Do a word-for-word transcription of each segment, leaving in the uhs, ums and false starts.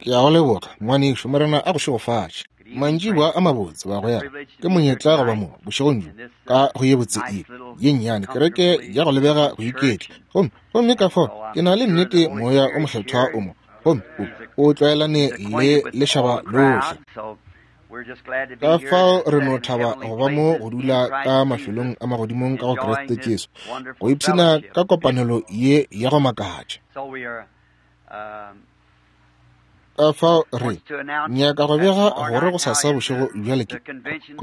Ke a go leboga, ngwanešu. Morena a go šegofatše. Mantšiboa a mabotse, bagwera. Ke monyetla go ba mo bošegong bjo ka go ye botse ye ye nnyane, kereke ya go lebega go iketla. Gomme gomme ka fao ke na le nnete Moya o Mokgethwa o mo, gomme o o tlwaelane le lešaba lohle. Ka fao re no thaba go ba mo go dula ka mafelong a magodimong ka go Kriste Jesu, go ipshina ka kopanelo ye ya go makatša. Ka fao re nyaka go bega gore gosasa bošego bjale ke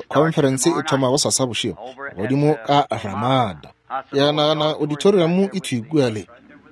khonferense e thoma gosasa bošego godimo ka Ramada. Ke a nagana auditorium e thwi kua le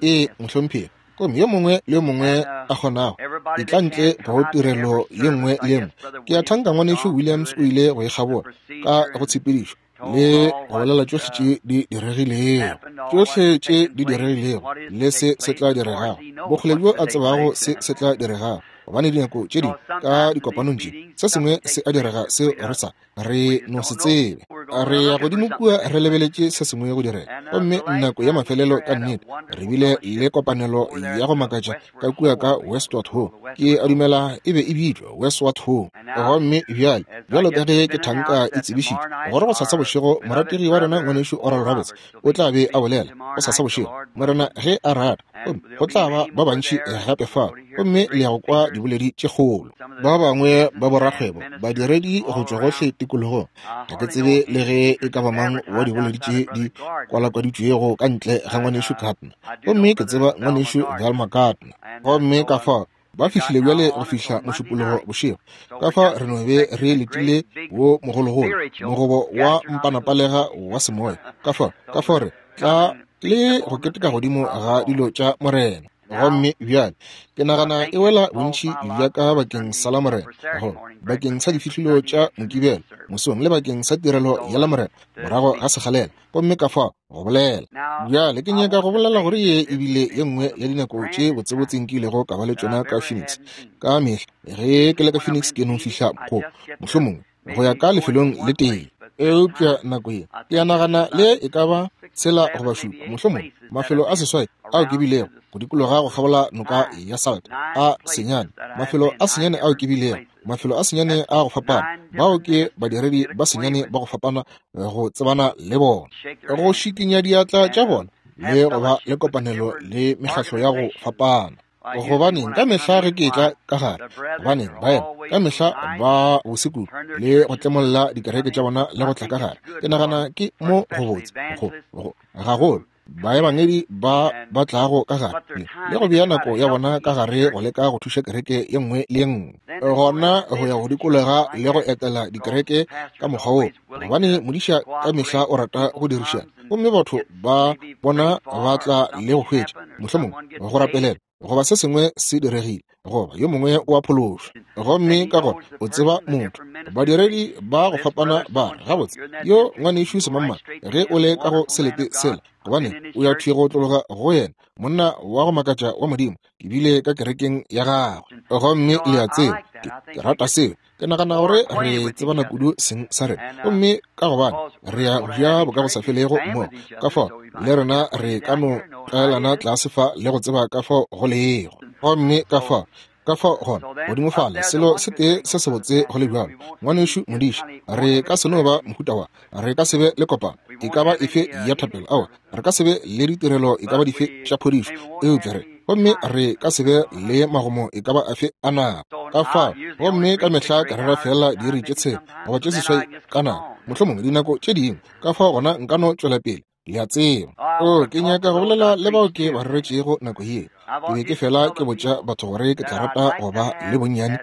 e mohlomphegi. Gomme yo mongwe le yo mongwe a kgonago e tla ntle go tirelo ye nngwe le ye nngwe. Ke a thanka ngwanešu Williams o ile go e kgabola ka go tshepedišo le go bolela tšohle tše di diregilego, tšohle tše di diregilego le se se tla diregago, bokgole bjo a tsebago se se tla diregago. Gobane dinako tše dingwe ka dikopanong tše se sengwe se a direga seo re sa re no se tsebe. Re ya godimo kua re lebeletše se sengwe go direga. Gomme nako ya mafelelo ka nnete re bile le kopanelo ya go makatša ka kua ka Westward Ho. Ke a dumela e be e bitšwa Westward Ho. Gomme bjale bjalo ka ge ke thanka e tsebišitšwe gore gosasa bošego morategi wa rena ngwanešu Oral Roberts o tla be a bolela gosasa bošego, Morena ge a rata. Gomme go tla ba ba bantši gape fao, gomme le ya go kwa diboledi tše kgolo. Ba bangwe ba borakgwebo, badiredi go tšwa gohle tikologong. Ga ke tsebe le ge e ka ba mang wa diboledi tše di kwalakwaditšwego ka ntle ga ngwanešu Gardner, gomme ke tseba ngwanešu Velma Gardner. Gomme ka fao ba fihlile bjale go fihla mošupologo bošego. Ka fao re no be re letile wo mogologolo, mogobo wa mpanapalega wa semoya. Ka fao ka fao re tla le go keteka godimo ga dilo tša Morena. Gomme bjale ke nagana e wela bontši bja ka bakeng sa la Morena, go bakeng sa difihlolo tša Mokibelo mosong le bakeng sa tirelo ya la Morena morago ga sekgalela. Gomme ka fao go bolela bjale ke nyaka go bolela gore ye ebile ye nngwe ya dinako tše botsebotse nkilego ka ba le tšona ka Phoenix. Ka mehla ge ke le ka Phoenix ke no fihla go mohlomongwe go ya ka lefelong le tee, eupša nako ye ke a nagana le e ka ba tshela goba šupa mohlomongwe mafelo a seswai ao ke bilego go dikologa go kgabola noka ya Salt a senyane, mafelo a senyane ao ke bilego, mafelo a senyane a go fapana, bao ke badiredi ba senyane ba go fapana go tsebana le bona, go šikinya diatla tša bona le go ba le kopanelo le mekgatlo ya go fapana. Gobaneng ka mehla ge ke etla ka gare, gobaneng baena ka mehla ba bosekudu le go tlemolla dikereke tša bona le go tla ka gare. Ke nagana ke mo go botse go go gagolo baebangedi ba ba tlago ka gare le go bea nako ya bona ka gare go leka go thuša kereke ye nngwe le ye nngwe, gona go ya go dikologa le go etela dikereke ka mokgwa woo, gobane modiša ka mehla o rata go dirišana, gomme batho ba bona ba tla le go hwetša mohlomongwe go rapelela goba se sengwe se diregile goba yo mongwe o a phološwa. Gomme ka gona o tseba motho, badiredi ba go fapana ba re gabotse yo ngwanešu semangmang ge o le ka go selete sela, gobane o ya thwi go tlologa go yena, monna wa go makatša wa Modimo, ke bile ka kerekeng ya gagwe. Gomme le a tseba ke, ke rata seo. Ke nagana gore re tsebana kudu seng sa rena, gomme ka gobane re ya go ja bokagosafelego mmogo, ka fao le rena re ka no tlwaelana tlase fa le go tseba ka fao go lego. Gomme ka fao ka fao gona godimo fale selo se tee se sebotse go le bjalo, ngwanešu modiša, re ka se no ba mohuta wa, re ka se be le kopano e ka ba efe ya thapelo, aowa, re ka se be le ditirelo e ka ba dife tša phodišo, eupša re gomme re ka se be le magomo e ka ba afe a nako. Ka fao gomme ka mehla ke rera fela diiri tše tshela goba tše seswai ka nako, mohlomongwe dinako tše dingwe. Ka fao gona nka no tšwela pele, le a tseba. O ke nyaka go bolela le bao ke ba reretšego nako ye. Ke be ke fela ke botša batho gore ke tla rata go ba le bonnyane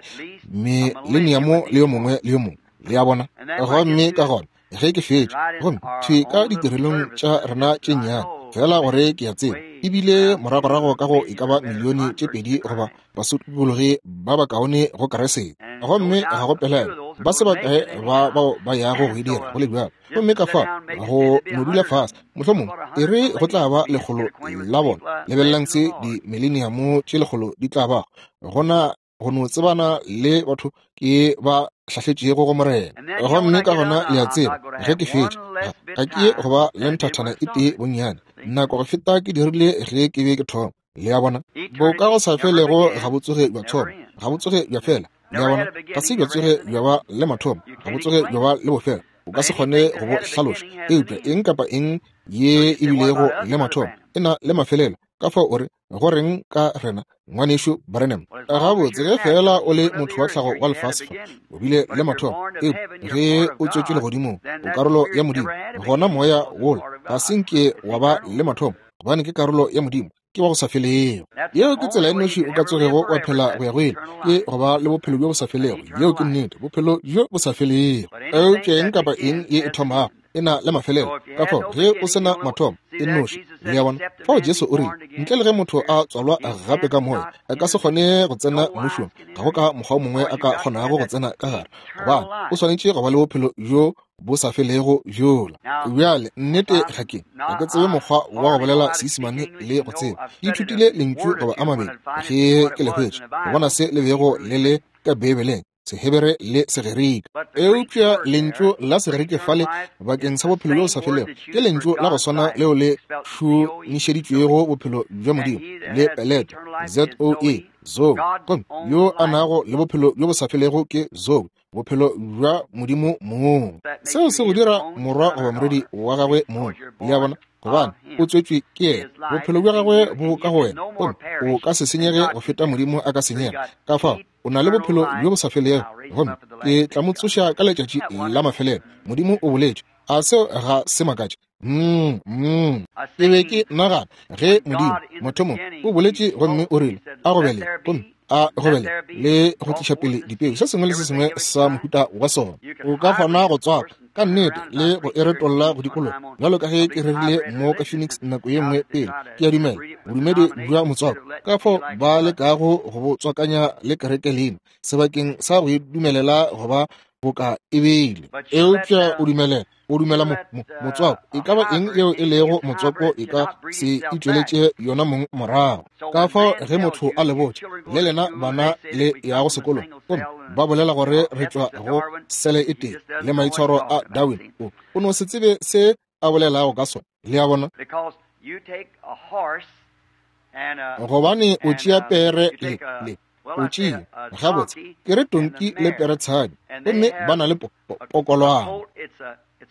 mileniamo le yo mongwe le yo mongwe, le a bona. Gomme ka gona ge ke fetša, gomme thwi ka ditirelong tša rena tše nnyane fela gore ke a tseba ebile moragorago ka go e ka ba milione tše pedi goba basokologi ba bakaone go Keresete. Gomme ga go pelaelo ba se bakae ba bao ba yago go e dira go le bjalo. Gomme ka fao go no dula fase mohlomongwe e re go tla ba lekgolo la bona. Lebelelang se dimileniamo tše lekgolo di tla bago gona go no tsebana le batho ke ba hlahletšego go Morena. Gomme ka gona le a tseba ge ke fetša, ga ke ye go ba le nthathana e tee bonnyane nako go feta ke dirile ge ke be ke thoma. Le a bona? Bo ka go sa felego ga bo tsoge bja thoma, ga bo tsoge bja fela. Le a bona? Ga se bja tsoge bja ba le mathomo, ga bo tsoge bja ba le bofelo. O ka se kgone go bo hlaloša. Eupša eng kapa eng ye e bilego le mathomo e na le mafelelo. Ka fao o re, go reng ka rena, ngwanešu Branham? Gabotse, ge fela o le motho wa tlhago wa lefase fa, o bile le mathomo. Eupša ge o tswetšwe legodimong, o karolo ya Modimo. Gona moya wola ga se nke wa ba le mathomo, gobane ke karolo ya Modimo, ke wa go sa felego. Yeo ke tsela e nnoši o ka tsogego wa phela go ya go ile, ke go ba le bophelo bjo bo sa felego. Yeo ke nnete, bophelo bjo bo sa felego. Eupša eng kapa eng ye e thomago e na le mafelelo. Ka fao ge o se na mathomo, e nnoši. Le a bona? Fao Jesu o rile, ntle le ge motho a tswalwa gape ka moya, a ka se kgone go tsena mmušong. Ga go ka mokgwa o mongwe a ka kgonago go tsena ka gare, gobane o swanetše go ba le bophelo bjo bo sa felego bjola. Bjale nnete ga ke ga ke tsebe mokgwa wa go bolela Seisemane le go tseba. Ke ithutile lentšu goba a mabedi ge ke le hwetša, go bona se le bego le le ka Beibeleng, Sehebere le Segerika. Eupša lentšu la Segerike fale bakeng sa bophelo bjo bo sa felego ke lentšu la go swana leo le šomišeditšwego bophelo bja Modimo le peleto, Z O E, Zoe. Gomme yo a nago le bophelo bjo bo sa felego ke Zoe, bophelo bja Modimo mong. Seo se go dira morwa goba morwedi wa gagwe mong. Le a bona? Gobane o tswetšwe ke yena, bophelo bja gagwe bo ka go wena, gomme o ka se senyege go feta Modimo a ka senyega. Ka fao o na le bophelo bjo bo sa felego, gomme ke tla mo tsoša ka letšatši la mafelelo. Modimo o boletše. A seo ga se makatše? Mm, mm. Ke be ke nagana ge Modimo mothomong o boletše gomme o rile a go bele, gomme a go bele le go tliša pele dipeu, se sengwe le se sengwe sa mohuta wa sona. O ka kgona go tswaka ka nnete le go e retolla go dikologa, bjalo ka ge ke rerile mo ka Phoenix nako ye nngwe pele. Ke a dumela bodumedi bja motswako, ka fao ba lekago go bo tswakanya le kereke leina sebakeng sa go e dumelela go ba boka e beile. Eupša o dumelela o dumela mo, mo, motswako, e ka ba eng yeo e lego motswako e ka se itšweletše yona mong morago. Ka fao ge motho a le botša, le lena bana le yago sekolong, gomme ba bolela gore re tšwa go sele e tee le maitshwaro a Darwin, o, o no se tsebe se a bolelago ka sona. Le a bona? Gobane o tšea pere le, le o tšea, gabotse, ke re tonki le peretshadi, gomme ba na le po, po, pokolwana.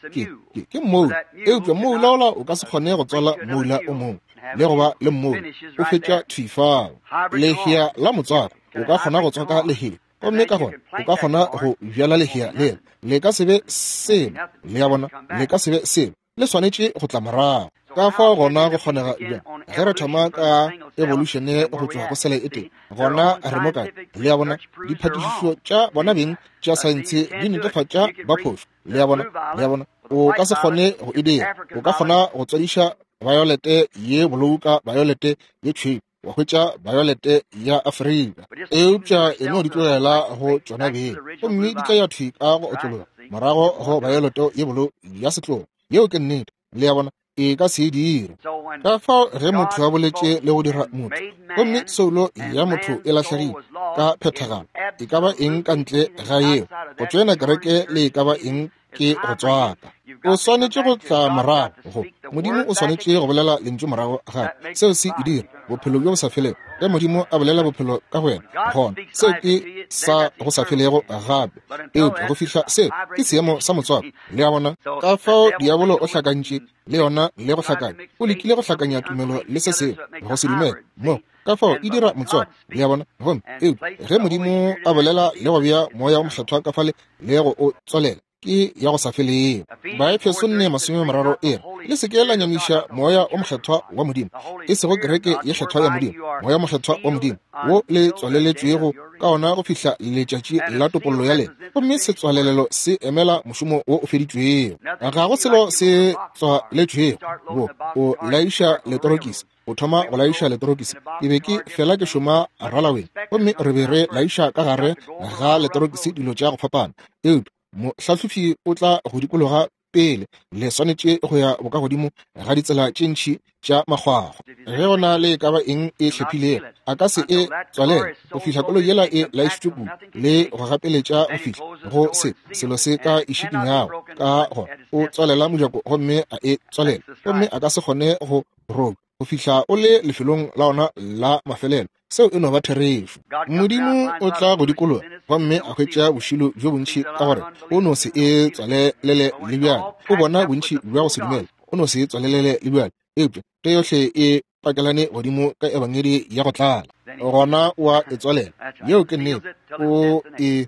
Ke, ke, ke mmoula. Eupša mmoula ola o ka se kgone go tswala mmoula o mongwe le go ba le mmoula, o fetša thwi fao. Lehea la motswako, o ka kgona go tswaka lehea, gomme ka gona o ka kgona go bjala lehea lela. Le ka se be selo. Le a bona? Le ka se be selo. Le swanetše go tla morago. Ka fao gona go kgonega bjang ge re thoma ka evolution go tšwa go sele e tee, gona re mo kae? Le a bona? Diphatišišo tša bona beng tša saense di netefatša ba phošo. Le a bona? Le a bona? O ka se kgone go e dira. O ka kgona go tswadiša violete ye bolou ka violete ye tšhweu, wa hwetša violete ya Afrika. Eupša e no di tlogela go tšona beng, gomme di tla ya thwi ka go otlologa morago go violete ye bolou ya setlogo. Yeo ke nnete. Le a bona? E ka se e dire. Ka fao ge motho a boletše le go dira motho, gomme soulo ya motho e lahlegile ka phethagalo, e ka ba eng ka ntle ga yeo, go tšoena kereke le e ka ba eng ke go tswaka. O swanetše go tla morago go Modimo, o swanetše go bolela lentšu morago gape. Seo se e dira bophelo bjo bo sa felego. Ge Modimo a bolela bophelo ka go wena, gona seo ke sa go sa felego gape. Eupša go fihla seo ke seemo sa motswako. Le a bona? Ka fao diabolo o hlakantše le yona le go hlakanya. O lekile go hlakanya tumelo le se sengwe, go se dumele mo. Ka fao e dira motswako. Le a bona? Gomme eupša ge Modimo a bolela le go bea moya o mokgethwa ka fale le go o tswalela, ke ya go sa felego. Baefeso nne masome mararo e re, le se ke la nyamiša moya o mokgethwa wa Modimo, e sego kereke ye kgethwa ya Modimo, moya mokgethwa wa Modimo wo le tswaleletšwego ka ona go fihla letšatši la topollo ya lena. Gomme setswalelelo se emela mošomo wo o feditšwego. Ga go selo se tswaletšwego wo o laiša letorokisi. O thoma go laiša letorokisi. Ke be ke fela ke šoma ralaweng, gomme re be re laiša ka gare ga letorokisi dilo tša go fapana. Eupša mohlahlofi o tla go dikologa pele, le swanetše go ya bokagodimo ga ditsela tše ntši tša makgwakgwa. Ge go na le e ka ba eng e hlephilego, a ka se e tswalele go fihla koloi yela e laišitšwe kudu le go gapeletša go fihla go se selo se ka e šikinyago. Ka gona o tswalela mojako gomme a e tswalela, gomme a ka se kgone go robja. go fihla o le lefelong la ona la mafelelo. Seo e no ba therešo. Modimo o tla go dikologa gomme a hwetša bošilo bjo bontši ka gore o no se e tswalelele le bjale. O bona bontši bja go se dumele, o no se e tswalelele le bjale. Eupša ge yohle e pakelane godimo ka ebangedi ya go tlala, gona o a e tswalela. Yeo ke nnete. O e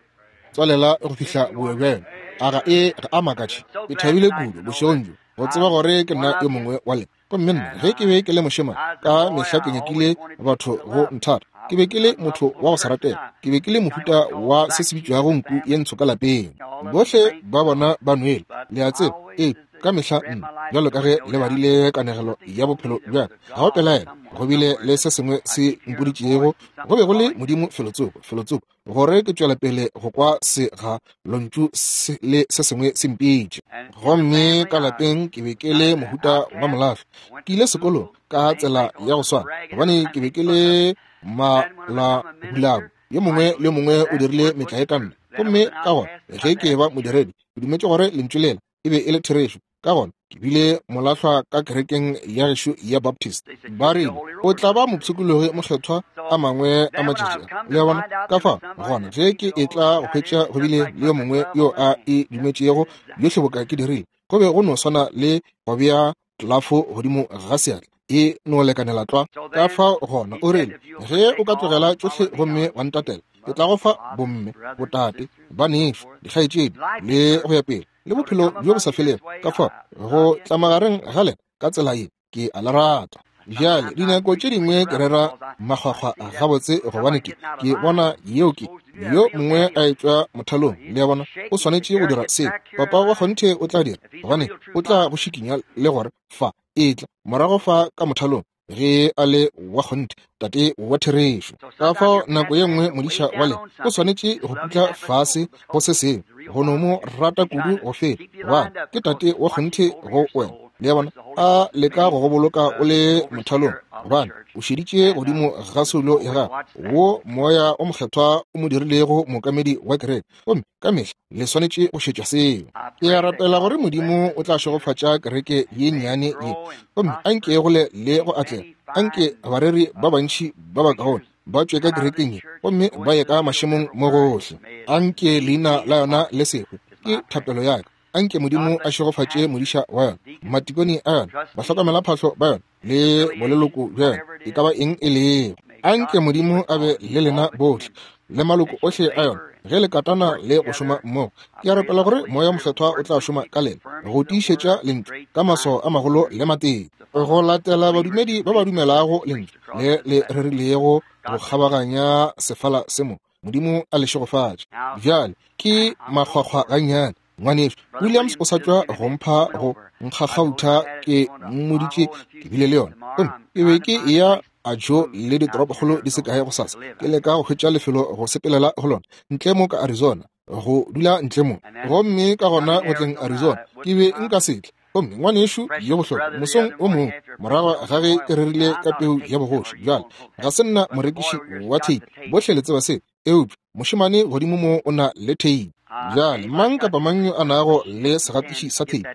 tswalela go fihla boyo bja yona. A ga e ga a makatše. Ke thabile kudu bošegong bjo go tseba gore ke nna yo mongwe wa lena. Gomme nna ge ke be ke le mošemane, ka mehla ke nyakile batho go nthata. Ke be ke le motho wa go se ratega. Ke be ke le mohuta wa se se bitšwago nku ye ntsho ka lapeng. Bohle ba bona ba nwele, le a tseba. Ee, ka mehla nna, bjalo ka ge le badile kanegelo ya bophelo bja ka, ga go pelaelo go bile le se sengwe se mpoditšego. Go be go le Modimo felotsoko, felotsoko, gore ke tšwela pele go kwa se ga lontšu se le se sengwe se mpitše. Gomme ka lapeng ke be ke le mohuta wa molahlo. Ke ile sekolong ka tsela ya go swana, gobane ke be ke le malahulabu. Yo mongwe le yo mongwe o dirile metlae ka nna. Gomme ka gona ge ke ba modiredi, ke dumetše gore lentšu lela e be e le therešo. Ka gona ke bile molahlwa ka kerekeng ya gešo ya Baptist. Ba rile o tla ba mopshikologi mokgethwa a mangwe a matšatši a. Le a bona? Ka fao gona ge ke etla go hwetša go bile le yo mongwe yo a e dumetšego yohle boka ke dirile, go be go no swana le go bea tlelafo godimo ga seatla, e no lekanela tlwa. Ka fao gona o rile, ge o ka tlogela tšohle gomme wa ntatela, ke tla go fa bomme, botate, banešo, dikgaetšedi, le go ya pele, le bophelo bjo bo sa felego. Ka fao go tla magareng ga lena ka tsela ye, ke a le rata. Bjale dinako tše dingwe ke rera makgwakgwa gabotse, gobane ke ke bona yeo ke yo mongwe a etšwa mothalong. Le a bona, o swanetše go dira seo. Papa wa kgonthe o tla dira, gobane o tla go šikinya le gore fa etla morago fa ka mothalong ge a le wa kgonthe, tate wa therešo. Ka fao nako ye nngwe modiša wa lena o swanetše go putla fase go se sengwe, go no mo rata kudu go feta, gobane ke tate wa kgonthe go wena. Le a bona, a leka go go boloka o le mothalong, gobane o šeditše godimo ga soulo ya gagwe, wo moya o mokgethwa o mo dirilego mookamedi wa kereke. Gomme ka mehla le swanetše go šetša seo. Ke a rapela gore Modimo o tla šegofatša kereke ye nnyane ye, gomme anke e gole le go atlega. Anke bareri ba bantši ba bakaone ba tšwe ka kerekeng ye gomme ba ye ka mašemong mo gohle. Anke leina la yona le se hwe, ke thapelo ya ka. Anke Modimo a šegofatše modiša wa yona, matikone a yona, bahlokomelaphahlo ba yona, le boleloko bja yona, e ka ba eng e lego. Anke Modimo a be le lena bohle le maloko ohle a yona ge le katana le go šoma mmogo. Ke a rapela gore moya mokgethwa o tla šoma ka lena go tiišetša lentšu ka maswao a magolo le matee, go latela badumedi ba ba dumelago lentšu le le rerilego go kgabaganya sefala se mo. Modimo a le šegofatše. Bjale ke makgwakgwa gannyane. Ngwanešu Williams o sa tšwa go mpha go nkgakgautha, ke mmoditše ke bile le yona. Gomme ke be ke eya a jo le ditoropokgolo di se kae gosasa, ke leka go hwetša lefelo go sepelela go lona ntle mo ka Arizona, go dula ntle mo. Gomme ka gona go tleng Arizona ke be nka se tle. Gomme ngwanešu yo bohlokwa, mosong o mongwe morago ga ge ke rerile ka peu ya bogoši, bjale ga se nna morekiši wa theipi, bohle le tseba se, eupša mošemane godimo mo o na le theipi. Bjale mang kapa mang yo a nago le segatiši sa theipi,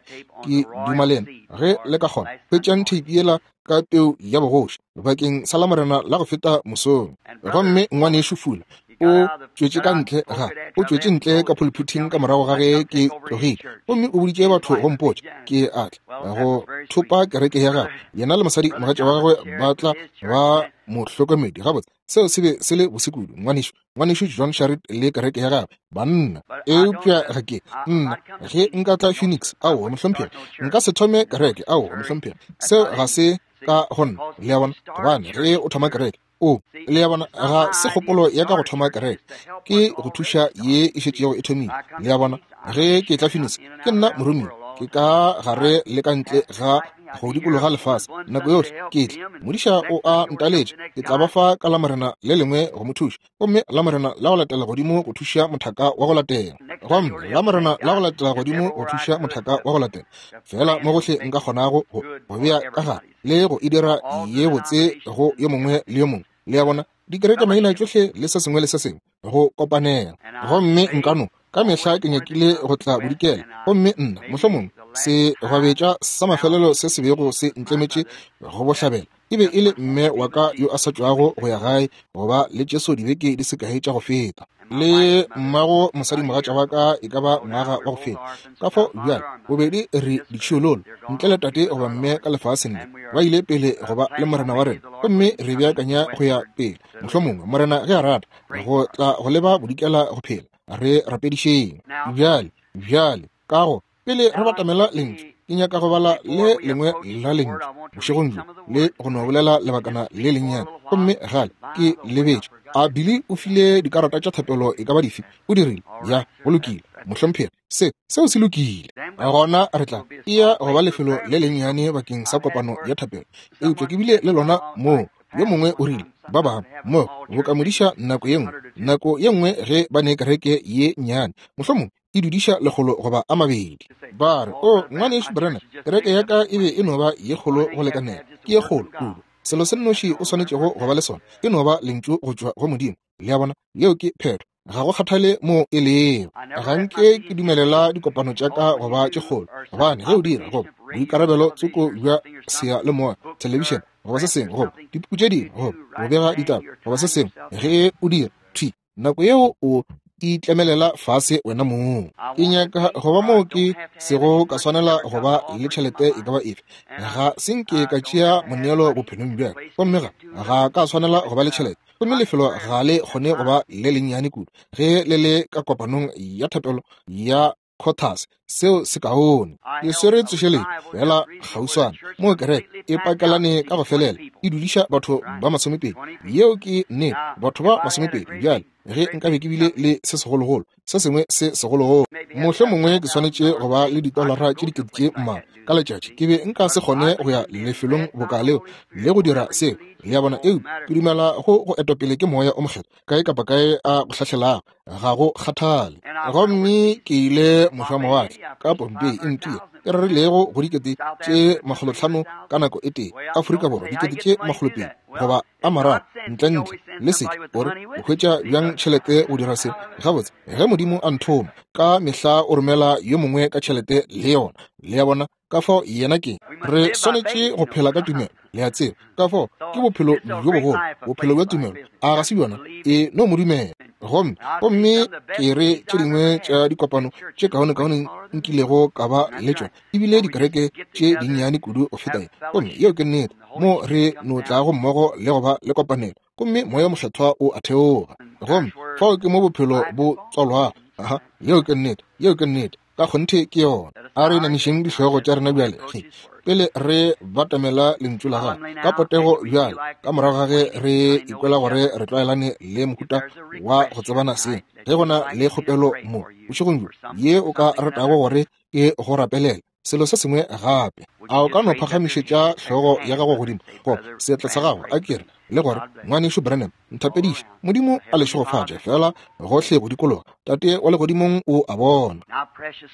ke duma lena ge le ka kgona, hwetšang theipi yela ka peu ya bogoši bakeng sa Lamorena la go feta mosong. Gomme ngwanešu Fula o tšwetše ka ntle ga o tšwetše ntle ka pulpiting ka morago ga ge ke tlogile, gomme o boditše batho go mpotša ke a tla go thopa kereke ya gagwe. Yena le mosadi mogatša wa gagwe ba tla ba mohlokomedi. Gabotse seo se be se le bose kudu. Ngwanešu ngwanešu John Sharrit le kereke ya gagwe, banna. Eupša ga ke nna ge nka tla Phoenix, aowa mohlomphegi, nka se thome kereke, aowa mohlomphegi, seo ga se ka go nna. Le a bona, gobane ge o thoma kereke, o le a bona, ga se kgopolo ya ka go thoma kereke, ke go thuša ye e šetšego e thomile. Le a bona, ge ke tla Phoenix, ke nna moromiwa, ke ka gare le ka ntle ga go dikologa lefase nako yohle ke tla. Modiša o a ntaletša, ke tla ba fa ka Lamorena le lengwe go mo thuša, gomme Lamorena la go latela godimo go thuša mothaka wa go latela, gomme Lamorena la go latela godimo go thuša mothaka wa go latela. Fela mo gohle nka kgonago go go bea ka gare le go e dira ye botse go yo mongwe le yo mongwe. Le a bona, dikereke maina tšohle le se sengwe le se sengwe go kopanela. Gomme nka no Ka mehla ke nyakile go tla bodikela, gomme nna mohlomongwe se gwabetša sa mafelelo se se bego se ntlemetše go bohlabela e be e le mme wa ka yo a sa tšwago go ya gae goba le Jesu dibeke di se kae tša go feta, le mmago mosadimogatša wa ka e ka ba ngwaga wa go feta. Ka fao bjale bobedi re ditšhiololo ntle le tate goba mme ka lefaseng le, ba ile pele goba le Morena wa rena, gomme re beakanya go ya pele mohlomongwe Morena ge a rata go tla go leba bodikela go phela. Re rapedišeng bjale. Bjale ka go pele re batamela lentšu, ke nyaka go bala le lengwe la lentšu bošegong bjo le go no bolela lebakana le lennyane. Gomme gale ke lebetše, a Billy o file dikarata tša thapelo e ka ba dife? O dirile ya, go lokile mohlomphegi, se seo se lokile. Gona re tla eya go ba lefelo le lennyane bakeng sa kopano ya thapelo, eupša ke bile le lona moo yo mongwe o rile ba bangwe mo bokamodiša nako ye nngwe, nako ye nngwe ge ba ne kereke ye nnyane mohlomongwe e dudiša lekgolo goba a mabedi, ba re, o ngwanešu Branham, kereke ya ka e be e no ba ye kgolo go lekanela, ke ye kgolo kudu. Selo se nnoši o swanetšego go ba le sona e no ba lentšu go tšwa go Modimo. Le a bona, yeo ke phetho, ga go kgathale mo e lego. Ga nke ke dumelela dikopano tša ka go ba tše kgolo, gobane ge o dira goba boikarabelo tsoko bja seyalemoya, thelebišene goba se sengwe, goba dipuku tše dingwe, goba go bega ditaba goba se sengwe, ge o dira thwi nako yeo o itlemelela fase wena mong. Ke nyaka go ba moo ke sego ka swanela go ba le tšhelete e ka ba efe. Ga se nke ka tšea moneelo bophelong bja ka, gomme ga ga ka swanela go ba le tšhelete. Gomme lefelo ga le kgone go ba le lennyane kudu ge le le ka kopanong ya thapelo ya Cotas, seo se kaone. Ke swere tsošeletšo fela kgauswana moo kereke e pakelane ka go felela e dudiša batho ba masomepedi. Yeo ke nnete, batho ba masomepedi. Bjale ge nkabe ke bile le se segologolo, se sengwe se segologolo, mohlomongwe ke swanetše go ba le ditolara tše dikete tše mmalwa ka letšatši, ke be nka se kgone go ya lefelong boka leo le go dira seo. Le a bona? Eupša ke dumela go go etwapele ke Moya o Mokgethwa kae kapa kae a go hlahlelago, ga go kgathale. Gomme ke ile mošwamawatle ka Pompei e ntia e rerilego go dikete tše makgolotlhano ka nako e tee, Afrika Borwa dikete tše makgolopedi goba a mararo, ntlentle le seke. Gore o hwetša bjang tšhelete go dira se? Gabotse, ge Modimo a nthoma, ka mehla o romela yo mongwe ka tšhelete le yona. Le a bona? Ka fao yena ke re swanetše go phela ka tumelo, le a tseba. Ka fao ke bophelo bjo bogolo, bophelo bja tumelo. A ga se bjona? E no mo dumela. Gomme gomme ke re tše dingwe tša dikopano tše kaonekaone nkilego ka ba le tšona ebile dikereke tše dinnyane kudu go feta ye. Gomme yeo ke nnete, mo re no tlago mmogo le go ba le kopanelo, gomme Moya Mokgethwa o a theoga. Gomme fao ke mo bophelo bo tswalwago. Aha, yeo ke nnete, yeo ke nnete, ka kgonthe ke yona. A re inamišeng dihlogo tša rena bjale ge pele re batamela lentšu la gagwe ka potego bjale, ka morago ga ge re ikwela gore re tlwaelane le mohuta wa go tsebana seng. Ge go na le kgopelo mo bošegong bjo ye o ka ratago gore ke go rapelela selo se sengwe gape, a o ka no phagamišetša hlogo ya gago godimo goba seatla sa gago, a kere le gore, ngwanešu Branham, nthapediše. Modimo a le šegofatše fela gohle go dikologa. Tate wa legodimong o a bona.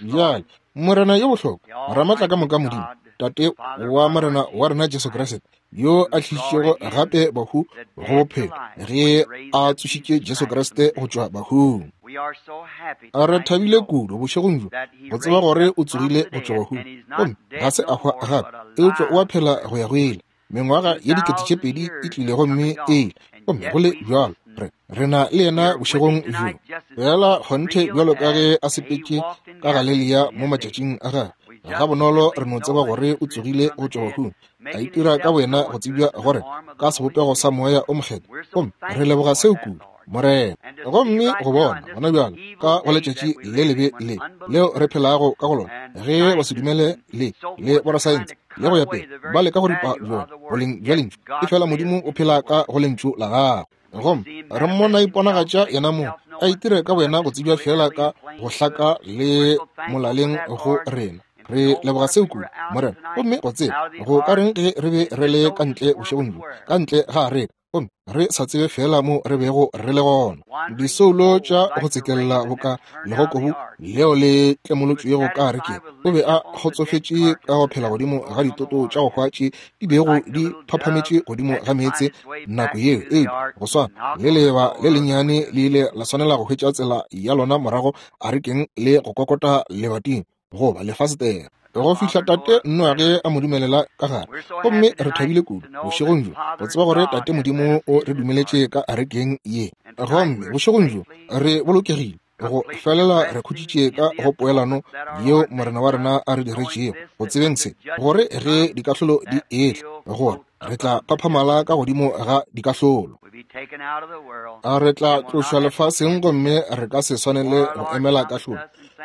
Bjale Morena yo bohlokwa, Ramatla ka moka Modimo, Tate wa Morena wa rena Jesu Kriste, yo a tlišitšego gape bahu go bophelo ge a tsošitše Jesu Kriste go tšwa bahung. A re thabile kudu bošegong bjo go tseba gore o tsogile go tšwa bahung, gomme ga se a hwa gape, eupša o a phela go ya go ile. Mengwaga ye dikete tše pedi e tlile gomme e ile, gomme go le bjalo re re na le yena bošegong bjo. Fela kgonthe bjalo ka ge a sepetše ka Galelia mo matšatšing a gagwe, ga bonolo re no tseba gore o tsogile go tšwa bahung, a itira ka boyena go tsebja gore ka sebopego sa Moya o Mokgethwa, gomme re leboga seo kudu, Morena. Gomme go bona gona bjalo ka go letšatši le lebe le leo re phelago ka go lona, ge ba se dumele le le borasaense le go ya pele ba leka go ripa bjona boleng bja lentšu, efela Modimo o phela ka go lentšu la gagwe. Gomme re mmona iponagatša yena mong, a itire ka boyena go tsebja fela ka go hlaka le molaleng go rena. Re leboga seo kudu, Morena. Gomme go tseba go ka reng ge re be re le ka ntle bošegong bjo, ka ntle ga areka, gomme re sa tsebe fela mo re bego re le gona. Disoulo tša go tsekella boka legokobu leo le tlemolotšwego ka arekeng. O be a kgotsofetše ka go phela godimo ga ditoto tša go hwa tše di bego di phaphametše godimo ga meetse nako yeo. Eupša go swana le leeba le lennyane le ile la swanela go hwetša tsela ya lona morago arekeng le go kokota lebating goba lefasetere go fihla Tate Noage a mo dumelela ka gare. Gomme re thabile kudu bošegong bjo go tseba gore Tate Modimo o re dumeletše ka arekeng ye. Gomme bošegong bjo re bolokegile go felela, re khutšitše ka go poelano yeo Morena wa rena a re diretšego, go tsebeng se gore ge dikahlolo di etla, gore re tla phaphamala ka godimo ga dikahlolo. A re tla tlošwa lefaseng gomme re ka se swanele go emela kahlolo,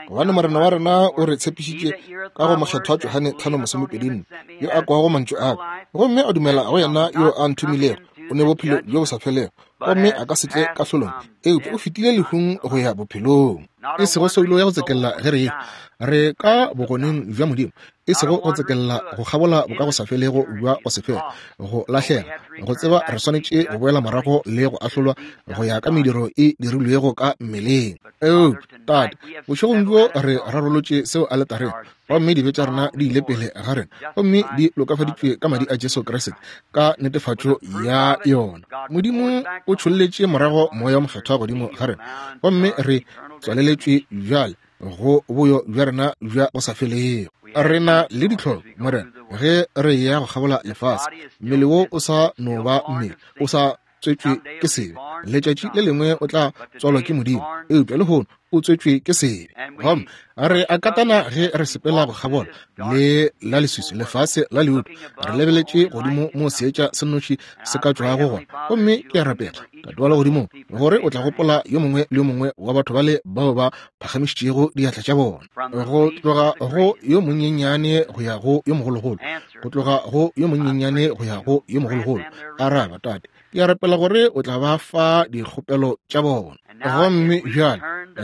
gobane Morena wa rena o re tshepišitše ka go Mokgethwa Johane tlhano masomepedi nne, yo a kwago mantšu a ka gomme a dumela go yena yo a nthomilego, o ne bophelo bjo bo sa felego, gomme a ka se tle kahlolong, eupša o fetile lehung go ya bophelong. E sego soulo ya go tsekella ge re ehwa, re ka bogoneng bja Modimo, e sego go tsekella go kgabola bokagosafelego bja go se fele, go lahlega, go tseba re swanetše go boela morago le go ahlolwa go ya ka mediro e dirilwego ka mmeleng. Eupša Tate, bošegong bjo re rarolotše seo aletareng, gomme dibe tša rena di ile pele ga rena, gomme di lokafaditšwe ka madi a Jesu Kriste ka netefatšo ya yona. Modimo o tšholletše morago Moya o Mokgethwa godimo ga rena, gomme re tswaleletšwe bjale go boyo bja rena bja go sa felego. Re na le ditlhoko, Morena, ge re ya go kgabola lefase. Mmele wo o sa no ba mmele, o sa tswetšwe ke sebe. Letšatši le lengwe o tla tswalwa ke Modimo, eupša lehono o tswetšwe ke sebe. Gomme re a katana ge re sepela go kgabola le la leswiswi lefase la leuto, re lebeletše godimo mo seetša se nnoši se ka tšwago gona. Gomme ke a rapela, Tate wa legodimong, gore o tla gopola yo mongwe le yo mongwe wa batho bale bao ba phagamišitšego diatla tša bona, go tloga go yo monyenyane go ya go yo mogologolo, go tloga go yo monyenyane go ya go yo mogologolo. Araba, Tate, ke a rapela gore o tla ba fa dikgopelo tša bona. Gomme bjale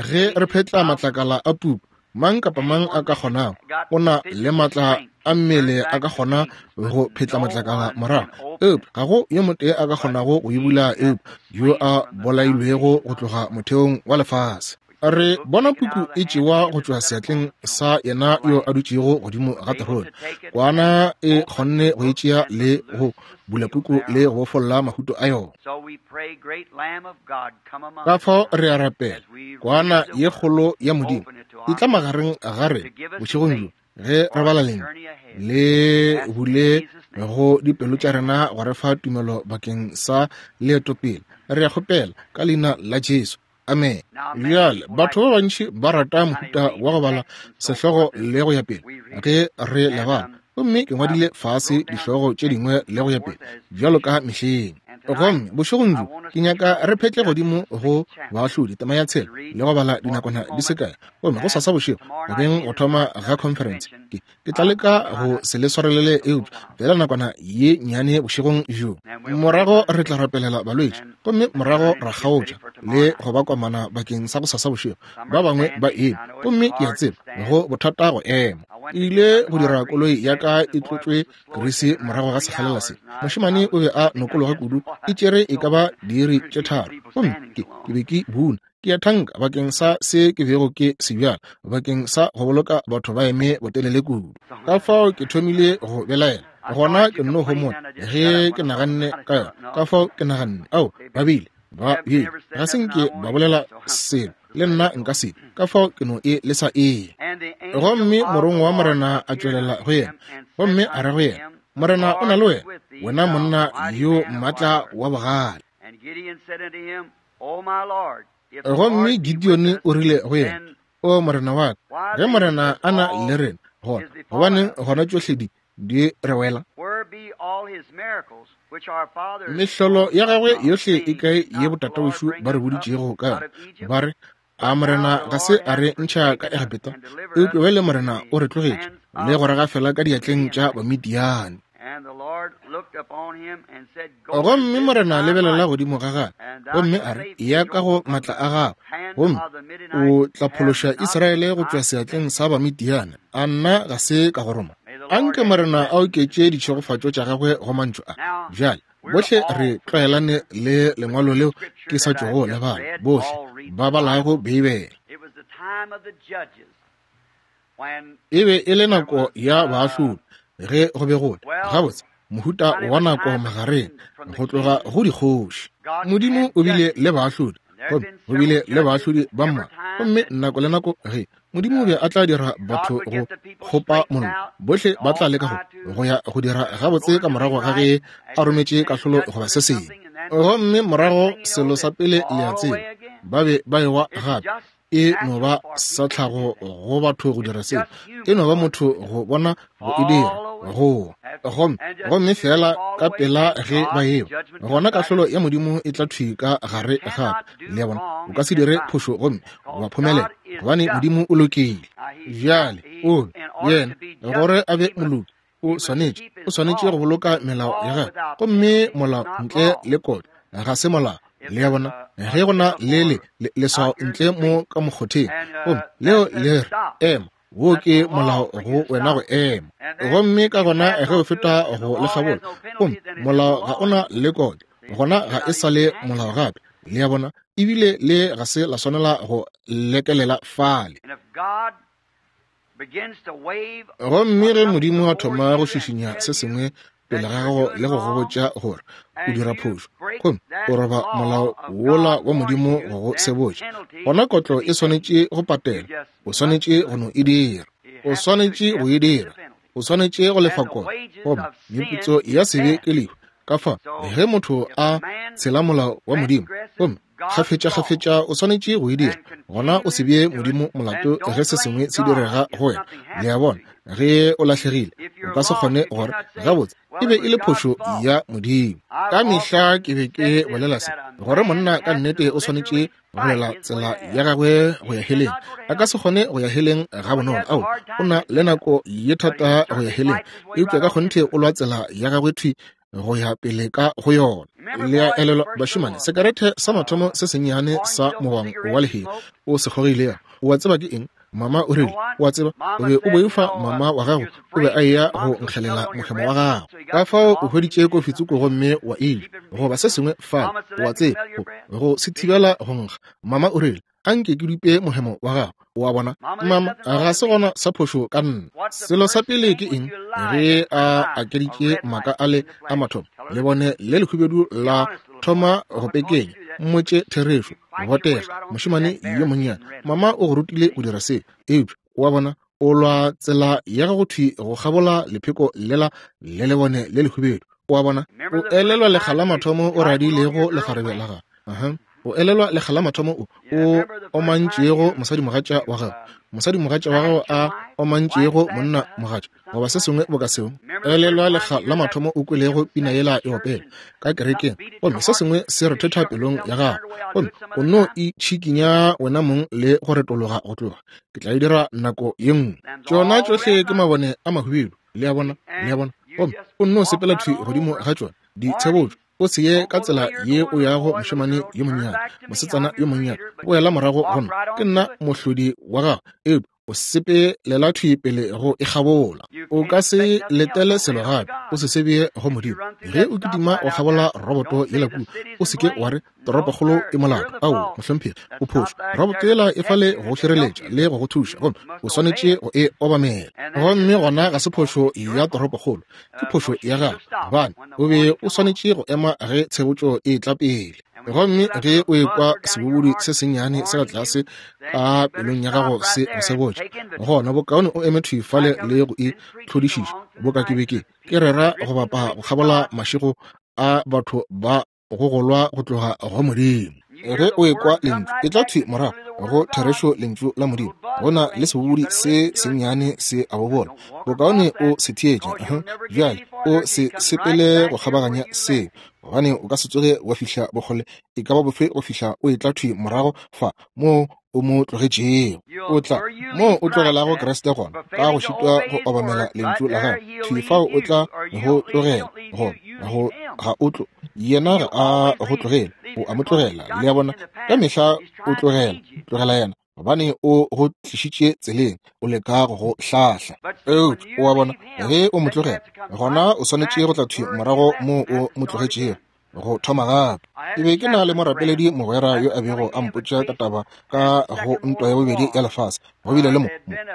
ge re phetla matlakala a puku, mang kapa mang a ka kgonago, o na le matla a mmele a ka kgona go phetla matlakala morago, eupša ga go yo motee a ka kgonago go e bula eupša yo a bolailwego go tloga motheong wa lefase. Re bona puku e tšewa go tšwa seatleng sa yena yo a dutšego godimo ga terone. Kwana e kgonne go e tšea le go bula puku le go bofolla mahuto a yona. Ka fao re a rapela, Kwana ye kgolo ya Modimo e tla magareng ga rena bošegong bjo ge re bala lentšu, le bule go dipelo tša rena go re fa tumelo bakeng sa leeto pele. Re a kgopela ka leina la Jesu. Amen. Bjale batho ba bantši ba rata mohuta wa go bala sehlogo le go ya pele ge re le bala, gomme ke ngwadile fase dihlogo tše dingwe le go ya pele bjalo ka mehleng. Gomme bošegong bjo ke nyaka re phetle godimo go Baahlodi tema ya tshela le go bala dinakwana di se kae. Gomme go sasa bošego go beng go thoma ga conference, ke ke tla leka go se le swarelele eupša fela nakwana ye nnyane bošegong bjo. Morago re tla rapelela balwetši, gomme morago ra kgaotša le go ba komana bakeng sa go sasa bošego. Ba bangwe ba eme, gomme ke a tseba go bothata go ema. Ke ile go dira koloi ya ka e tlotšwe grease morago ga sekgalela se. Mošemane o be a nokologa kudu, e tšere e ka ba diiri tše tharo, gomme ke ke be ke buna. Ke a thanka bakeng sa se ke bego ke se bjala, bakeng sa go boloka batho ba eme botelele kudu. Ka fao ke thomile go belaela, gona ke nno homola ge ke naganne ka yona. Ka fao ke naganne, ao, ba bile ba bile ga se nke ba bolela selo le nna nka se, ka fao ke no e le sa ee. Gomme morongwa wa Morena a tšwelela go yena, gomme a re go yena, Morena o na le wena, wena monna yo maatla wa bogale. Gomme Gideone o rile go yena, O Morena wa ka, ge Morena a na le rena, gona gobaneng gona tšohle di di re wela? Mehlolo ya gagwe yohle e kae ye botatawešo ba re boditšego ka yona, ba re, a Morena ga se a re ntšha ka Egepeta? Eupša bjale Morena o re tlogetše le go re gafela ka diatleng tša Bamidiane. Gomme Morena a lebelela godimo ga gagwe, gomme a re, ya ka go matla a gago, gomme o tla phološa Israele go tšwa seatleng sa Bamidiane. A nna ga se ka go roma? Anke Morena a oketše ditšhegofatšo tša gagwe go mantšu a. Bjale bohle re tlwaelane le lengwalo leo ke sa tšwago le bala, bohle ba balago Beibele. E be e le nako ya baahlodi ge go be go le gabotse mohuta wa nako magareng go tloga go dikgoši. Modimo o bile le baahlodi, gomme go bile le baahlodi ba mmalwa, gomme nako le nako ge Modimo o be a tla dira batho go kgopa mollo, bohle ba tla leka go go ya go dira gabotse ka morago ga ge a rometše kahlolo goba se sengwe. Gomme morago selo sa pele le a tseba, ba be ba ewa gape. E no ba sa tlhago go batho go dira seo, e no ba motho go bona go e dira go gomme gomme fela ka pela ge ba ewa, gona kahlolo ya Modimo e tla thwi ka gare gape. Le a bona, o ka se dire phošo gomme wa phomelela, gobane Modimo o lokile. Bjale o yena gore a be moloki, o swanetše o swanetše go boloka melao ya gagwe, gomme molao ntle le kotlo ga se molao. Le a bona, ge go na le le leswao ntle mo ka mokgotheng, gomme leo le re ema, wo ke molao go wena go ema. Gomme ka gona ge o feta go le kgabola, gomme molao ga ona le kotlo, gona ga e sa le molao gape. Le a bona, ebile le ga se la swanela go lekelela fale. Gomme ge Modimo a thoma go šišinya se sengwe pele ga gago le go go botša gore o dira phošo, gomme o roba molao wola wa Modimo go go sebotša, gona kotlo e swanetše go patela. O swanetše go no e dira, o swanetše go e dira, o swanetše go lefa kotlo. Gomme meputso ya sebe ke lehu. Ka fa ge motho a tshela molao wa Modimo gomme kgafetša-kgafetša o swanetše go e dira, gona o se bee Modimo molato ge se sengwe se direga go wena. Le a bona, ge o lahlegile o ka se kgone gore gabotse e be e le phošo ya Modimo. Ka mehla ke be ke bolela se, gore monna ka nnete o swanetše go lwela tsela ya gagwe go ya heleng. A ka se kgone go ya heleng ga bonolo. Ao, o na le nako ye thata go ya heleng, eupša ka kgonthe o lwa tsela ya gagwe thwi go ya pele ka go yona. Le a elelwa bašemane, sekarete sa mathomo se sennyane sa mogwang wa lehea o se kgogilego, o a tseba ke eng? Mama o rile, o a tseba, o be o boifa mama wa gago o be a eya go nkgelela mohemo wa gago. Ka fao o hweditše kofi tsoko gomme wa eja goba se sengwe fale, o a tseba, go se thibela go nkga. Mama o rile, anke ke dupe mohemo wa gago. O a bona, mama, ga se gona sa phošo ka nna. Selo sa pele ke eng? Ge a akeditše maaka ale a mathomo, le bone le lehubedu la thoma go pekenya. Mmotše therešo, botega, mošemane yo monnyane. Mama o go rutile go dira se, eupša o a bona, o lwa tsela ya gago thwi go kgabola lepheko lela le lebone le lehubedu. O a bona, o elelwa lekga la mathomo o radilego lekgarebe la gago. Aha. O elelwa lekga la mathomo o o omantšego mosadimogatša wa gago, mosadimogatša wa gago a omantšego monna mogatša, goba se sengwe boka seo. Elelwa lekga la mathomo o kwelego pina yela e opela ka kerekeng, gomme se sengwe se rethetha pelong ya gago, gomme o no itšhikinya wena mong le go retologa go tloga. Ke tla e dira nako ye nngwe. Tšona tšohle ke mabone a mahubedu. Le a bona, le a bona, gomme o nno sepela thwi godimo ga tšona ditshebotšo. O se ye ka tsela ye o yago, mošemane yo monnyane, mosetsana yo monnyane, boela morago go nna. Ke nna mohlodi wa gago, eupša o sepelela thwi pele go e kgabola. O ka se letele selo gape, o se sebeye go Modimo. Ge o kitima o kgabola roboto yela kua, o se ke wa re toropokgolo e molato. Ao, mohlomphegi, o phošo. Roboto yela e fale go šireletša le go go thuša, gomme o swanetše go e obamela. Gomme gona ga se phošo ya toropokgolo, ke phošo ya gago, gobane o be o swanetše go ema ge tshebotšo e tla pele. Gomme ge o ekwa sebobodi se sennyane se ka tlase ka pelong ya gago se go sebotša, gona bokaone o eme thwi fale le go e hlodišiša. Boka ke be ke ke rera go bapa go kgabola mašego a batho ba go golwa go tloga go Modimo. Ge o ekwa lentšu, e tla thwi morago go therešo lentšu la Modimo. Go na le sebobodi se sennyane se a bobola, bokaone o se theetše. Bjale o se sepele go kgabaganya seo, gobane o ka se tsoge wa fihla bokgole e ka ba bofe go fihla o etla thwi morago fa moo o mo tlogetšego. O tla mo o tlogelago Kriste gona, ka go šitwa go obamela lentšu la gagwe, thwi fao o tla go tlogela, go go ga o tlo yena ga a go tlogele, o a mo tlogela. Le a bona, ka mehla o tlogela, tlogela yena, gobane o go tlišitše tseleng, o leka go go hlahla. Eupša o a bona, ge o mo tlogela, gona o swanetše go tla thwi morago mo o mo tlogetšego, go thoma gape. Ke be ke na le morapeledi mogwera yo a bego a mpotša ka taba ka go ntwa ya bobedi ya lefase. Go bile le mo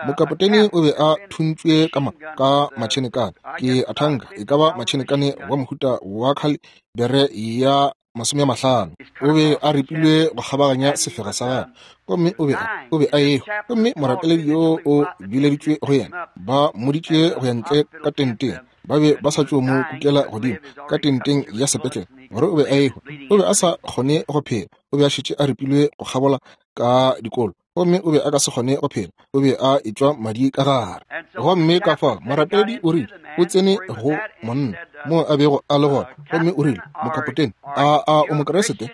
mokapotene o be a thuntšwe ka ma ka matšhenekane, ke a thanka e ka ba matšhenekane wa mohuta wa khalibere ya masome a mahlano. O be a ripilwe go kgabaganya sefega sa gagwe, gomme o be o be a ehwa. Gomme morapeledi yo o bileditšwe go yena, ba mmoditše go ya ntle ka tenteng. Ba be ba sa tšo mo kukela godimo ka tenteng ya sepetlele gore o be a ehwa. O be a sa kgone go phela, o be a šetše a ripilwe go kgabola ka dikolo, gomme o be a ka se kgone go phela, o be a etšwa madi ka gare. Gomme ka fao morapedi o rile o tsene go monna mo a bego a le gona, gomme o rile, mokapotene, a a o Mokriste?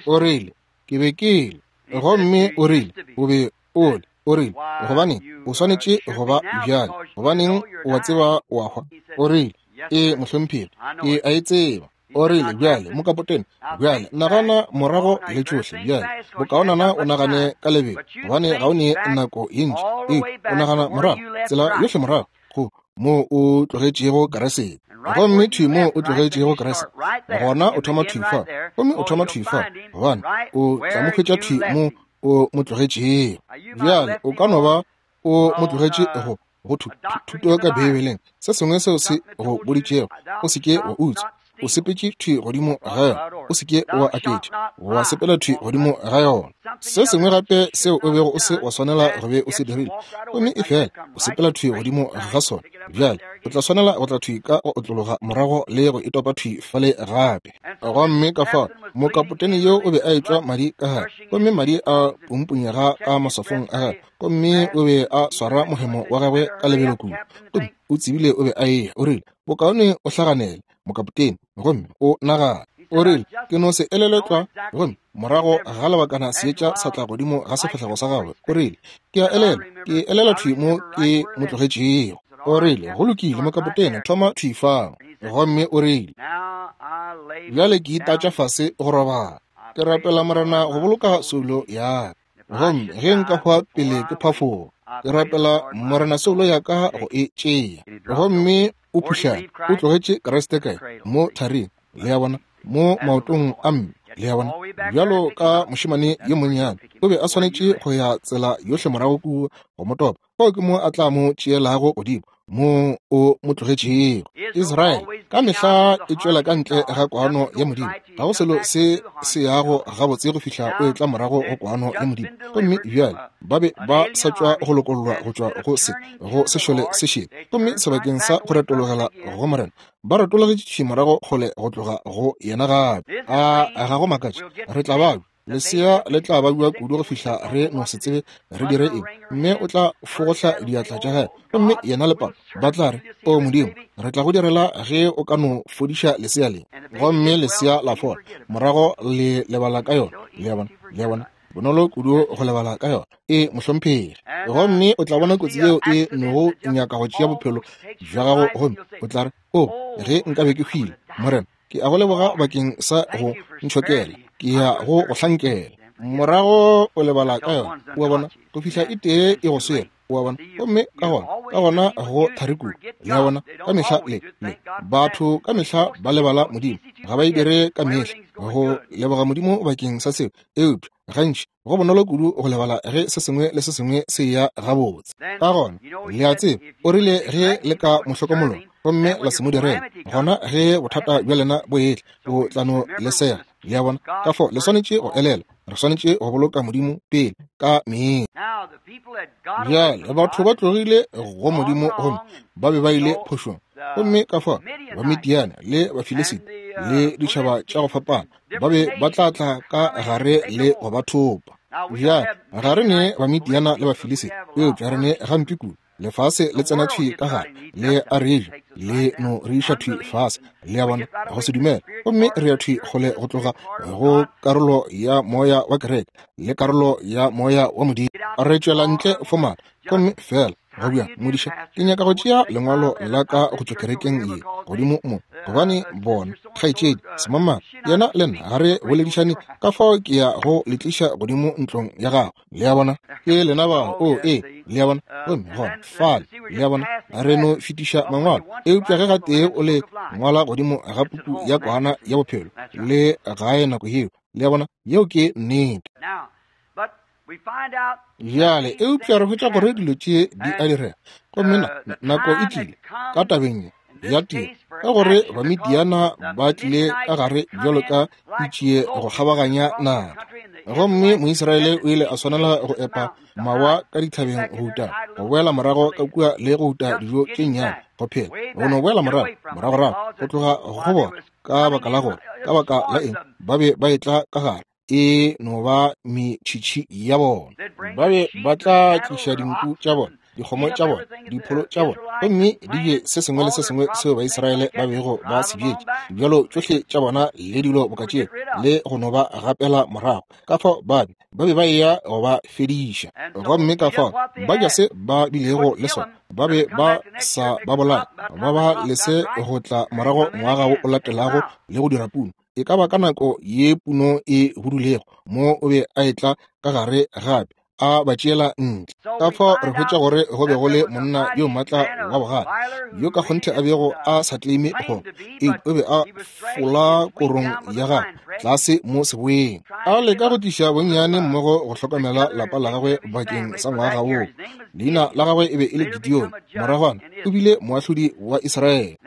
O rile, ke be ke le. Gomme o rile, o be o le. O rile, gobaneng o swanetše go ba bjale, gobaneng o a tseba o a hwa? O rile, ee mohlomphegi, ke a e tseba. O rile, bjale mokapotene, bjale nagana morago le tšohle bjale, bokaonana o nagane ka lebelo, gobane ga o ne nako ye ntši. Ee, o nagana morago, tsela yohle morago go mo o tlogetšego Kriste. Gomme thwi mo o tlogetšego Kriste, gona o thoma thwi fa, gomme o thoma thwi fa, gobane o tla mo hwetša thwi mo o mo tlogetšego. Bjale o ka no ba o mo tlogetše go go thuto ka Beibeleng, se sengwe seo se go boditšego, o se ke wa utswa, o sepetše thwi godimo ga yona, o se ke wa aketša, wa sepela thwi godimo ga yona. Se sengwe gape seo o bego o se wa swanela go be o se dirile, gomme e fela o sepela thwi godimo ga sona. Bjale o tla swanela go tla thwi ka go otlologa morago le go itopa thwi fale gape. Gomme ka fao mokapotene yo o be a etšwa madi ka gare, gomme madi a pumpunyega ka maswafong a gagwe, gomme o be a swara mohemo wa gagwe ka lebelo kudu, gomme o tsebile o be a eya. O rile, bokaone o hlaganele mokapotene, gomme o nagana. O rile, ke no se elelwe tlwa. Gomme morago ga lebakana seetša sa tla godimo ga sefahlego sa gagwe. O rile, ke a elelwa, ke elelwa thwi mo ke mo tlogetšego. O rile, go lokile mokapotene, thoma thwi fao. Gomme o rile, bjale ke itatša fase go robala, ke rapela Morena go boloka soulo ya ka, gomme ge nka hwa pele ke phafoga, ke rapela Morena soulo ya ka go e tšea. Gomme o phuhlame, o tlogetše Kriste kae? Mo tharing, le a bona, mo maotong a mme, le a bona, bjalo ka mošemane yo monnyane. O be a swanetše go ya tsela yohle morago kua go mo topa. Fao ke mo a tla mo tšeelago godimo, mo o mo tlogetšego. Israele ka mehla e tšwela ka ntle ga kwano ya Modimo. Ga go selo se se yago gabotse go fihla o etla morago go kwano ya Modimo. Gomme bjale ba be ba sa tšwa go lokollwa go tšwa go se go sešole se šele, gomme sebakeng sa go retologela go Morena, ba retologetše morago kgole go tloga go yena gape. A ga go makatše, re tla ba lesea le tla babja kudu go fihla re no se tsebe re dire eng. Mme o tla fogohla diatla tša gagwe, gomme yena le papa ba tla re, o Modimo, re tla go direla ge o ka no fodiša lesea le. Gomme lesea la fola, morago le lebala ka yona. Le a bona, le a bona, bonolo kudu go lebala ka yona. E mohlomphegi. Gomme o tla bona kotsi yeo e nogo nyaka go tšea bophelo bja gago, gomme o tla re, o ge nka be ke hwile, Morena, ke a go leboga bakeng sa go ntšhokela, ke ya go go hlankela. Morago o lebala ka yona, o a bona, go fihla e tee e go swere, o a bona. Gomme ka gona, ka gona go thari kudu, le a bona, ka mehla le le batho ka mehla ba lebala Modimo, ga ba e dire ka mehla go leboga Modimo bakeng sa seo, eupša gantši go bonolo kudu go lebala ge se sengwe le se sengwe se ya gabotse. Ka gona le a tseba, o rile ge le ka mo hlokomologa gomme la se mo direla, gona ge bothata bja lena bo etla, o tla no le sega. Le a bona, ka fao le swanetše go elela, re swanetše go boloka Modimo pele ka mehla. Bjale batho ba tlogile go Modimo gomme ba be ba ile phošong, gomme ka fao Bamidiane le Bafilisita le ditšhaba tša go fapana ba be ba tla tla ka gare le go ba thopa. Bjale ga re ne Bamidiana le Bafilisita, eupša re ne gampe kudu. Lefase le tsena thwi ka gare, le a re ja, le no re iša thwi fase, le a bona, go se dumele. Gomme re ya thwi kgole go tloga go karolo ya moya wa kereke le karolo ya moya wa Modimo. Re tšwela ntle fomala, gomme fela go bjang, modiša, ke nyaka go tšea lengwalo la ka go tšwa kerekeng ye godimo mo, gobane bona kgaetšedi semamang yena le nna ga re boledišane, ka fao ke ya go le tliša godimo ntlong ya gago. Le a bona, ke lena bao, o e, le a bona, gomme gona fale, le a bona, re no fetiša mangwalo. Eupša ge gatee o le ngwala godimo ga puku ya kwana ya bophelo, le gae nako yeo, le a bona, yeo ke nnete. Bjale, eupša re hwetša gore dilo tše di a direga, gomme nako e tlile ka tabeng ya tiro, ka gore Bamidiana ba tlile ka gare bjalo ka ditšie go kgabaganya naga, gomme Moisraele o ile a swanela go epa mawa ka dithabeng go uta, go boela morago ka kua le go uta dijo tše nnyane go phela, go no boela morago, moragorago go tloga go bona, ka baka la gore, ka baka la eng ba be ba etla ka gare, e no ba metšhitšhi ya bona. Ba be ba tla tliša dinku tša bona, dikgomo tša bona, dipholo tša bona, gomme di je se sengwe le se sengwe seo Baisraele ba bego ba se bjetše, dibjalo tšohle tša bona le dilo boka tšeo, le go no ba gapela morago. Ka fao ba be ba be ba eya go ba fediša, gomme ka fao ba ja se ba bilego le sona, ba be ba sa ba bolaya, ba ba lese go tla morago ngwaga wo o latelago le go dira puno. E ka ba ka nako ye puno e budulego, mo o be a etla ka gare gape a ba tšeela ntle. Ka fao re hwetša gore go be go le monna yo maatla wa bogale, yo ka kgonthe a bego a sa tleme go, eupša o be a fola korong ya gagwe tlase mo seboeng, a leka go tliša bonnyane mmogo go hlokomela lapa la gagwe bakeng sa ngwaga woo. Leina la gagwe e be e le Gideon, moragwana o bile moahlodi wa Israele.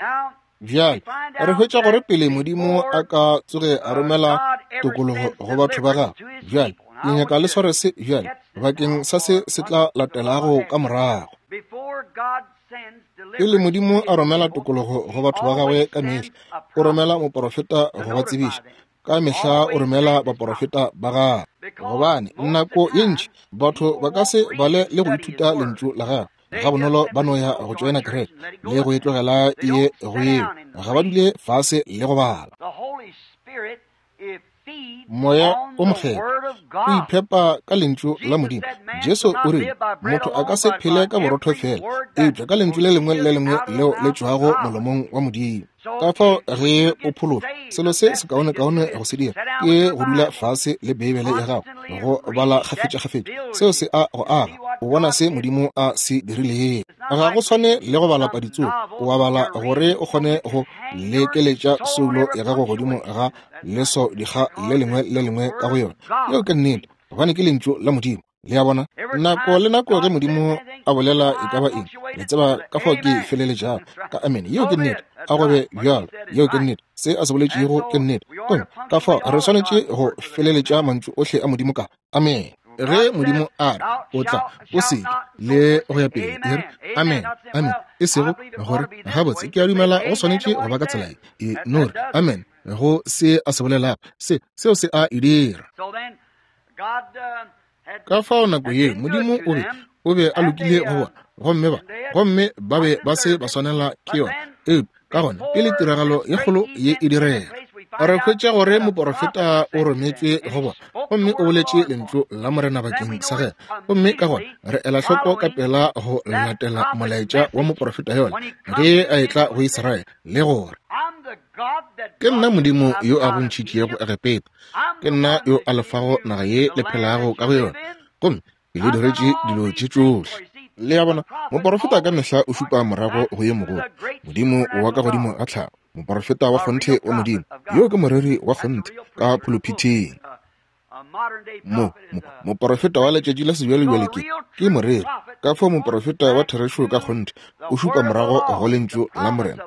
Bjale re hwetša gore pele Modimo a ka tsoge a romela tokologo go batho ba gagwe, bjale ke nyaka le sware se bjale bakeng sa se se tla latelago ka morago. Pele Modimo a romela tokologo go batho ba gagwe ka mehla o romela moporofeta go ba tsebiša. Ka mehla o romela baporofeta ba gagwe, gobane nako ye ntši batho ba ka se bale le go ithuta lentšu la gagwe ga bonolo, ba no ya go tšoena kereke le go e tlogela ye go yeo, ga ba dule fase le go bala. Moya o Mokgethwa o iphepa ka lentšu la Modimo. Jesu o rile, motho a ka se phele ka borotho fela, eupša ka lentšu le lengwe le lengwe leo le tšwago molomong wa Modimo. Ka fao ge o phološwa, selo se sekaonekaone go se dira ke go dula fase le Beibele ya gago, go bala kgafetša-kgafetša. Seo se a go aga, o bona se Modimo a se dirilego. Ga go swane le go bala paditsoko, o a bala gore o kgone go lekeletša soulo ya gago godimo ga leso dikga le lengwe le lengwe ka go yona. Yeo ke nnete, gobane ke lentšu la Modimo. Le a bona, nako le nako ge Modimo a bolela e ka ba eng, le tseba ka fao ke feleletšago ka amen. Yeo ke nnete, a go be bjalo. Yeo ke nnete, se a se boletšego ke nnete. Gomme ka fao re swanetše go feleletša mantšu ohle a Modimo ka amen. Ge Modimo a re o tla, o se le go ya pele, e re amen, amen, e sego gore gabotse ke a dumela go swanetše go ba ka tsela ye, e no re amen go se a se bolelago, se seo se a e dira. Ka fao nako ye Modimo o be o be a lokile go bona, gomme ba gomme ba be ba se ba swanela ke yona. Eupša ka gona pele tiragalo ye kgolo ye e direga, re hwetša gore moporofeta o rometšwe go bona, gomme o boletše lentšu la Morena bakeng sa gagwe. Gomme ka gona re ela hloko ka pela go latela molaetša wa moporofeta yola ge a etla go Israele, le gore ke nna Modimo yo a go ntšhitšego Egepeta, ke nna yo a lefago naga ye le phelago ka go yona, gomme ke le diretše dilo tše tšohle. Le a bona, moporofeta ka mehla o šupa morago go ye mogolo, Modimo wa ka godimo ga tlhago, moporofeta wa kgonthe wa Modimo, yo ke moreri wa kgonthe ka phuluphithing. Mo, mo, moporofeta wa letšatši la sebjalebjale ke, ke moreri. Ka fao moporofeta wa therešo ka kgonthe o šupa morago go lentšu la Morena,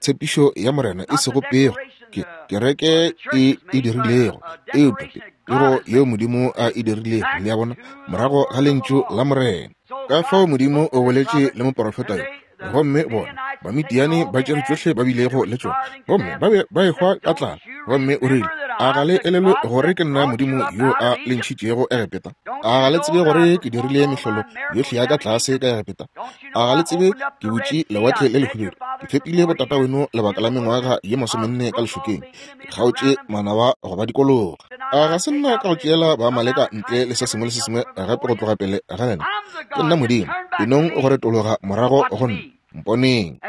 tshepišo ya Morena, e sego pego ke kereke e e dirilego, eupša pego yeo Modimo a e dirilego, le a bona, morago ga lentšu la Morena. Ka fao Modimo o boletše le moporofeta yo, gomme bona Bamidiane ba tšere tšohle ba bilego le tšona, gomme ba be ba ehwa ka tlala. Gomme o rile, A ga le elelwe gore ke nna Modimo yo a le ntšhitšego Egepeta? A ga le tsebe gore ke dirile mehlolo yohle ya ka tlase ka Egepeta? A ga le tsebe ke butše lewatle le lehubedu? Ke fepile botata weno lebaka la mengwaga ye masomenne ka lešokeng, ke kgaotše manaba go ba dikologa. A ga se nna ka go tšeela Baamaleka ntle le se sengwe le se sengwe gape go tloga pele ga lena? Ke nna Modimo, enong go retologa morago go nna, mponeng.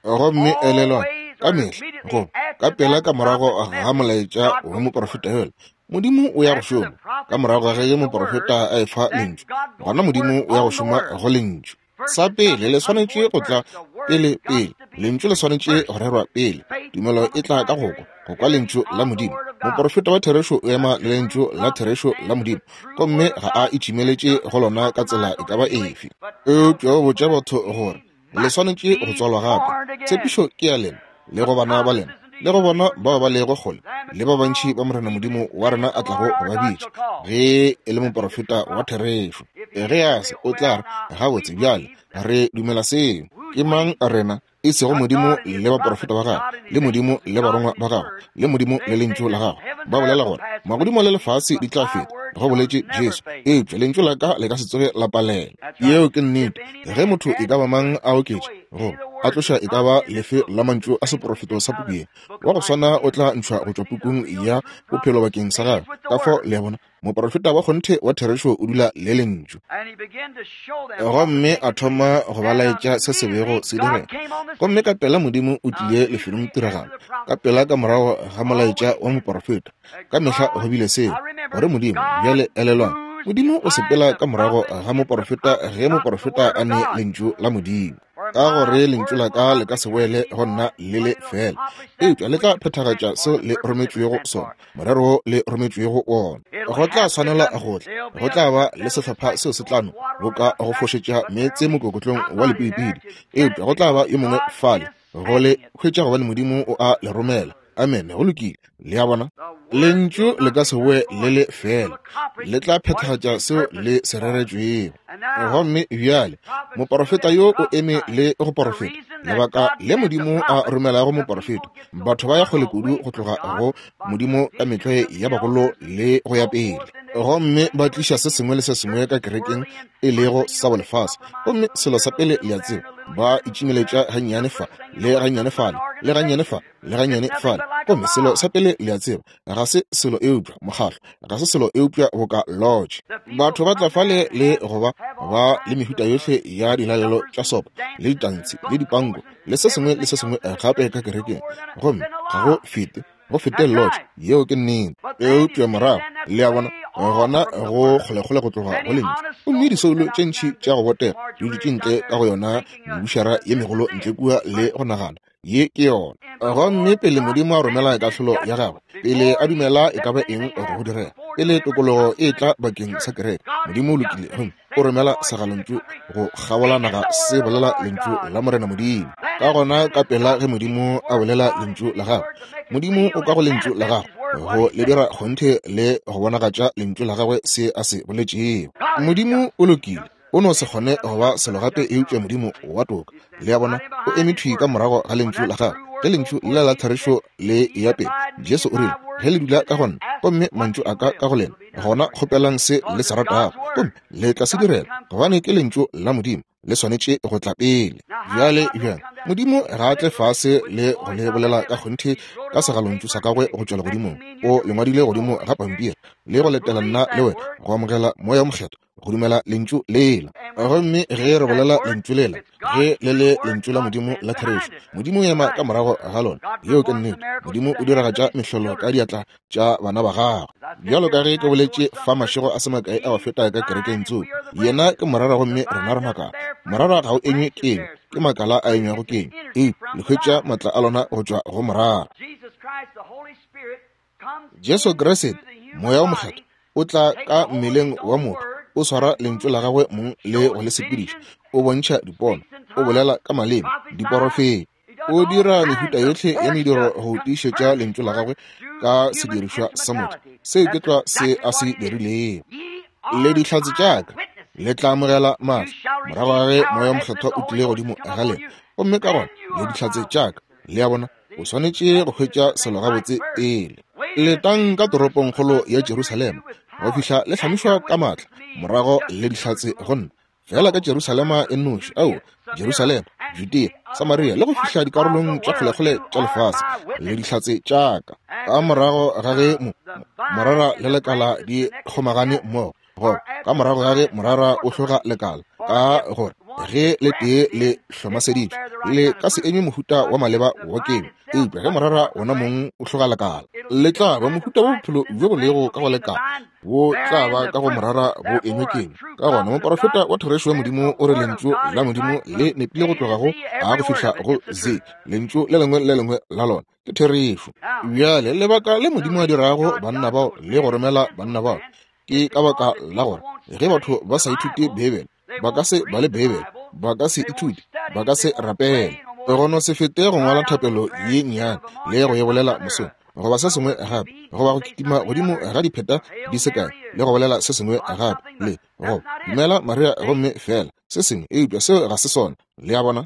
Gomme elelwang, ka mehla go ka pela ka morago ga molaetša wa moprofeta yola, Modimo o ya go šoma. Ka morago ga ge moprofeta a efa lentšu, gona Modimo o ya go šoma go lentšu. Sa pele le swanetše go tla pele pele, lentšu le swanetše go rerwa pele. Tumelo e tla ka go kwa, go kwa lentšu la Modimo. Moprofeta wa therešo o ema le lentšu la therešo la Modimo, gomme ga a itšimeletše go lona ka tsela e ka ba efe. Eupša o botša batho gore le swanetše go tswalwa gape. Tshepišo ke ya lena, le go bana ba lena, le go bona bao ba lego kgole, le ba bantši ba Morena Modimo wa rena a tlago go ba bitša, ge e le moprofeta wa therešo. Ge a se, o tla re, gabotse bjale re dumela seo. Ke mang rena? E sego Modimo le baprofeta ba gagwe, le Modimo le barongwa ba gagwe, le Modimo le lentšu la gagwe. Ba bolela gore magodimo le lefase di tla feta, go boletše Jesu, eupša lentšu la ka le ka se tsoge la palela. Yeo ke nnete. Ge motho e ka ba mang a oketša goba a tloša e ka ba lefe la mantšu a seprofeto sa puku ye, wa go swana o tla ntšhwa go tšwa pukung ya bophelo bakeng sa gagwe. Ka fao le a bona, moprofeta wa kgonthe wa therešo o dula le lentšu. Gomme a thoma go ba laetša se se bego se direga. Gomme ka pela Modimo o tlile lefelong tiragalo, ka pela ka morago ga molaetša wa moprofeta. Ka mehla go bile seo, gore Modimo, bjale elelwang, Modimo o sepela ka morago ga moprofeta ge moprofeta a ne lentšu la Modimo. Ka gore lentšu la ka le ka se boele go nna le le fela, eupša le tla phethagatša seo le rometšwego sona, morero le rometšwego wona. Go tla swanela go tla, go tla ba le sehlopha seo se tlano boka go fošetša meetse mokokotlong wa lepidipidi, eupša go tla ba yo mongwe fale go le hwetša, gobane Modimo o a le romela. Amen. Go lokile. Le a bona, lentšu le ka se boe le le fela, le tla phethagatša seo le se reretšwego. Gomme bjale moprofeta yo o eme le go porofeta. Lebaka le Modimo a romelago moprofeta, batho ba ya kgole kudu go tloga go Modimo ka metlwae ya bagolo le go ya pele, gomme ba tliša se sengwe le se sengwe ka kerekeng e lego sa bolefase. Gomme selo sa pele le a tseba, ba itšimeletša gannyane fa le gannyane fale le gannyane fa le gannyane fale. Gomme selo sa pele le a tseba, ga se selo eupša mokgahlo, ga se selo eupša boka lodge. Batho ba tla fale le go ba ba le mehuta yohle ya dilalelo tša sopo le ditantshi le dipanko le se sengwe le se sengwe gape ka kerekeng, gomme ga go fete go fete lodge. Yeo ke nnete. Eupša morago le a bona, gona go kgolekgole go tloga go lentšu. Gomme disoulo tše ntši tša go botega di dutše ntle ka go yona mebušara ye megolo ntle kua le go nagana ye ke yona. Gomme pele Modimo a romela kahlolo ya gagwe, pele a dumela e ka ba eng go direga, pele tokologo e tla bakeng sa kereke, Modimo o lokile gomme o romela segalontšu go kgabola naga se bolela lentšu la Morena Modimo. Ka gona ka pela ge Modimo a bolela lentšu la gagwe, Modimo o ka go lentšu la gagwe go le dira kgonthe le go bonagatša lentšu la gagwe se a se boletšego. Modimo o lokile, o no se kgone go ba selo gape eupša Modimo wa toka. Le a bona, o eme thwi ka morago ga lentšu la gagwe. Ge lentšu lela la therešo le ya pele, Jesu o rile, ge le dula ka go nna gomme mantšu a ka ka go lena, gona kgopelang se le se ratago gomme le tla se direla, gobane ke lentšu la Modimo, le swanetše go tla pele. Bjale bjang, Modimo ga a tle fase le go le bolela ka kgonthe ka segalontšu sa gagwe go tšwa legodimong. O le ngwadile godimo ga pampiri le go letela nna le wena go amogela Moya o Mokgethwa, go dumela lentšu lela. Gomme ge re bolela lentšu lela, ge le le lentšu la Modimo la therešo, Modimo o ema ka morago ga lona. Yeo ke nnete. Modimo o diragatša mehlolo ka diatla tša bana ba gagwe. Bjalo ka ge ke boletše fa mašego a se makae a go feta ka kerekeng tsoko, yena ke morara gomme rena re makala. Morara ga o enywe kenywa, ke makala a enywago kenywa, eupša le hwetša maatla a lona go tšwa go morara. Jesu Kriste, Moya o Mokgethwa, o tla ka mmeleng wa motho, o swara lentšu la gagwe mong le go le sepediša, o bontšha dipono, o bolela ka maleme, diporofeta, o dira mehuta yohle ya mediro go tiišetša lentšu la gagwe ka sedirišwa sa motho. Seo ke tlwa se a se dirilego. Le dihlatse tša ka, le tla amogela maatla morago ga ge Moya o Mokgethwa o tlile godimo ga lena, gomme ka gona le dihlatse tša ka. Le a bona, o swanetše go hwetša selo gabotse pele. Letang ka toropongkgolo ya Jerusalema go fihla le hlamišwa ka maatla, morago le dihlatse go nna, fela ka Jerusalema e nnoši, ao, Jerusalema, Judea, Samaria, le go fihla dikarolong tša kgolekgole tša lefase, le dihlatse tša ka. Ka morago ga ge mo, morara le lekala di kgomagane mmogo, goba ka morago ga ge morara o hloga lekala, ka gore ge le tee le hlomaseditšwe, le ka se enywe mohuta wa maleba wa kenywa, eupša ge morara wona mong o hloga lekala, le tla ba mohuta wa bophelo bjo bo lego ka go lekala, bo tla ba ka go morara bo enywe kenywa. Ka gona moporofeta wa therešo wa Modimo o re lentšu la Modimo le nepile go tloga go A go fihla go Z, lentšu le lengwe le lengwe la lona ke therešo. Bjale lebaka le Modimo a dirago banna bao le go romela banna bao ke ka baka la gore ge batho ba sa ithute Beibele, ba ka se bale Beibele, ba ka se ithute, ba ka se rapele. Go no se fete go ngwala thapelo ye nnyane le go e bolela mosong, goba se sengwe gape, goba go kitima godimo ga dipheta di se kae le go bolela se sengwe gape, le go dumela Maria gomme fela se sengwe, eupša seo ga se sona. Le a bona?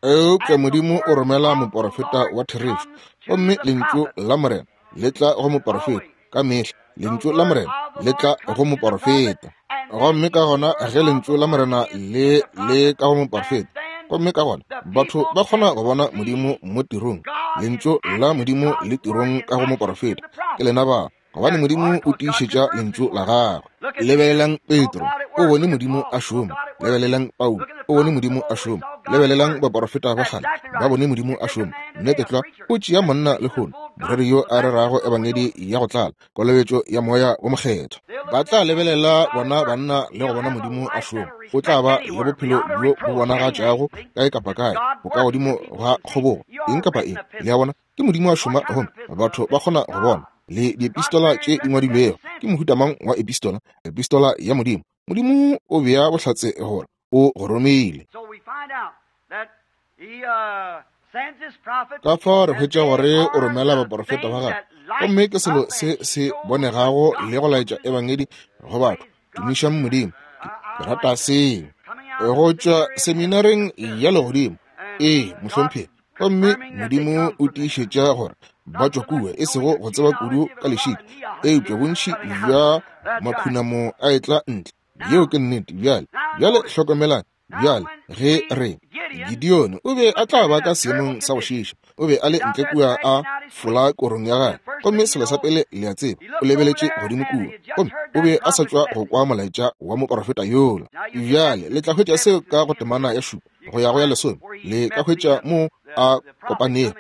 Eupša Modimo o romela moporofeta wa therešo, gomme lentšu la Morena le tla go moporofeta ka mehla. Lentšu la Morena le tla go moporofeta, gomme ka gona ge lentšu la Morena le le ka go moporofeta, gomme ka gona batho ba kgona go bona Modimo mo tirong. Lentšu la Modimo le tirong ka go moporofeta. Ke lena ba, gobane Modimo o tiišetša lentšu la gagwe. Lebelelang Petro, o bone Modimo a šoma. Lebelelang Paulo, o bone Modimo a šoma. Lebelelang baporofeta ba kgale, ba bone Modimo a šoma. Nnete tlwa, o tšea monna lehono, moreri yo a rerago ebangedi ya go tlala, kolobetšo ya moya wo mokgethwa. Ba tla lebelela bona banna le go bona Modimo a šoma. O tla ba le bophelo bjo bo bonagatšago kae kapa kae, bo ka godimo ga kgobogo, eng kapa eng. Le a bona, ke Modimo a šoma gomme batho ba kgona go bona. Le diepistola tše di ngwadilwego ke mohuta mang wa epistola? Epistola ya Modimo. Modimo o bea bohlatse gore o go romile. Ka fao re hwetša gore o romela baporofeta ba gagwe, gomme ke selo se se bonegago le go laetša ebangedi go batho. Tumišang Modimo, ke rata seo. Go tšwa seminareng ya legodimo, ee mohlomphegi, gomme Modimo o tiišetša gore ba tšwa kua, e sego go tseba kudu ka lešika, eupša bontši bja makhunamo a etla ntle. Yeo ke nnete. Bjale, bjale hlokomelang. Bjale ge re Gideon o be a tla ba ka seemong sa go šiša, o be a le ntle kua a fola korong ya gagwe, gomme selo sa pele le a tseba, o lebeletše godimo kua, gomme o be a sa tšwa go kwa molaetša wa moporofeta yola. Bjale le tla hwetša seo ka go temana ya šupa go ya go ya lesome, le ka hwetša mo a kopanego.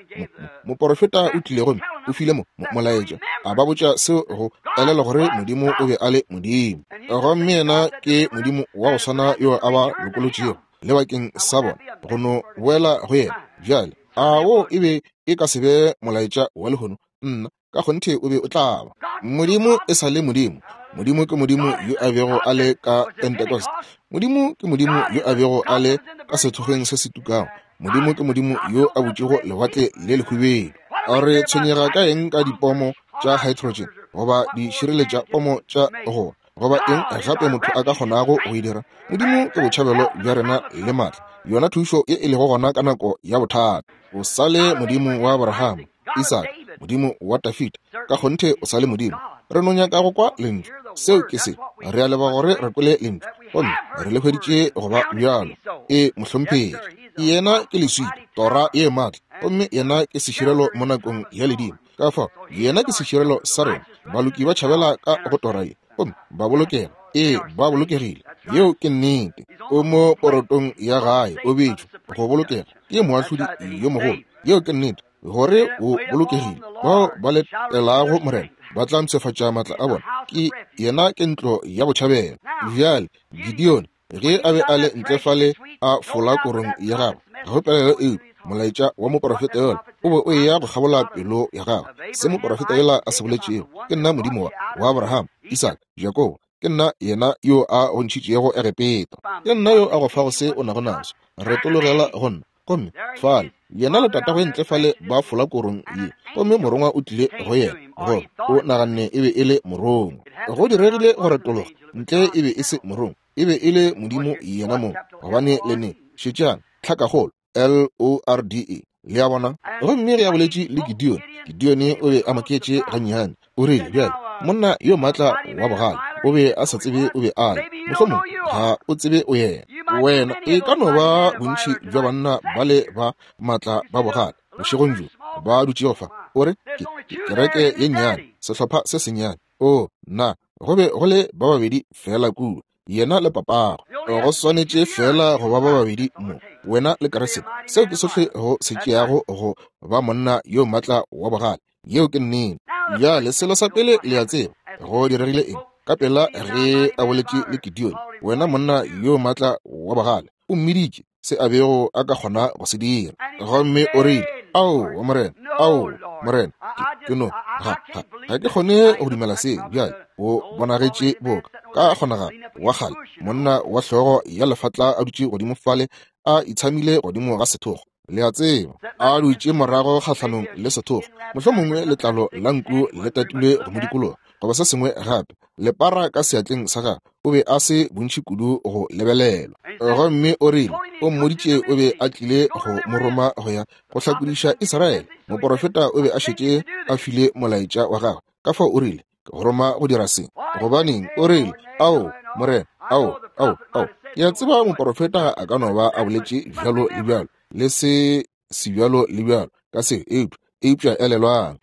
Moporofeta o tlile gomme o file mo molaetša, a ba botša seo go elela gore Modimo o be a le Modimo, gomme yena ke Modimo wa go swana yo a ba lokolotšego le bakeng sa bona go no boela go yena. Bjale a wo e be e ka se be molaetša wa lehono? Nna ka kgonthe o be o tla ba. Modimo e sa le Modimo. Modimo ke Modimo yo a bego a le ka Pentecost. Modimo ke Modimo yo a bego a le ka sethokgweng se se tukago. Modimo ke Modimo yo a butšego lewatle le lehubedu. A re tshwenyega ka eng ka dipomo tša hydrogen goba di šireletša pomo tša go goba eng gape motho a ka kgonago go e dira? Modimo ke botšhabelo bja rena le matla, yona thušo ye e lego gona ka nako ya bothata. O sa le Modimo wa Abraham, Isaka, Modimo wa Dafida, ka kgonthe o sa le Modimo. Re no nyaka go kwa lentšu, seo ke se. Re a leboga gore re kwele lentšu, gomme re le hweditše go ba bjalo. E mohlomphegi, yena ke leswika, tora ye maatla, gomme yena ke seširelo mo nakong ya ledimo. Ka fao yena ke seširelo sa rena. Baloki ba tšhabela ka go tora ye, gomme ba bolokega. Ee, ba bolokegile. Yeo ke nnete. O mo porotong ya gae, o betšwe go bolokega ke moahlodi yo mogolo. Yeo ke nnete, gore o bolokegile. Bao ba letelago Morena ba tla mpshafatša maatla a bona. Ke yena ke ntlo ya botšhabelo. Bjale Gideon ge a be a le ntle fale a fola korong ya gagwe, ga go pelaelo eupša molaetša wa moporofeta yola o be o eya go kgabola pelo ya gagwe. Se moporofeta yola a se boletšego, ke nna Modimo wa wa Abraham, Isaka, Jakobo, ke nna yena yo a go ntšhitšego Egepeta, ke nna yo a go fago se o nago naso, retologela go nna. Gomme fale yena le tatagwe ntle fale ba fola korong ye, gomme morongwa o tlile go yena, gore o naganne e be e le morongwa. Go diregile go retologa ntle e be e se morongwa, e be e le Modimo yena mong. Gobane le ne šetšang tlhakakgolo L O R D E, Le a bona? Gomme ge a boletše le Gideon, Gideon o be a maketše gannyane. O rile, bjale, monna yo maatla wa bogale, o be a sa tsebe o be a le. Mohlomong ga o tsebe o yena. Wena e ka no ba bontši bja banna ba le ba maatla ba bogale bošegong bjo ba dutšego fa. O re, ke, ke kereke ye nnyane, sehlopha se sennyane. O, nna, go be go le ba babedi fela kua, yena le papago. Go swanetše fela go ba ba babedi mo, wena le Kriste. Seo ke sohle go se tšeago go ba monna yo maatla wa bogale. Yeo ke nnete. Bjale selo sa pele le a tseba go diregile eng? Ka pela ge a boletše le Gideon, wena monna yo maatla wa bogale, o mmiditše se a bego a ka kgona go se dira. Gomme o rile, ao, morena, ao, morena, ke, ke no, ga, ga, ga ke kgone go dumela se. Bjale o bonagetše boka ka kgonagalo wa kgale, monna wa hlogo ya lefatla a dutše godimo fale, a itshamile godimo ga sethogo. Le a tseba, a dutše morago kgahlanong le sethogo, mohlomongwe letlalo la nku le tatilwe go mo dikologa goba se sengwe gape, lepara ka seatleng sa gagwe. O be a se bontši kudu go lebelelwa. Gomme o rile, o mmoditše o be a tlile go mo roma go ya go hlakodiša Israele. Moporofeta o be a šetše a file molaetša wa gagwe. Ka fao o rile, ke go roma go dira se. Gobaneng? O rile, ao, morena, ao, ao, ao. Ke a tseba moporofeta a ka no ba a boletše bjalo le bjalo, le se se bjalo le bjalo ka se, eupša, eupša elelwang.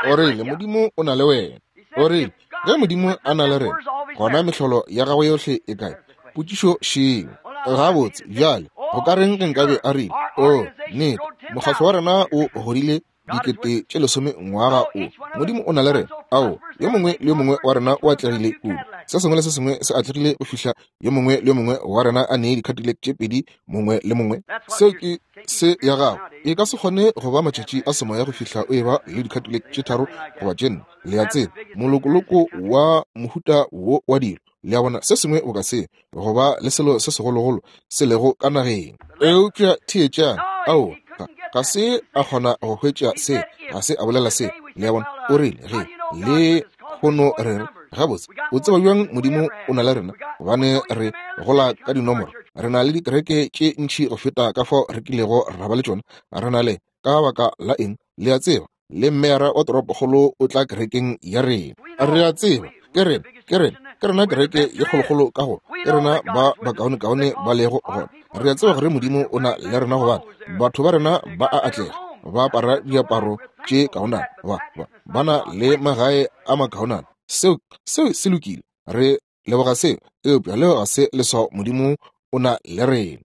O rile, Modimo o na le wena. O rile, ge Modimo a na le rena, gona mehlolo ya gagwe yohle e kae? Potšišo šeo. Gabotse, bjale, go ka reng ge nkabe a rile, o, nnete, mokgatlo wa rena o godile dikete tše lesome ngwaga o. Modimo o na le rena. Ao, yo mongwe le yo mongwe wa rena o atlegile kudu. Se sengwe le se sengwe se atlegile go fihla yo mongwe le yo mongwe wa rena a nee dikhatile tše pedi mongwe le mongwe. Seo ke se ya gago. E ka se kgone go ba matšatši a semoya go fihla o eba le dikhatile tše tharo goba tše nne. Le a tseba, molokoloko wa mohuta wo wa dilo. Le a bona, se sengwe o ka se go ba le selo se segologolo se lego ka nageng. Eupša theetšang, ao, ga, ga se a kgona go hwetša se, ga se a bolela se. Le a bona, o rile, ge le kgono re re, gabotse, o tseba bjang Modimo o na le rena? Gobane re gola ka dinomoro. Re na le dikereke tše ntši go feta ka fao re kilego ra ba le tšona. Re na le, ka baka la eng? Le a tseba, le mmeara wa toropokgolo o tla kerekeng ya rena. Re a tseba, ke rena, ke rena, ke rena kereke ye kgolokgolo ka go, ke rena ba bakaonekaone ba lego gona. Re a tseba gore Modimo o na le rena gobane batho ba rena ba a atlega, ba apara diaparo tše kaonana, ba, ba, ba na le magae a makaonana. Seo, seo se lokile. Re leboga seo, eupša leo ga se leswao Modimo o na le rena.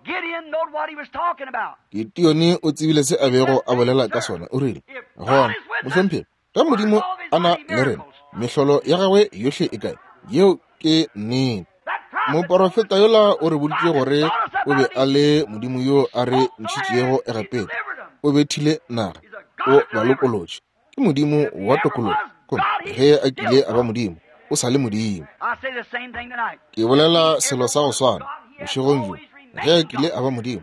Gideon o tsebile se a bego a bolela ka sona. O rile, gona, mohlomphegi, ge Modimo a na le rena, mehlolo ya gagwe yohle e kae? Yeo ke nnete. Moporofeta yola o re boditše gore o be a le Modimo yo a re ntšhitšego Egepeta. O bethile naga, o ba lokolotše. Ke Modimo wa tokologo. Gomme ge a kile a ba Modimo, o sa le Modimo. Ke bolela selo sa go swana bošegong bjo. Ge a kile a ba Modimo,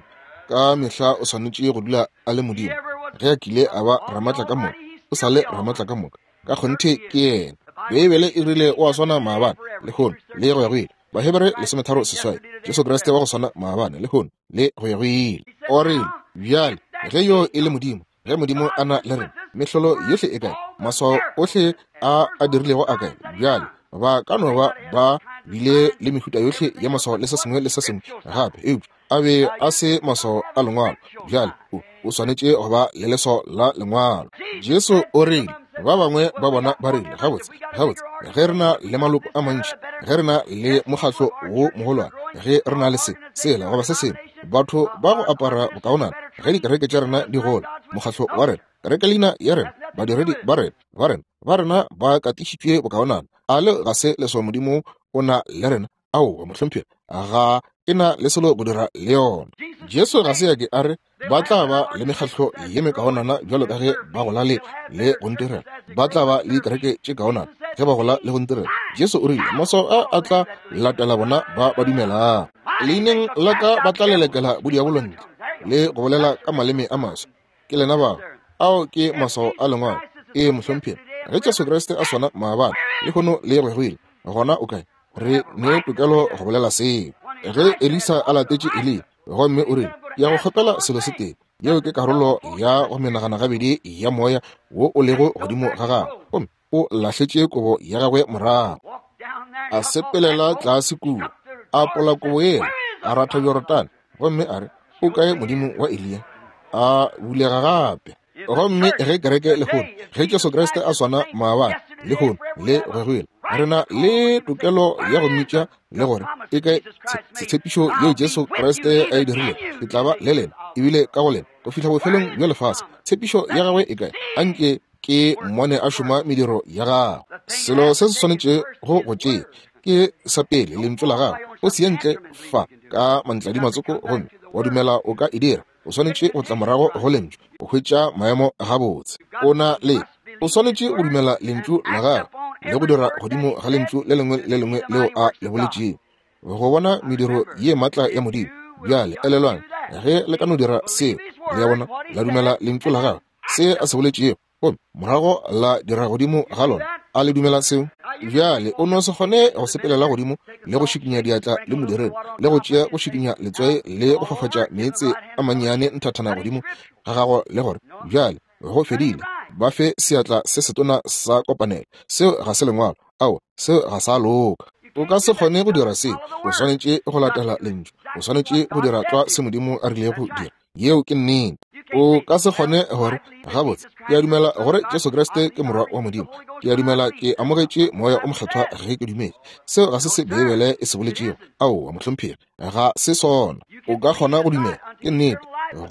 ka mehla o swanetše go dula a le Modimo. Ge a kile a ba Ramatla ka moka, o sa le Ramatla ka moka. Ka kgonthe ke yena. Beibele e rile o a swana maabane, lehono, le go ya go ile. Bahebere lesometharo seswai. Jesu Kriste wa go swana maabane, lehono, le go ya go ile. O rile, bjale, ge yo e le Modimo, ge Modimo a na le rena, mehlolo yohle e kae? Maswao ohle a a dirilego a kae? Bjale, ba ka no ba ba bile le mehuta yohle ya maswao le se sengwe le se sengwe gape, eupša a be a se maswao a lengwalo. Bjale, o, o swanetše go ba le leswao la lengwalo. Jesu o rile, ba bangwe ba bona ba rile, gabotse, gabotse, ge re na le maloko a mantši, ge re na le mokgatlo wo mogolwane, ge re na le se, sela goba se sengwe, batho ba go apara bokaonana, ge dikereke tša rena di gola, mokgatlo wa rena, kereke leina ya rena, badiredi ba rena, ba rena, ba rena ba katišitšwe bokaonana, a le ga se leswao Modimo o na le rena? Aowa, mohlomphegi, ga e na le selo go dira le yona. Jesu ga se a ke a re ba tla ba le mekgatlo ye mekaonana bjalo ka ge ba gola le le go ntirela, ba tla ba le dikereke tše kaonana ge ba gola le go ntirela. Jesu o rile, maswao a a tla latela bona ba ba dumelang. Leineng la ka ba tla lelekela bodiabolo ntle le go bolela ka maleme a maswa. Ke lena bao. Ao ke maswao a lengwalo. Ee, mohlomphegi, ge Jesu Kriste a swana maabane, lehono le go ya go ile, gona o kae? Re ne tokelo go bolela seo. Ge Elisa a latetše Eliya, gomme o rile, ke ya go kgopela selo se tee, Yeo ke karolo ya go menagana gabedi ya moya wo o lego godimo ga gagwe. Gomme o lahletše kobo ya gagwe morago, a sepelela tlase kua, a apola kobo yela, a ratha Jorodane, gomme a re, o kae Modimo wa Eliya? A bulega gape. Gomme ge kereke lehono, ge Jesu Kriste a swana maabane, lehono le goegoile, re na le tokelo ya go mmitša le gore e kae tshepišo yeo Jesu Kriste a e dirilego, ke tla ba le lena ebile ka go lena go fihla bofelong bja lefase. Tshepišo ya gagwe e kae? Anke ke mmone a šoma mediro ya gagwe. Selo se se swanetše go go tšea ke sa pele lentšu la gagwe. O se ye ntle fa ka mantladimatsoko gomme wa dumela o ka e dira. O swanetše go tla morago go lentšu o hwetša maemo gabotse. O na le o swanetše go dumela lentšu la gagwe le go dira godimo ga lentšu le lengwe le lengwe leo a le boletšego, go bona mediro ye matla ya Modimo. Bjale elelwang, ge le ka no dira seo, le ya bona, la dumela lentšu la gagwe, se a se boletšego, gomme morago la dira godimo ga lona. A le dumela seo? Bjale o no se kgone go sepelela godimo le go šikinya diatla le modiredi, le go tšea go šikinya letswai le go fafatša meetse a mannyane nthathana godimo ga gago le gore bjale go fedile, ba fe seatla se setona sa kopanelo. Seo ga se lengwalo. Ao, seo ga sa loka. O ka se kgone go dira seo. O swanetše go latela lentšu. O swanetše go dira tlwa se Modimo a rilego dira. Yeo ke nnete. O ka se kgone gore gabotse ke a dumela gore Jesu Kriste ke morwa wa Modimo, ke a dumela ke amogetše moya o mokgethwa ge ke dumetse. Seo ga se se Beibele e se boletšego. Aowa mohlomphegi, ga se sona. O ka kgona go dumela, ke nnete,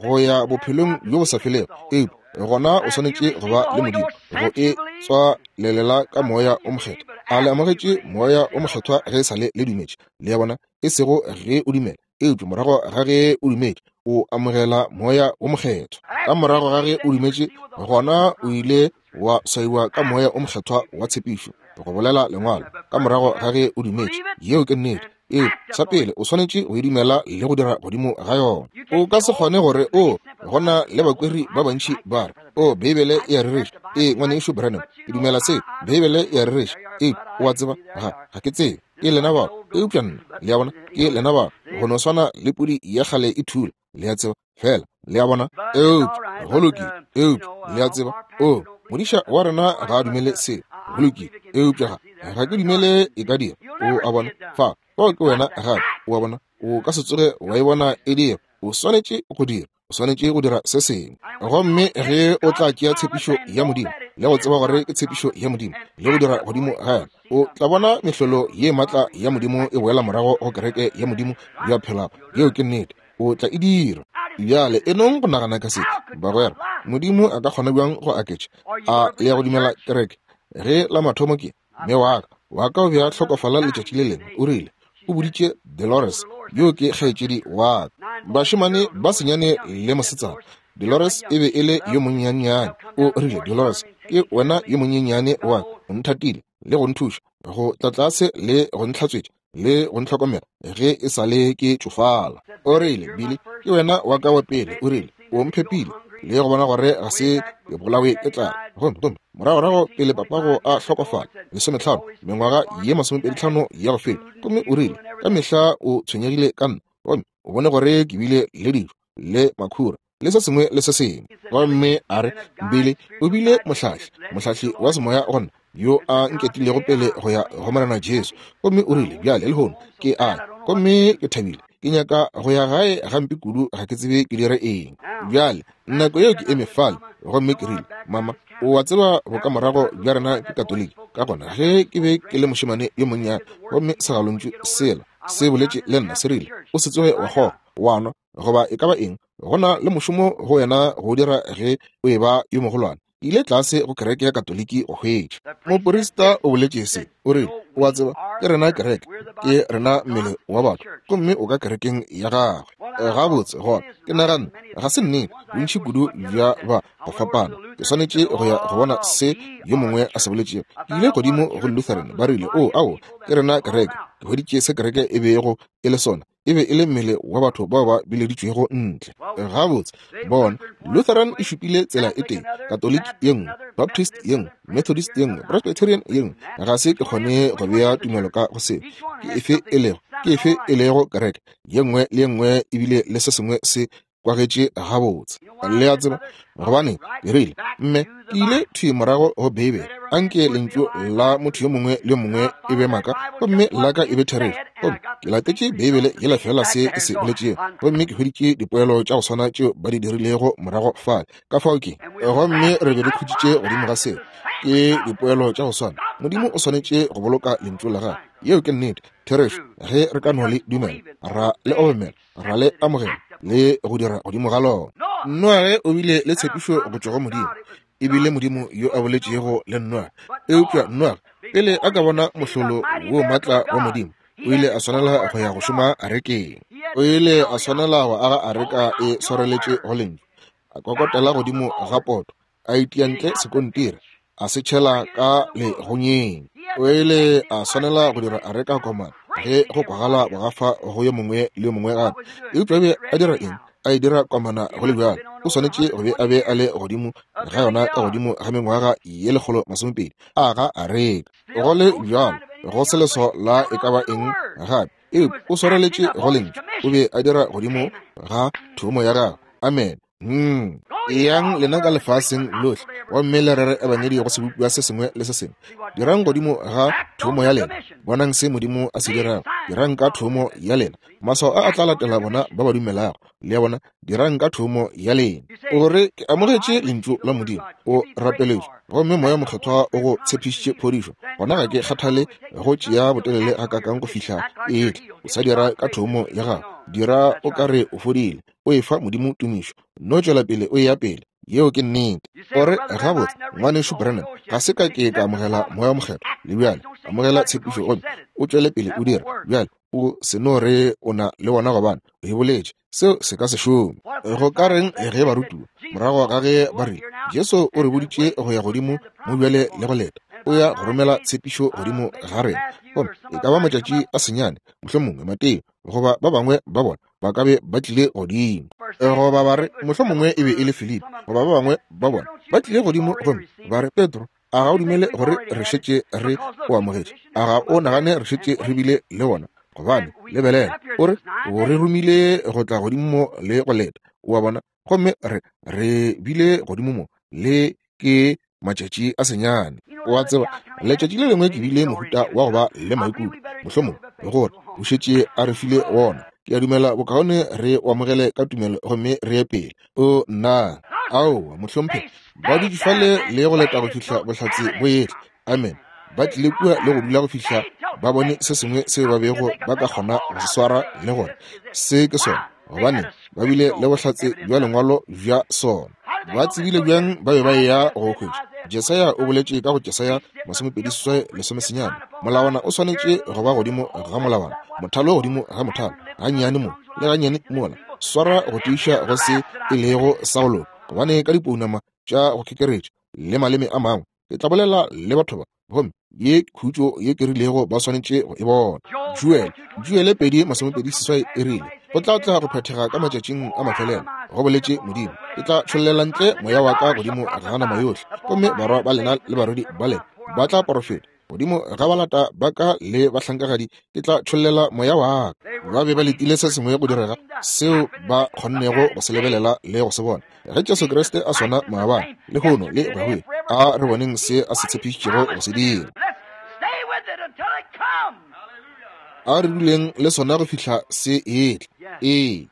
go ya bophelong bjo bo sa felego, eupša gona o swanetše go ba le Modimo go e tswalelela ka moya o mokgethwa. A le amogetše moya o mokgethwa ge e sa le le dumetše? Le ya bona, e sego ge o dumela, eupša morago ga ge o dumetše o amogela moya o mokgethwa. Ka morago ga ge o dumetše, gona o ile wa swaiwa ka moya o mokgethwa wa tshepišo, go bolela lengwalo. Ka morago ga ge o dumetše, yeo ke nnete. Ee, sa pele o swanetše go e dumela le go dira godimo ga yona. O ka se kgone gore o gona le bakweri ba bantši ba re, o Beibele e a rereša. Ee, ngwanešu Branham, ke dumela se, Beibele e a rereša. Ee, o a tseba, ga ga ke tsebe, ke lena bao, eupša nna, le a bona, ke lena bao, go no swana le pudi ya kgale e thula, le a tseba, fela, le a bona, eupša go lokile, eupša le a tseba, o modiša wa rena ga a dumele se, go lokile, eupša ga ga ke dumele e ka dira. O a bona, fa fao ke wena gape, o a bona, o ka se tsoge wa e bona e dira. O swanetše go dira, o swanetše go dira se sengwe. Gomme ge o tla tšea tshepišo ya Modimo le go tseba gore ke tshepišo ya Modimo le go dira godimo ga yona, o tla bona mehlolo ye matla ya Modimo e boela morago go kereke ya Modimo ya phelago. Yeo ke nnete. O tla e dira. Bjale e nong go nagana ka se, bagwera. Modimo a ka kgona bjang go aketša? A le ya go dumela kereke? Ge la mathomo ke mme wa ka, wa ka o be a hlokofala letšatši le lengwe, o rile o boditše Dolores, yo ke kgaetšedi wa ka, bašemane ba senyane le mosetsana. Dolores e be e le yo monyenyane. O rile, Dolores, ke wena yo monyenyane wa ka, o nthatile le go nthuša go tla tlase le go ntlhatswetša le go ntlhokomela ge e sa le ke tšofala. O rile, Billy, ke wena wa ka wa pele. O rile, o mphepile le go bona gore ga se ke bolawe ke tlala. Gomme gomme moragorago pele papago a hlokofala, lesometlhano mengwaga ye masomepedi tlhano ya go feta, gomme o rile ka mehla o tshwenyegile ka nna, gomme o bone gore ke bile le dijo le makhura le se sengwe le se sengwe. Gomme a re, Billy, o bile mohlahli, mohlahli wa semoya gona yo a nketilego pele go ya go Morena Jesu. Gomme o rile, bjale lehono ke a, gomme ke thabile, ke nyaka go ya gae gampe kudu, ga ke tsebe ke dire eng. Bjale nako yeo ke eme fale, gomme ke rile, mama, o a tseba bokamorago bja rena ke Katoliki. Ka gona ge ke be ke le mošemane yo monnyane, gomme segalontšu sela se boletše le nna se rile, o se tsoge wa kgoga, wa nwa, goba e ka ba eng, go na le mošomo go wena go dira ge o e ba yo mogolwane. Ile tlase go kereke ya Katoliki go hwetša. Moporista o boletše se, o rile, o a tseba, ke rena kereke, ke rena mmele wa batho, gomme o ka kerekeng ya gagwe. Gabotse gona ke naganne, ga se nnete, bontši kudu bja ba go fapana, ke swanetše go ya go bona se yo mongwe a se boletšego. Ke ile godimo go Lutheran, ba rile, o ao, ke rena kereke. Ke hweditše se kereke e bego e le sona, e be e le mmele wa batho bao ba bileditšwego ntle. Gabotse bona, Lutheran e šupile tsela e tee, Katoliki ye nngwe, Baptist ye nngwe, Methodist ye nngwe, Presbyterian ye nngwe. Ga se ke kgone go bea tumelo ka go seo. Ke efe e lego, ke efe e lego kereke? Ye nngwe le ye nngwe ebile le se sengwe se kwagetše gabotse. Le a tseba gobane ke rile, mme ke ile thwi morago go Beibele. Anke lentšu la motho yo mongwe le yo mongwe e be maaka gomme la ka e be therešo. Gomme ke latetše Beibele yela fela se e se boletšego, gomme ke hweditše dipoelo tša go swana tšeo ba di dirilego morago fale. Ka fao ke, gomme re be re khutšitše godimo ga seo, ke dipoelo tša go swana. Modimo o swanetše go boloka lentšu la gagwe. Yeo ke nnete, therešo. Ge re ka no le dumela, ra le obamela, ra le amogela le go dira godimo ga lona. Noage o bile le tshepišo go tšwa go Modimo, e bile Modimo yo a boletšego le Noage. Eupša Noage pele a ka bona mohlolo wo matla wa Modimo, o ile a swanela go ya go šoma arekeng. O ile a swanela go aga areka e swareletše go lentšu, a kokotela godimo ga poto, a itia ntle sekontiri, a se tšhela ka legonyeng. O ile a swanela go dira areka komana ge go kwagala bogafa go yo mongwe le yo mongwe gape. Eupša be a dira eng? A e dira komana go le bjalo. O swanetše go be a be a le godimo ga yona ka godimo ga mengwaga ye lekgolo masomepedi a ga areka. Go le bjalo go se leswao la e ka ba eng gape. Eupša o swareletše go lentšu. O be a dira godimo ga thomo ya gagwe. Amen. Hmm. Eyang lena ka lefaseng lohle gomme le rere ebangedi go sebopiwa se sengwe le se sengwe. Dirang godimo ga thomo ya lena. Bonang se Modimo a se dirago. Dirang ka thomo ya lena. Maswao a a tla latela bona ba ba dumelago. Le a bona, dirang ka thomo ya lena. O re ke amogetše lentšu la Modimo, o rapeletšwe, gomme Moya Mokgethwa o go tshepišitše phodišo. Gona ga ke kgathale go tšea botelele gakaakang go fihla e etla. O sa dira ka thomo ya gago. Dira o ka re o fodile. O efa Modimo tumišo. No tšwela pele o eya pele. Yeo ke nnete. O re, gabotse, ngwanešu Branham, ga se ka ke ka amogela Moya Mokgethwa. Le bjale, amogela tshepišo gomme o tšwele pele o dira. Bjale, o se no re o na le wona gobane o e boletše. Seo se ka se šome. Go ka reng ge barutiwa morago ga ge ba rile, Jesu o re boditše go ya godimo mo bjale le go leta, o ya go romela tshepišo godimo ga rena. Gomme e ka ba matšatši a senyane, mohlomongwe Mateo goba ba bangwe ba bona ba ka be ba tlile godimo, goba ba re mohlomongwe e be e le Filipi goba ba bangwe ba bona ba tlile godimo gomme ba re, Petro, a ga o dumele gore re šetše re o amogetše? A ga o nagane re šetše re bile le wona? Gobane lebelela, o re o re romile go tla godimo mo le go leta. O a bona? Gomme re re bile godimo mo le ke matšatši a senyane. O a tseba, letšatši le lengwe ke bile mohuta wa go ba le maikutlo, mohlomongwe gore o šetše a re file wona. Ke a dumela bokaone re o amogele ka tumelo gomme re ye pele. O nna, aowa mohlomphegi, ba dutše fale le go leta go fihla bohlatse bo etla. Amen. Ba tlile kua le go dula go fihla ba bone se sengwe seo ba bego ba ka kgona go se swara le gore se ke sona, gobane ba bile le bohlatse bja lengwalo bja sona. Ba tsebile bjang ba be ba eya go hwetša? Jesaya o boletše ka go Jesaya masomepedi seswai lesomesenyane, molawana o swanetše go ba godimo ga molawana, mothalo godimo ga mothalo, gannyane mo le gannyane mola, swara go tiiša go se e lego sa go loka, gobane ka dipounama tša go kekeretša le maleme a mangwe ke tla bolela le batho ba, gomme ye khutšo ye ke rilego ba swanetše go e bona. Joel, Joele pedi masomepedi seswai e rile, go tla tla go phethega ka matšatšing a mafelelo, go boletše Modimo, ke tla tšhollela ntle moya wa ka godimo ga nama yohle, gomme barwa ba lena le barwedi ba lena ba tla porofeta. Godimo ga balata ba ka le bahlankagadi ke tla tšhollela moya wa ka. Ba be ba letile se sengwe go direga seo ba kgonnego go se lebelela le go se bona. Ge Jesu Kriste a swana maabane, lehono le go ya go ile, a re boneng se a se tshepišitšego go se dira. A re duleng le sona go fihla se etla. Ee,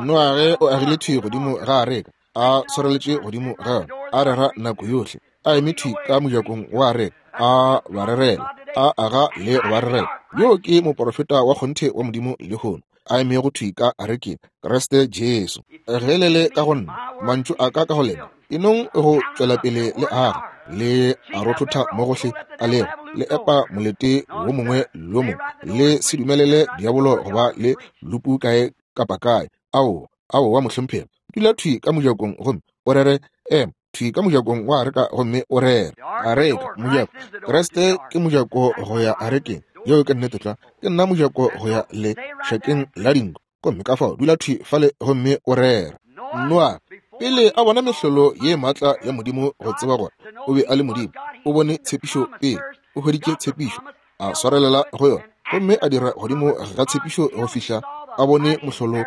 Noage o agile thwi godimo ga areka, a swareletše godimo ga yona, a rera nako yohle, a eme thwi ka mojakong wa areka, a ba rerela, a aga le go ba rerela. Yo ke moporofeta wa kgonthe wa Modimo lehono, a emego thwi ka arekeng, Kriste Jesu. Ge le le ka go nna, mantšu a ka ka go lena, e nong go tšwela pele le aga, le a rothotha mo gohle a lego, le epa molete wo mongwe le wo mongwe, le se dumelele diabolo go ba le lupu kae kapa kae. Aowa, aowa mohlomphegi, dula thwi ka mojakong gomme o rere. Ema thwi ka mojakong wa areka gomme o rere. Areka, mojako. Kriste ke mojako go ya arekeng. Yeo ke nnete tlwa. Ke nna mojako go ya le šakeng la dinko. Gomme ka fao dula thwi fale gomme o rere. Noa, pele a bona mehlolo ye maatla ya Modimo go tseba gore o be a le Modimo, o bone tshepišo pele, o hweditše tshepišo, a swarelela go yona, gomme a dira godimo ga tshepišo go fihla a bone mohlolo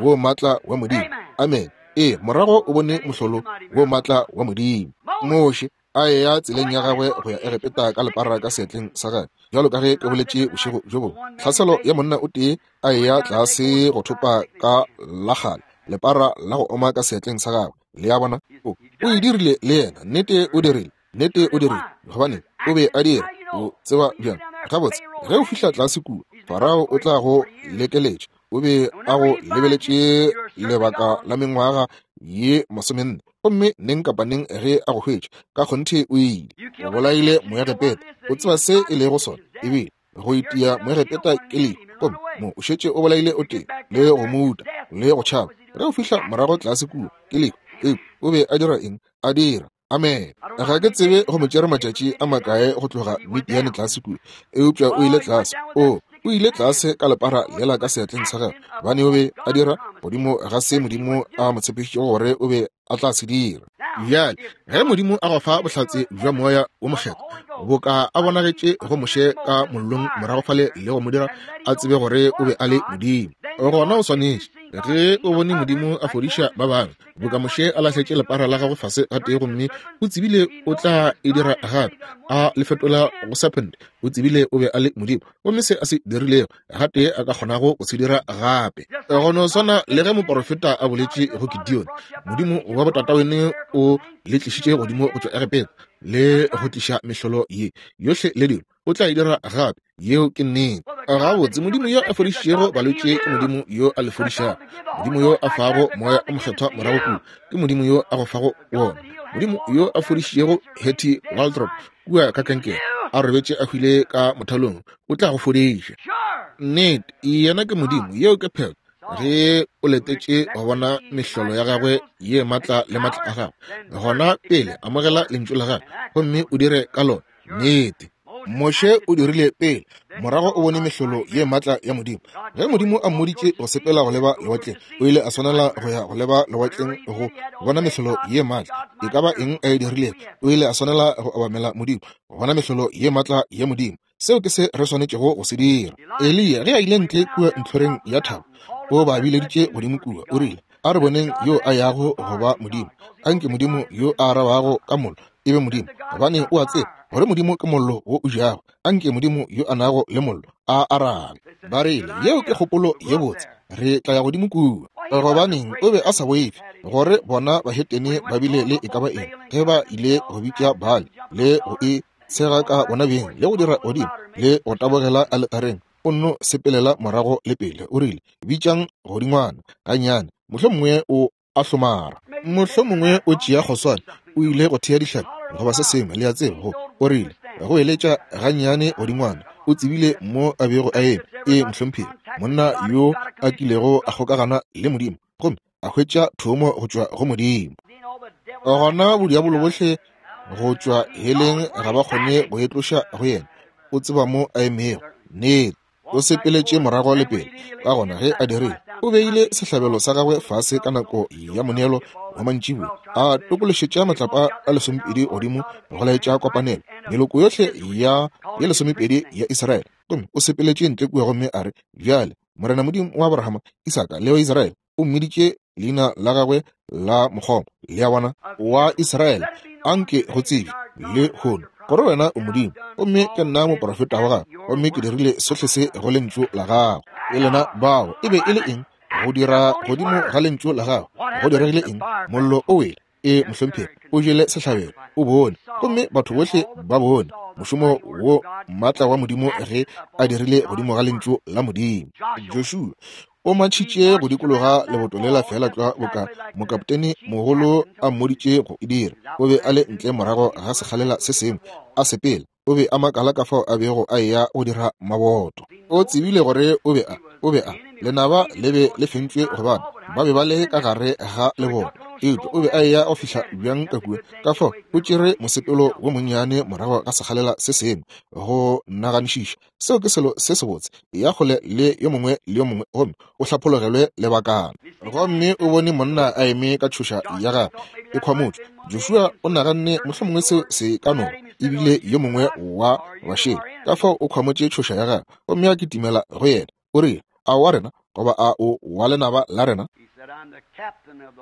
wo maatla wa Modimo. Amen. Ee, morago o bone mohlolo wo matla wa Modimo. Moshe a eya tseleng ya gagwe go ya Egepeta ka lepara ka seatleng sa gagwe, bjalo ka ge ke boletše bošego bjo bongwe. Tlhaselo ya monna o tee a eya tlase go thopa ka la kgale lepara la go oma ka seatleng sa gagwe. Le a bona, o o e dirile le yena. Nnete o dirile, nnete o dirile, gobane o be a dira. O tseba bjang? Gabotse, ge o fihla tlase kua, Farao o tla go lekeletša. O be a go lebeletše lebaka la mengwaga ye masomenne, gomme neng kapa neng ge a go hwetša, ka kgonthe o ile. O bolaile Moegepeta. O tseba se e lego sona, ebile go itia Moegepeta ke lehu, gomme mo o šetše o bolaile o tee le go mo uta le go tšhaba. Ge o fihla morago tlase kua, ke lehu. Eupša o be a dira eng? A dira. Amen. Ga ke tsebe go mo tšere matšatši a makae go tloga Midiane tlase kua, eupša o ile tlase. O o ile tlase ka lepara lela ka seatleng sa gagwe, gobane o be a dira godimo ga se Modimo a mo tshepišitšego gore o be a tla se dira. Bjale ge Modimo a go fa bohlatse bja Moya wo Mokgethwa, boka a bonagetše go Moshe ka mollong morago fale le go mo dira a tsebe gore o be a le Modimo, gona o swanetše, ge o bone Modimo a fodiša ba bangwe, boka Moshe a lahletše lepara la gagwe fase gatee gomme o tsebile o tla e dira gape, a le fetola go serpent, o tsebile o be a le Modimo, gomme se a se dirilego gatee a ka kgonago go se dira gape. Go no swana le ge moporofeta a boletše go Gideon, Modimo wa botatawene o le tlišitše godimo go tšwa Egepeta le go tliša mehlolo ye yohle le dilo, o tla e dira gape. Yeo ke nnete. Gabotse, Modimo yo a fodišitšego balwetši ke Modimo yo a le fodišago. Modimo yo a fago Moya o Mokgethwa morago kua ke Modimo yo a go fago wona. Modimo yo a fodišitšego Hattie Waldrop kua ka kankere, a robetše a hwile ka mothalong, o tla go fodiša. Nnete, yena ke Modimo. Yeo ke phetho. Ge o letetše go bona mehlolo ya gagwe ye matla le matla a gagwe, gona pele amogela lentšu la gagwe gomme o dire ka lona. Nnete. Moshe o dirile pele, morago o bone mehlolo ye matla ya Modimo. Ge Modimo a mmoditše go sepela go leba lewatleng, o ile a swanela go ya go leba lewatleng go bona mehlolo ye matla. E ka ba eng a e dirilego, o ile a swanela go obamela Modimo, go bona mehlolo ye matla ya Modimo. Seo ke se re swanetšego go se dira. Eliya ge a ile ntle kua ntlhoreng ya thaba, o ba bileditše godimo kua, o rile, a re boneng yo a yago go ba Modimo. Anke Modimo yo a arabago ka mollo e be Modimo, gobane o a tseba gore Modimo ke mollo wo o jago. Anke Modimo yo a nago le mollo a arabe. Ba rile, yeo ke kgopolo ye botse, re tla ya godimo kua. Gobaneng o be a sa boife gore bona bahetene ba bile le e ka ba eng ge ba ile go bitša Baale le go e tshega ka bona beng le go dira godimo le go tabogela aletareng, o nno sepelela morago le pele. O rile, bitšang godingwana gannyane, mohlomongwe o a hlomara, mohlomongwe o tšea kgoswane, o ile go thea dihlapi goba se sengwe, le a tseba. Go o rile go eletša gannyane godingwana, o tsebile mo a bego a eme. E mohlomphegi, monna yo a kilego a kgokagana le Modimo gomme a hwetša thomo go tšwa go Modimo. Gona bodiabolo bohle go tšwa heleng ga ba kgone go e tloša go yena. O tseba mo a emego. Nnete. O sepeletše morago le pele. Ka gona ge a dirile, o beile sehlabelo sa gagwe fase ka nako ya moneelo wa mantšiboa, a tokološetša matlapa a lesomepedi godimo go laetša kopanelo meloko yohle ya ye lesomepedi ya Israele. Gomme o sepeletše ntle kua gomme a re, bjale Morena Modimo wa Abrahama, Isaka le wa Israele, o mmiditše leina la gagwe la mokgoma, le a bona, wa Israele, anke go tsebje le hono gore wena o Modimo, gomme ke nna moprofeta wa gago, gomme ke dirile sohle se go lentšu la gago. E lena bao e be e le eng? Go dira godimo ga lentšu la gago. Go diregile eng? Mollo o wele. E mohlomphegi, o jele sehlabelo, o bone, gomme batho bohle ba bone mošomo wo matla wa Modimo ge a dirile godimo ga lentšu la Modimo. Joshua o matšhitše go dikologa leboto lela fela tlwa boka mokaptene mogolo a mmoditše go e dira. O be a le ntle morago ga sekgalela se sengwe a sepela. O be a makala ka fao a bego a eya go dira maboto. O tsebile gore o be a o be a lenaba le be le fentšwe gobane ba be ba le ka gare ga leboto. Eupša o be a eya go fihla bjang ka kua? Ka fao o tšere mosepelo wo monnyane morago ga sekgalela se sengwe go naganišiša. Seo ke selo se sebotse. Ya kgole le yo mongwe le yo mongwe gomme o hlapologelwe lebakana. Gomme o bone monna a eme ka tšhoša ya gagwe e khwamotšwe. Joshua o naganne mohlomongwe seo se ka no ebile yo mongwe wa bašele. Ka fao o khwamotše tšhoša ya gagwe gomme a kitimela go yena. O rile, aowa rena goba a o wa lenaba la rena?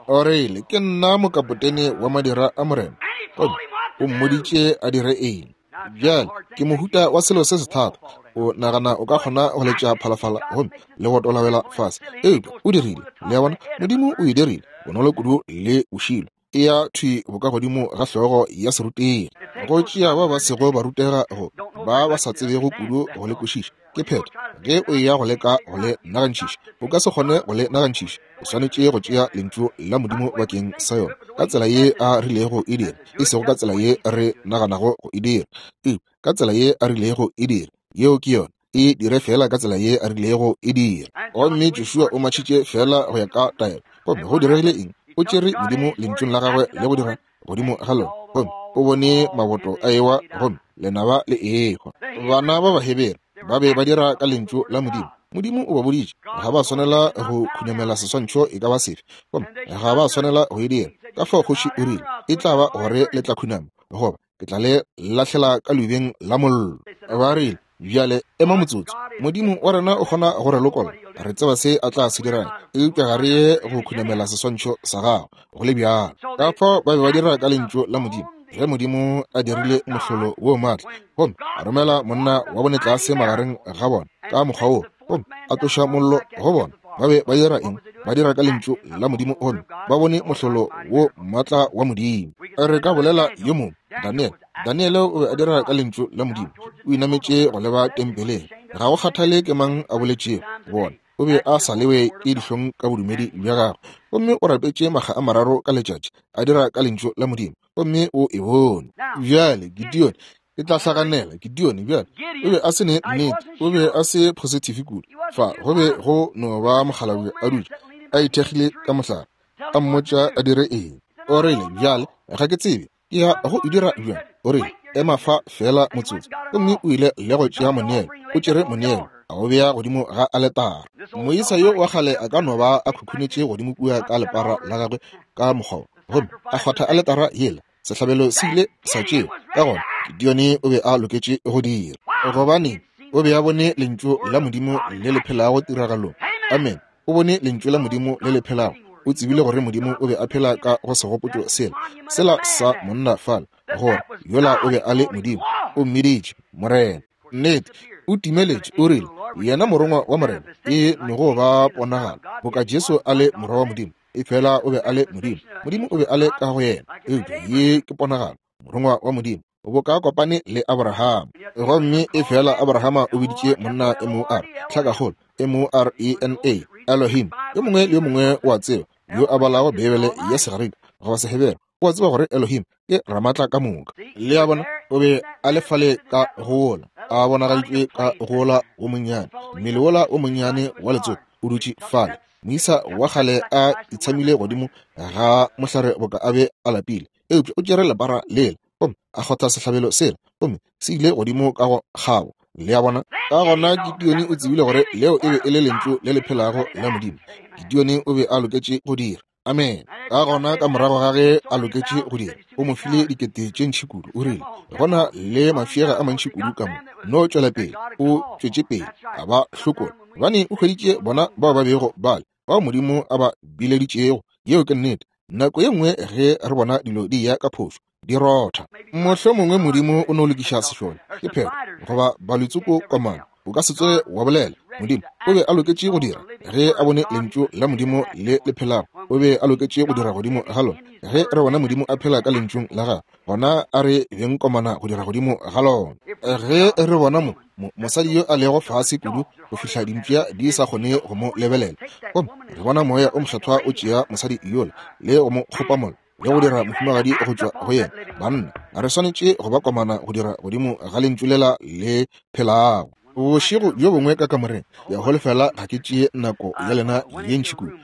O rile, ke nna mokapotene wa madira a morena. Gomme o mmoditše a dire eng. Bjale ke mohuta wa selo se se thata. O nagana o ka kgona go letša phalafala gomme le go tolabela fase, eupša o dirile. Le a bona, Modimo o e dirile bonolo kudu le bošilo. E ya thwi bokagodimo ga hlogo ya serutegi. Go tšea ba ba sego ba rutega go ba ba sa tsebego kudu go le kwešiša. Ke phetho ge o ya go leka go le nagantšiša, o ka se kgone go le nagantšiša. O swanetše go tšea lentšu la Modimo bakeng sa yona ka tsela ye a rilego e dira, e sego ka tsela ye re naganago go e dira, eupša ka tsela ye a rilego e dira. Yeo ke yona. E dire fela ka tsela ye a rilego e dira. Gomme Joshua o matšhitše fela go ya ka taelo. Gomme go diregile eng? O tšere Modimo lentšung la gagwe le go dira godimo ga lona, gomme o bone maboto a ewa, gomme lenaba le ehwa. Bana ba Bahebere ba be ba dira ka lentšu la Modimo. Modimo o ba boditše ga ba swanela go khunamela seswantšho e ka ba sefe, gomme ga ba swanela go e dira. Ka fao kgoši o rile, e tla ba gore le tla khunama, goba ke tla le lahlela ka leubeng la mollo. Ba rile, bjale ema motsotso, Modimo wa rena o kgona go re lokolla, re tseba se a tla se dirang, eupša ga re ye go khunamela seswantšho sa gago go le bjalo. Ka fao ba be ba dira ka lentšu la Modimo. Ge Modimo a dirile mohlolo wo maatla, gomme a romela monna wa bone tlase magareng ga bona ka mokgwa wo, gomme a tloša mollo go bona, ba be ba dira eng? Ba dira ka lentšu la Modimo, gomme ba bone mohlolo wo maatla wa Modimo. Re ka bolela yo mongwe, Daniel. Daniel o be a dira ka lentšu la Modimo. O inametše go leba tempeleng. Ga go kgathale ke mang a boletšego bona, o be a sa lewe ke dihlong ka bodumedi bja gagwe, gomme o rapetše makga a mararo ka letšatši a dira ka lentšu la Modimo, gomme o e bone. Bjale Gideon, ke tla hlaganela Gideon. Bjale o be a se ne nnete, o be a se positive kudu. Fa go be go no ba mokgalabje a dutše a ithekgile ka mohlare, a mmotša a dire eng. O rile, bjale ga ke tsebe ke ya go e dira bjang. O rile, ema fa fela motsotso. Gomme o ile le go tšea moneelo, o tšere moneelo a o bea godimo ga aletara. Moisa yo wa kgale a ka no ba a khukhunetše godimo kua ka lepara la gagwe ka mokgwa, gomme a kgwatha aletara yela. Sehlabelo se ile sa tšewa. Ka gona Gideon o be a loketše go dira, gobane o be a bone lentšu la Modimo le le phelago tiragalong. Amen. O bone lentšu la Modimo le le phelago. O tsebile gore Modimo o be a phela ka go segopotšo sela, sela sa monna fale, gore yola o be a le Modimo. O mmiditše Morena. Nnete, o timeletše. O rile, yena morongwa wa Morena e no ba ponagala boka Jesu a le morwa wa Modimo, e fela o be a le Modimo. Modimo o be a le ka go yena, eupša ye ke ponagalo, morongwa wa Modimo, boka kopane le Abraham. Gomme e fela Abrahama o biditše monna M O R, tlhakakgolo M O R E N A, Elohim. Yo mongwe le yo mongwe o a tseba, yo a balago Beibele ya Segerika goba Sehebere, o a tseba gore Elohim ke ramatla ka moka. Le a bona, o be a le fale ka go wola, a bonagaditšwe ka go wola wo monnyane, mmele wola wo monnyane wa letsopa o dutše fale. Moisa wa kgale a itshamile godimo ga mohlare boka a be a lapile, eupša o tšere lepara lela gomme a kgotha sehlabelo sela, gomme se ile godimo ka go kgabo. Le a bona? Ka gona Gideon o tsebile gore leo e be e le lentšu le le phelago la Modimo. Gideon o be a loketše go dira. Amen. Ka gona ka morago ga ge a loketše go dira, o mo file dikete tše ntši kudu. O rile, gona le mafiega a mantši kudu ka mo, no tšwela pele. O tšwetše pele a ba hlokola, gobane o hweditše bona bao ba bego bale, bao Modimo a ba bileditšego. Yeo ke nnete. Nako ye nngwe ge re bona dilo di ya ka phošo, di rotha. Mohlomongwe Modimo o no lokiša sešole, ke phetho, goba balwetsoko komana. O ka se tsoge wa bolela. Modimo o be a loketše go dira ge a bone lentšu la Modimo le le phelago. O be a loketše go dira godimo ga lona. Ge re bona Modimo a phela ka lentšung la gagwe, gona a re beng komana go dira godimo ga lona. Ge re bona mo mosadi yo a lego fase kudu go fihla dimpša di sa kgone go mo lebelela, gomme re bona moya o mokgethwa o tšea mosadi yola le go mo kgopamola le go dira mohumagadi go tšwa go yena, banna re swanetše go ba komana go dira godimo ga lentšu lela le phelago. Bošego bjo bongwe ka kamoreng ya holofela ga ke tšee nako ya lena ye ntši kudu.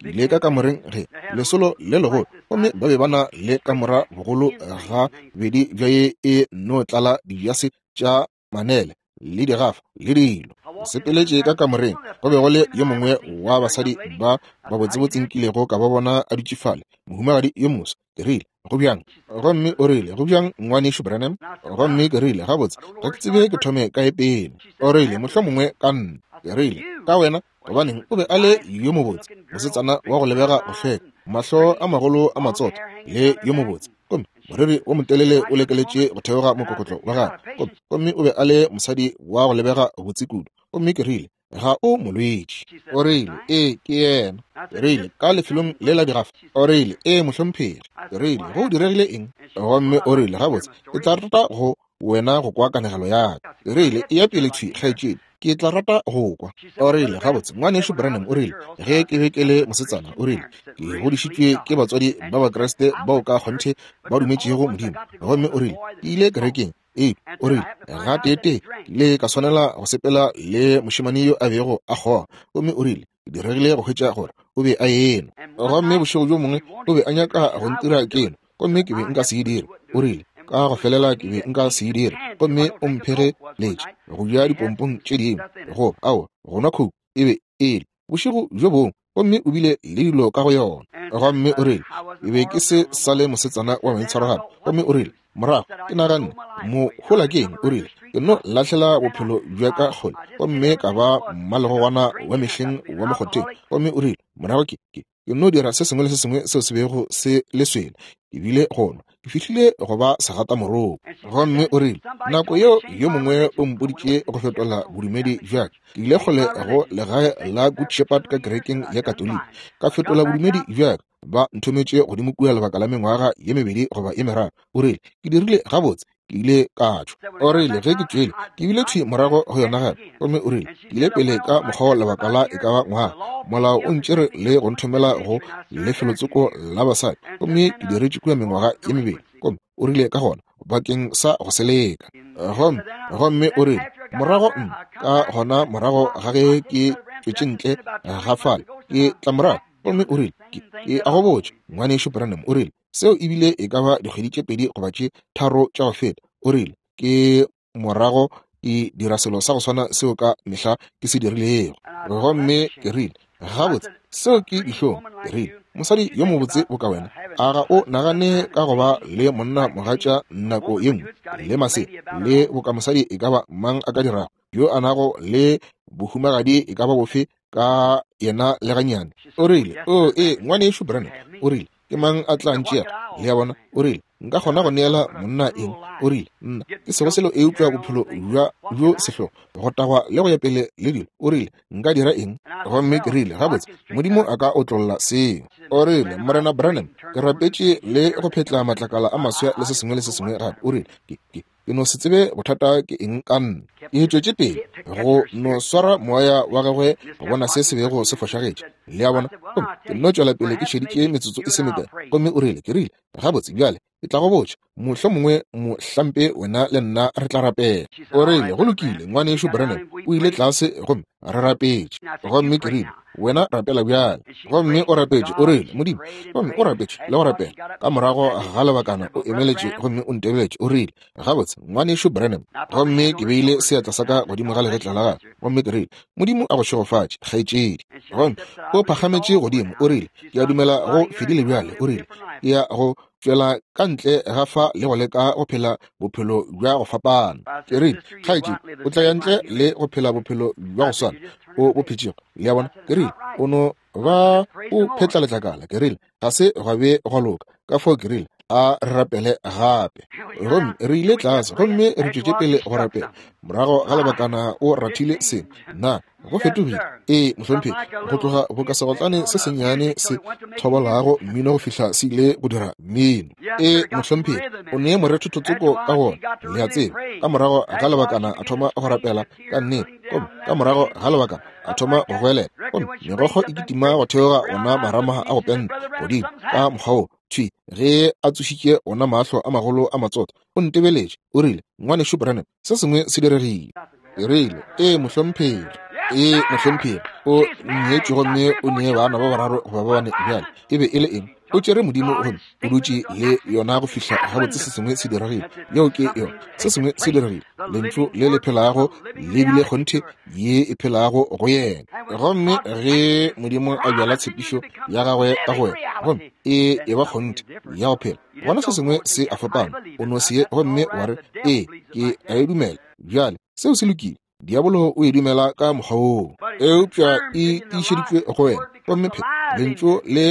Ke ile ka kamoreng ge lesolo le legolo, gomme ba be ba na le kamora bogolo ga bedi bja ye e no tlala dijase tša manele le digafa le dilo. Sepeletše ka kamoreng, go be go le yo mongwe wa basadi ba ba botsebotse nkilego ka ba bona a dutše fale, mohumagadi yo moswa. Ke rile, go bjang? Gomme o rile, go bjang ngwanešu Branham? Gomme ke rile, gabotse ga ke tsebe ke thome kae pele. O rile, mohlomongwe ka nna. Ke rile, ka wena? Gobaneng, o be a le yo mobotse, mosetsana wa go lebega go hlweka, mahlo a magolo a matsotho, le yo mobotse. Gomme moriri wo motelele o lekeletše go theoga mokokotlo wa gagwe. Gomme o be a le mosadi wa go lebega botse kudu. Gomme ke rile, ga o molwetši. O rile, ee, ke yena. Ke rile, ka lefelong le la digafa. O rile, ee, mohlomphegi. Ke rile, go diregile eng? Gomme o rile, gabotse, ke tla rata go wena go kwa kanegelo ya ka. Ke rile, eya pele thwi, kgaetšedi, ke tla rata go kwa. O rile, gabotse, ngwanešu Branham, o rile, ge ke be ke le mosetsana, o rile, ke godišitšwe ke batswadi ba Bakriste bao ka kgonthe ba dumetšego Modimo. Gomme o rile, ke ile kerekeng. Ee, o rile, gateetee ke ile ka swanela go sepela le mošemane yo a bego a kgoga. Gomme o rile, ke diregile go hwetša gore o be a enwa. Gomme bošego bjo mongwe o be a nyaka go ntira keno, gomme ke be nka se e dire. O rile, ka go felela ke be nka se e dire. Gomme o mphegeletše go ja dipompong tše dingwe, go ao go nwa coke e be e le bošego bjo bongwe, gomme o bile le dilo ka go yona. Gomme o rile, ke be ke se sa le mosetsana wa maitshwaro gape. Gomme o rile, morago ke naganne, mohola ke eng? O rile, ke no lahlela bophelo bja ka kgole, gomme ka ba mmalegogwana wa mehleng wa mokgotheng. Gomme o rile, morago ke ke ke no dira se sengwe le se sengwe seo se bego se le swele, ke bile go nwa, ke fihlile go ba segatamoroko. Gomme o rile, nako yeo yo mongwe o mpoditše go fetola bodumedi bja ka. Ke ile kgole go legae la Good Shepherd ka kerekeng ya Katoliki, ka fetola bodumedi bja ka. Ba nthometše godimo kua lebaka la mengwaga ye mebedi goba ye meraro. O rile, ke dirile gabotse, ke ile ka tšwa. O rile, ge ke tšwele, ke bile thwi morago go yona gape. Gomme o rile, ke ile pele ka mokgwa lebaka la e ka ba ngwaga. Molao o ntšere le go nthomela go lefelotsoko la basadi, gomme ke diretše kua mengwaga ye mebedi. Gomme o rile ka gona, bakeng sa go seleka. Gomme gomme o rile, morago nna, ka gona morago ga ge ke tšwetše ntle ga fale, ke tla morago. Gomme o rile, ke ke a go botša, ngwanešu Branham, o rile, seo ebile e ka ba dikgwedi tše pedi goba tše tharo tša go feta. O rile, ke morago ke dira selo sa go swana seo ka mehla ke se dirilego. Gomme ke rile, gabotse, seo ke dihlong. Ke rile, mosadi yo mobotse boka wena, a ga o nagane ka go ba le monna mogatša nako ye nngwe, le masea, le boka mosadi e ka ba mang a ka dirago, yo a nago le bohumagadi e ka ba bofe ka yena le gannyane? O rile, o ee, ngwanešu Branham, o rile, ke mang a tla ntšea? Le a bona? O rile, nka kgona go neela monna eng? O rile, nna ke sego selo eupša bophelo bja bjo sehlogo, go tagwa le go ya pele le dilo. O rile, nka dira eng? Gomme ke rile, gabotse, Modimo a ka otlolla seo. O rile, Morena Branham, ke rapetše le go phetla matlakala a maswa le se sengwe le se sengwe gape. O rile, ke ke ke no se tsebe bothata ke eng ka nna. Ke tšwetše pele go no swara moya wa gagwe go bona se se bego se fošagetše. Le a bona? Gomme ke nno tšwela pele ke šeditše metsotso e se mekae. Gomme o rile, ke rile, gabotse bjale, ke tla go botša, mohlomongwe mohlampe wena le nna re tla rapela. O rile, go lokile, ngwanešu Branham, o ile tlase gomme re rapetše. Gomme ke rile, wena rapela bjale. Gomme o rapetše, o rile, Modimo. Gomme o rapetše le go rapela. Ka morago ga lebakana o emeletše gomme o ntebeletše. O rile, gabotse, ngwanešu Branham. Gomme ke beile seatla sa ka godimo ga legetla la gagwe. Gomme ke rile, Modimo a go šegofatše, kgaetšedi. Gomme o phagametše godimo. O rile, ke a dumela go fedile bjale. O rile, ke ya go tšwela ka ntle ga fa le go leka go phela bophelo bja go fapana. Ke rile, kgaetšedi, o tla ya ntle le go phela bophelo bja go swana o bo phetšego. Le a bona? Ke rile, o no ba o phetla letlakala. Ke rile, ga se gwa be gwa loka. Ka fao ke rile, a re rapele gape. Gomme re ile tlase gomme re tšwetše pele go rapela. Morago ga lebakana o rathile sengwe. Na go fetogile? Ee, mohlomphegi, go tloga boka segotlane se sennyane se thobolago mmino go fihla se ile go dira mmino. Ee, mohlomphegi, o ne morethethotsoko ka gona, le a tseba. Ka morago ga lebakana a thoma go rapela ka nnete. Gomme ka morago ga lebakana a thoma go goelela. Gomme megokgo e kitima go theoga ona marama a go penta godimo ka mokgwa wo. Thwi ge a tsošitše ona mahlo a magolo a matsotho, o ntebeletše. O rile, ngwanešu Branham, se sengwe se diregile. Ke rile, ee, mohlomphegi. Ee, mohlomphegi, o nyetšwe gomme o ne bana ba bararo goba ba bane bjale. E be e le eng? O tšere Modimo gomme o dutše le yona go fihla gabotse se sengwe se diregile. Yeo ke yona. Se sengwe se diregile. Lentšu le le phelago le bile kgonthe ye e phelago go yena. Gomme ge Modimo a bjala tshepišo ya gagwe ka go wena, gomme e e ba kgonthe ya go phela, gona se sengwe se a fapana. O no se ye gomme wa re, ee, ke a e dumela. Bjale, seo se lokile. Diabolo o e dumela ka mokgwa woo. Eupša e tiišeditšwe go wena, gomme phe lentšu le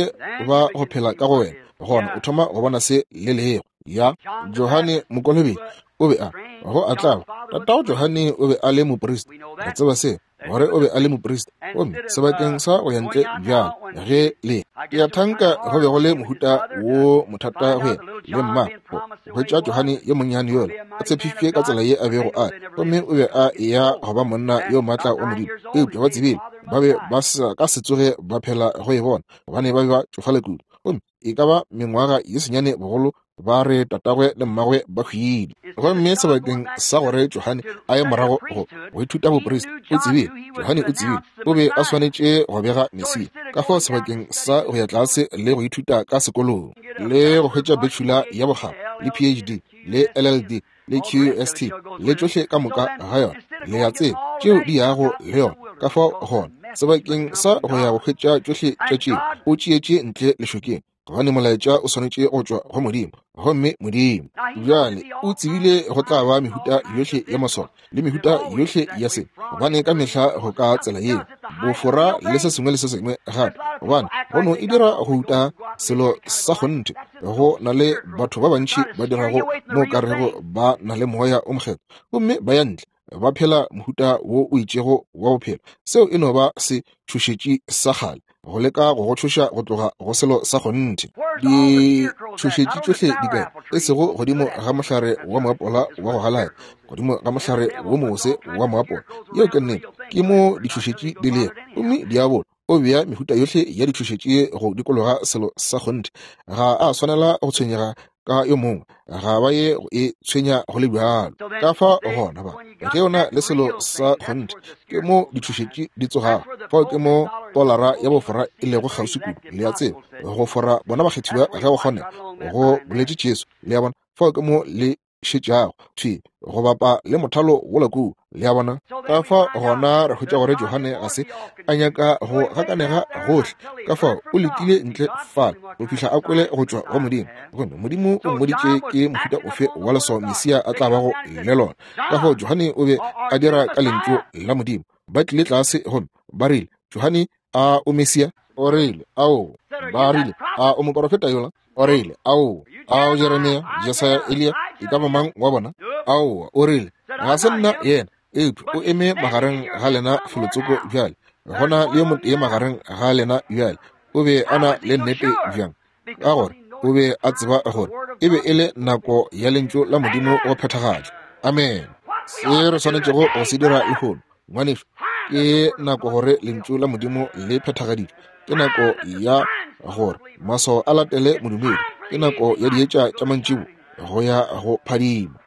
ba go phela ka go wena, gona o thoma go bona se le lego. Ya Johane Mokolobetši o be a go a tlaba. Tatago Johane o be a le moprista. Re tseba se, gore o be a le moprista. Gomme sebakeng sa go ya ntle bjalo ge le ke a thanka go be go le mohuta wo mothata go yena le mma go hwetša Johane yo monnyane yola a tshepišitšwe ka tsela ye a bego a, gomme o be a eya go ba monna yo maatla wa Modimo. Eupša ba tsebile ba be ba sa ka se tsoge ba phela go e bona, gobane ba be ba tšofala kudu. Gomme e ka ba mengwaga ye senyane bogolo ba re tatagwe le mmagwe ba hwile. Gomme sebakeng sa gore Johane a ye morago go go ithuta boprista, o tsebile, Johane o tsebile o be a swanetše go bega Mesia. Ka fao sebakeng sa go ya tlase le go ithuta ka sekolong le go hwetša bachelor ya bokgabo le P H D le L L D le Q S T le tšohle ka moka ga yona, le ya tseba tšeo di yago le yona. Ka fao gona sebakeng sa go ya go hwetša tšohle tša tšeo, o tšeetše ntle lešokeng, gobane molaetša o swanetše go tšwa go Modimo. Gomme Modimo bjale o tsebile go tla ba mehuta yohle ya maswao le mehuta yohle ya se, gobane ka mehla go ka tsela yeo bofora le se sengwe le se sengwe gape, gobane go no e dira go uta selo sa kgonthe. Go na le batho ba bantši ba dirago mo ka rego ba na le moya o mokgethwa, gomme ba ya ntle ba phela mohuta wo o itšego wa bophelo. Seo e no ba se tšhošetši sa kgale, go leka go go tšhoša go tloga go selo sa kgonthe. Ditšhošetši tšohle di kae? E sego godimo ga mohlare wa moapola wa go galaya, godimo ga mohlare wo mobose wa moapola. Yeo ke nnete, ke mo ditšhošetši di lego. Gomme diabolo o bea mehuta yohle ya ditšhošetši go dikologa selo sa kgonthe. Ga a swanela go tshwenyega ka yo mongwe, ga ba ye go e tshwenya go le bjalo. Ka fa gona ba ge o na le selo sa kgonthe, ke mo ditšhošetši di tsogago. Fao ke mo tolara ya bofora e lego kgauswi kudu, le a tseba, go fora bona bakgethiwa ge go kgonega, go boletše Jesu. Le a bona, fao ke mo le šetšago thwi go bapa le mothalo wola kua, le a bona. Ka fa gona re hwetša gore Johane ga se a nyaka go gakanega gohle, ka fao o letile ntle fale go fihla a kwele go tšwa go Modimo. Gomme Modimo o mmoditše ke mohuta ofe wa leswao Mesia a tla bago le lona. Ka fao Johane o be a dira ka lentšu la Modimo. Ba tlile tlase gomme ba rile, Johane, a o Mesia? O rile, ao. Ba rile, a o moporofeta yola? O rile, ao. A o Jeremia, Jesaya, Eliya, e ka ba mang wa bona? Aowa. O rile, ga se nna yena, eupša o eme magareng ga lena felotsoko bjale. Gona le yo motee magareng ga lena bjale. O be a na le nnete bjang? Ka gore o be a tseba gore e be e le nako ya lentšu la Modimo go phethagatšwa. Amen. Se re swanetšego go se dira lehono, ngwanešu, ke nako gore lentšu la Modimo le phethagaditšwe. Ke nako ya gore maswao a latele modumedi. Ke nako ya dietša tša mantšibo go ya go phadima.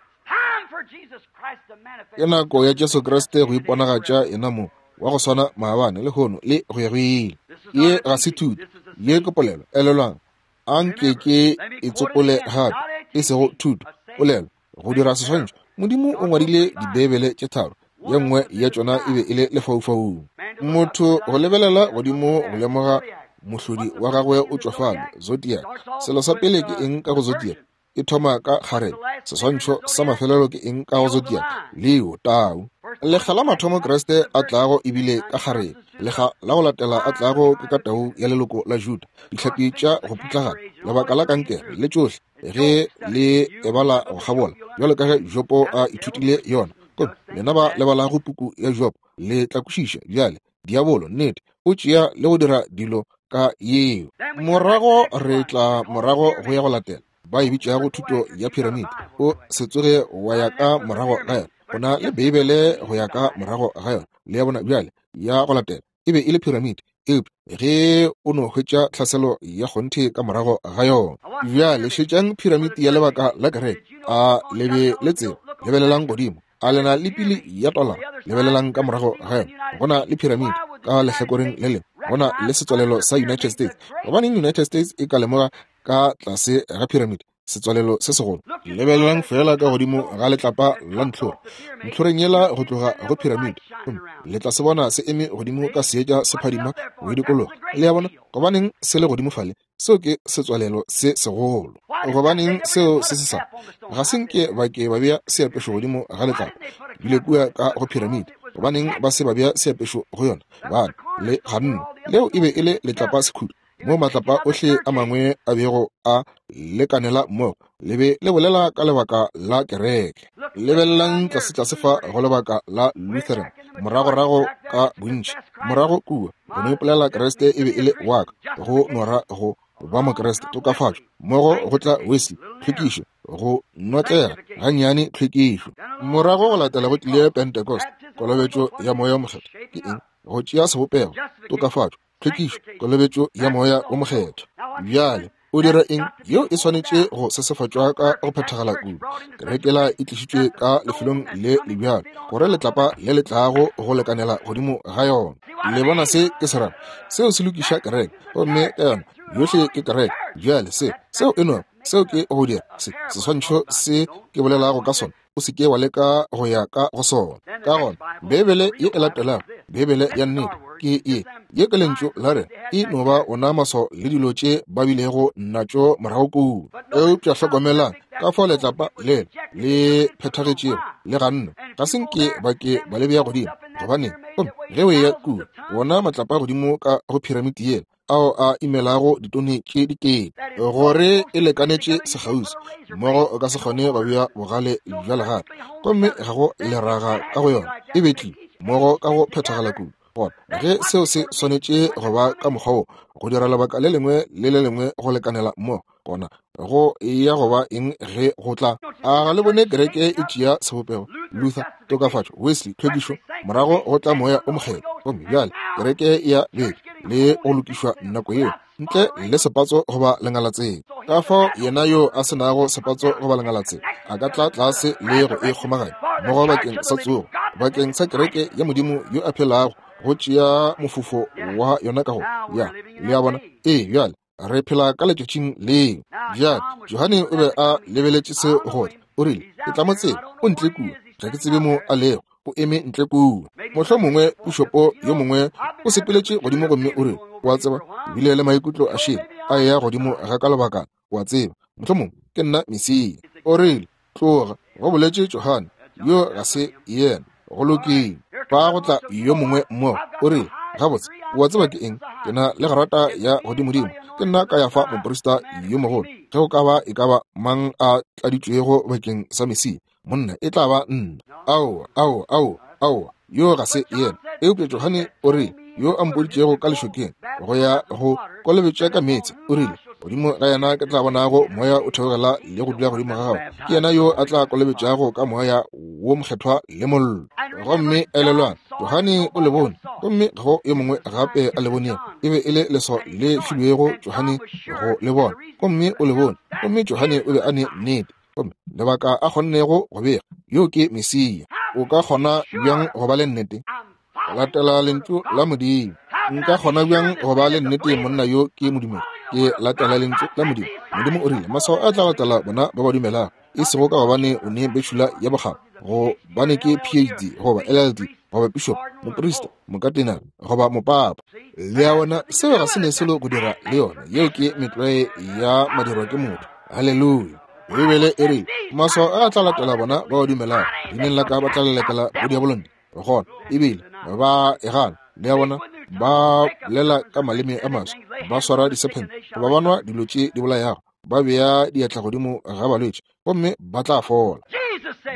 Ke nako ya Jesu Kriste go iponagatša yena mong wa go swana maabane, lehono le go ya go ile. Ye ga se thuto, ye ke polelo. Elelwang, a nke ke e tsopole gape, e sego thuto, polelo, go dira seswantšho. Modimo o ngwadile Dibeibele tše tharo, ye nngwe ya tšona e be e le lefaufaung. Motho go lebelela godimo go lemoga mohlodi wa gagwe o tšwa fale, zodiac. Selo sa pele ke eng ka go zodiac? E thoma ka kgarebe. Seswantšho sa mafelelo ke eng ka go zodiac? Leo, tau. Lekga la mathomo Kriste a tlago ebile ka kgarebe. Lekga la go latela a tlago ke ka tau ya leloko la Juda. Dihlapi tša go putlagana, lebaka la kankere le tšohle ge le ebala go kgabola, bjalo ka ge Jopo a ithutile yona. Gomme lena ba lebalago puku ya Jopo le tla kwešiša bjale. Diabolo nnete o tšea le go dira dilo ka yeo. Morago re tla morago go ya go latela ba e bitšago thuto ya piramide. O se tsoge wa ya ka morago ga yona. O na le Beibele go ya ka morago ga yona. Le ya bona bjale ya go latela e be e le piramide, eupša ge o no hwetša tlhaselo ya kgonthe ka morago ga yona. Bjale šetšang piramide ya lebaka la kereke. A le be le tseba? Lebelelang godimo. A lena le pili ya tolara? Lebelelang ka morago ga yona. Go na le piramide ka lehlakoreng le lengwe. Go na le setswalelo sa United States. Gobaneng United States e ka lemoga ka tlase ga piramide setswalelo se segolo? Lebelelang fela ka godimo ga letlapa la ntlhora, ntlhoreng yela go tloga go piramide, le tla se bona se eme godimo ka seetša se phadima go e dikologa. Le a bona? Gobaneng se le godimo fale? Seo ke setswalelo se segolo. Gobaneng seo se se sa? Ga se nke ba ke ba bea seapešo godimo ga letlapa bile kua ka go piramide. Gobaneng ba se ba bea seapešo go yona? Gobane le ganne. Leo e be e le letlapa sekhudu, mo matlapa ohle a mangwe a bego a lekanela mmogo. Le be le bolela ka lebaka la kereke. Lebelelang tlasetlase fa go lebaka la Lutheran, moragorago ka bontši, morago kua, go no ipolela Kriste e be e le wa ka, go nora go ba Mokriste, tokafatšo, mmogo go tla Wesley, tlhwekišo, go notlega gannyane, tlhwekišo. Morago go latela go tlile Pentecost, kolobetšo ya Moya o Mokgethwa. Ke eng? Go tšea sebopego, tokafatšo, tlhwekišo, kolobetšo ya Moya o Mokgethwa. Bjale o dira eng? Yeo e swanetše go sesefatšwa ka go phethagala kudu. Kerekela e tlišitšwe ka lefelong le le bjalo gore letlapa le le tlago go lekanela godimo ga yona. Le bona se ke se rata? Seo se lokiša kereke, gomme ka yona yohle ke kereke. Bjale se seo e no seo ke go dira se seswantšho se ke bolelago ka sona, o se ke wa leka go ya ka go sona. Ka gona Beibele ye e latelago, Beibele ya nnete ke ye, ye ke lentšu la re e no ba ona maswao le dilo tše ba bilego natšo morago kua. Eupša hlokomelang ka fao letlapa le le phethagetšego le ganne, ga se nke ba ke ba le bea godimo. Gobaneng? Gomme ge o eya kua, wona matlapa godimo ka go phiramiti yela ao a imelago ditone tše dikete, gore e lekanetše sekgauswi mmogo, o ka se kgone go bea bogale bja legato, gomme ga go leraga ka go yona, e betlile mmogo ka go phethagala kudu. Gona ge seo se swanetše go ba ka mokgwa wo, go dira lebaka le lengwe le le lengwe go lekanela mmogo, gona go ya go ba eng ge go tla? A ga le bone kereke e tšea sebopego? Luther, tokafatšo, Wesley, tlhwekišo, morago go tla Moya o Mokgethwa, gomme bjale kereke ya beke le go lokišwa nako yeo ntle le sepatso goba lengalatseng. Ka fao yena yo a se nago sepatso goba lengalatseng a ka tla tlase le go e kgomaganya mmogo bakeng sa tsogo, bakeng sa kereke ya Modimo yo a phelago, go tšea mofufo wa yona ka go ya. Le a bona? Ee, bjale re phela ka letšatšing leo. Bjale Johane o be a lebeletše se gore o rile, ke tla mo tseba, o ntle kua, ga ke tsebe mo a lego, o eme ntle kua. Mohlomongwe pišopo yo mongwe o sepeletše godimo gomme o rile, o a tseba, bile le maikutlo a šele a eya godimo ga ka lebakana, o a tseba, mohlomongwe ke nna Mesia. O rile, tloga, go boletše Johane, yo ga se yena. Go lokile. Fa go tla yo mongwe mmogo, o rile, gabotse, o a tseba ke eng? Ke na le grata ya godimodimo, ke nna ka ya fa moprista yo mogolo. Ge go ka ba e ka ba mang a tladitšwego bakeng sa Mesia, monna e tla ba nna. Aowa, aowa, aowa, aowa, yo ga se yena. Eupša Johane o rile, yo a mpoditšego ka lešokeng go ya go kolobetša ka meetse, o rile, godimo ga yena ke tla bonago moya o theogela le go dula godimo ga gagwe, ke yena yo a tla kolobetšago ka moya wo mokgethwa le mollo. Gomme elelwang, Johane o le bone, gomme ga go yo mongwe gape a le bonego. E be e le leswao le filwego Johane go le bona, gomme o le bone, gomme Johane o be a ne nnete, gomme lebaka a kgonnego go bega, yo ke Mesia. O ka kgona bjang go ba le nnete? Latela lentšu la Modimo. Nka kgona bjang go ba le nnete monna yo ke modumedi? Ke latela lentšu la Modimo. Modimo o rile, maswao a tla latela bona ba ba dumelago, e sego ka gobane o ne betšhula ya bokgabo, gobane ke P H D goba L L D goba bishop, moprista, mokatenare goba mopapa. Le a bona, seo ga se ne selo go dira le yona. Yeo ke metlwae ya madirwa ke motho. Haleluya. Beibele e rile, maswao a tla latela bona ba ba dumelago, leineng la ka ba tla lelekela bodiabolontle. Gona ebile ba e gana. Le a bona, ba bolela ka maleme a maswa, ba swara disephente, goba ba nwa dilo tše di bolayago, ba bea diatla godimo ga balwetši, gomme ba tla fola.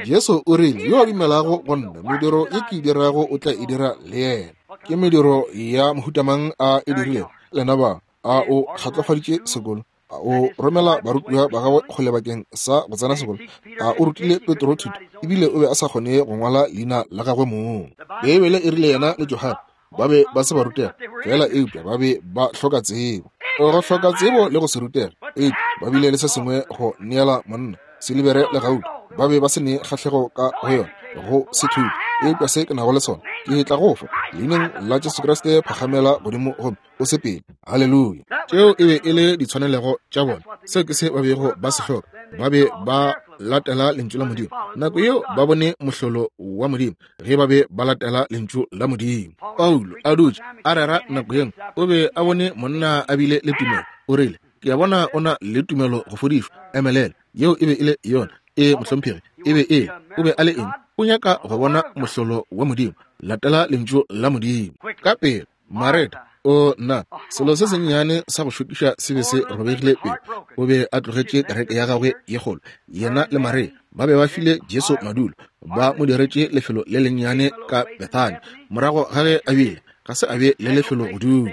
Jesu o rile, yo a dumelago go nna, mediro ye ke e dirago o tla e dira le yena. Ke mediro ya mohuta mang a e dirilego? Lena ba, a o kgatlofaditše sekolo? A o romela barutiwa ba gagwe kgole bakeng sa go tsena sekolo? A o rutile Petro thuto, ebile o be a sa kgone go ngwala leina la gagwe mong? Beibele e rile yena le Johane ba be ba se ba rutega fela, eupša ba be ba hloka tsebo. Go hloka tsebo le go se rutega, eupša ba bile le se sengwe go neela monna, silibere le gauta. Ba be ba se ne kgahlego ka go yona, go se thuto. Eupša se ke nago le sona, ke tla go fa leineng la Jesu Kriste, phagamela godimo gomme o sepele. Haleluya. Tšeo e be e le ditshwanelego tša bona. Seo ke se ba bego ba se hloka. Ba be ba latela lentšu la Modimo. Nako yeo ba bone mohlolo wa Modimo ge ba be ba latela lentšu la Modimo. Paulo a dutše a rera nako yengwe, o be a bone monna a bile le tumelo. O rile, ke a bona o na le tumelo go fodišwa. Emelela. Yeo e be e le yona. E mohlomphegi, e be e o be a le eng? O nyaka go bona mohlolo wa Modimo, latela lentšu la Modimo. Ka pele, Mareta, o nna, selo se sennyane sa go šokiša se be se robegile pele. O be a tlogetše kereke ya gagwe ye kgolo. Yena le Maria ba be ba file Jesu madulo, ba mo diretše lefelo le lennyane ka Bethani. Morago ga ge a bile, ga se a be le lefelo go dula.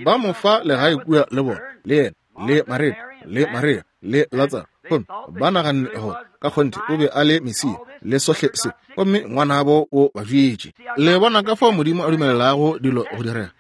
Ba mo fa legae kua le bona, le yena, le Mareta, le Maria, le Latsaro. Gomme ba naganne gore ka kgonthe o be a le Mesia le sohle se, gomme ngwanabo o ba bjetše. Le bona ka fao Modimo a dumelelago dilo go direga,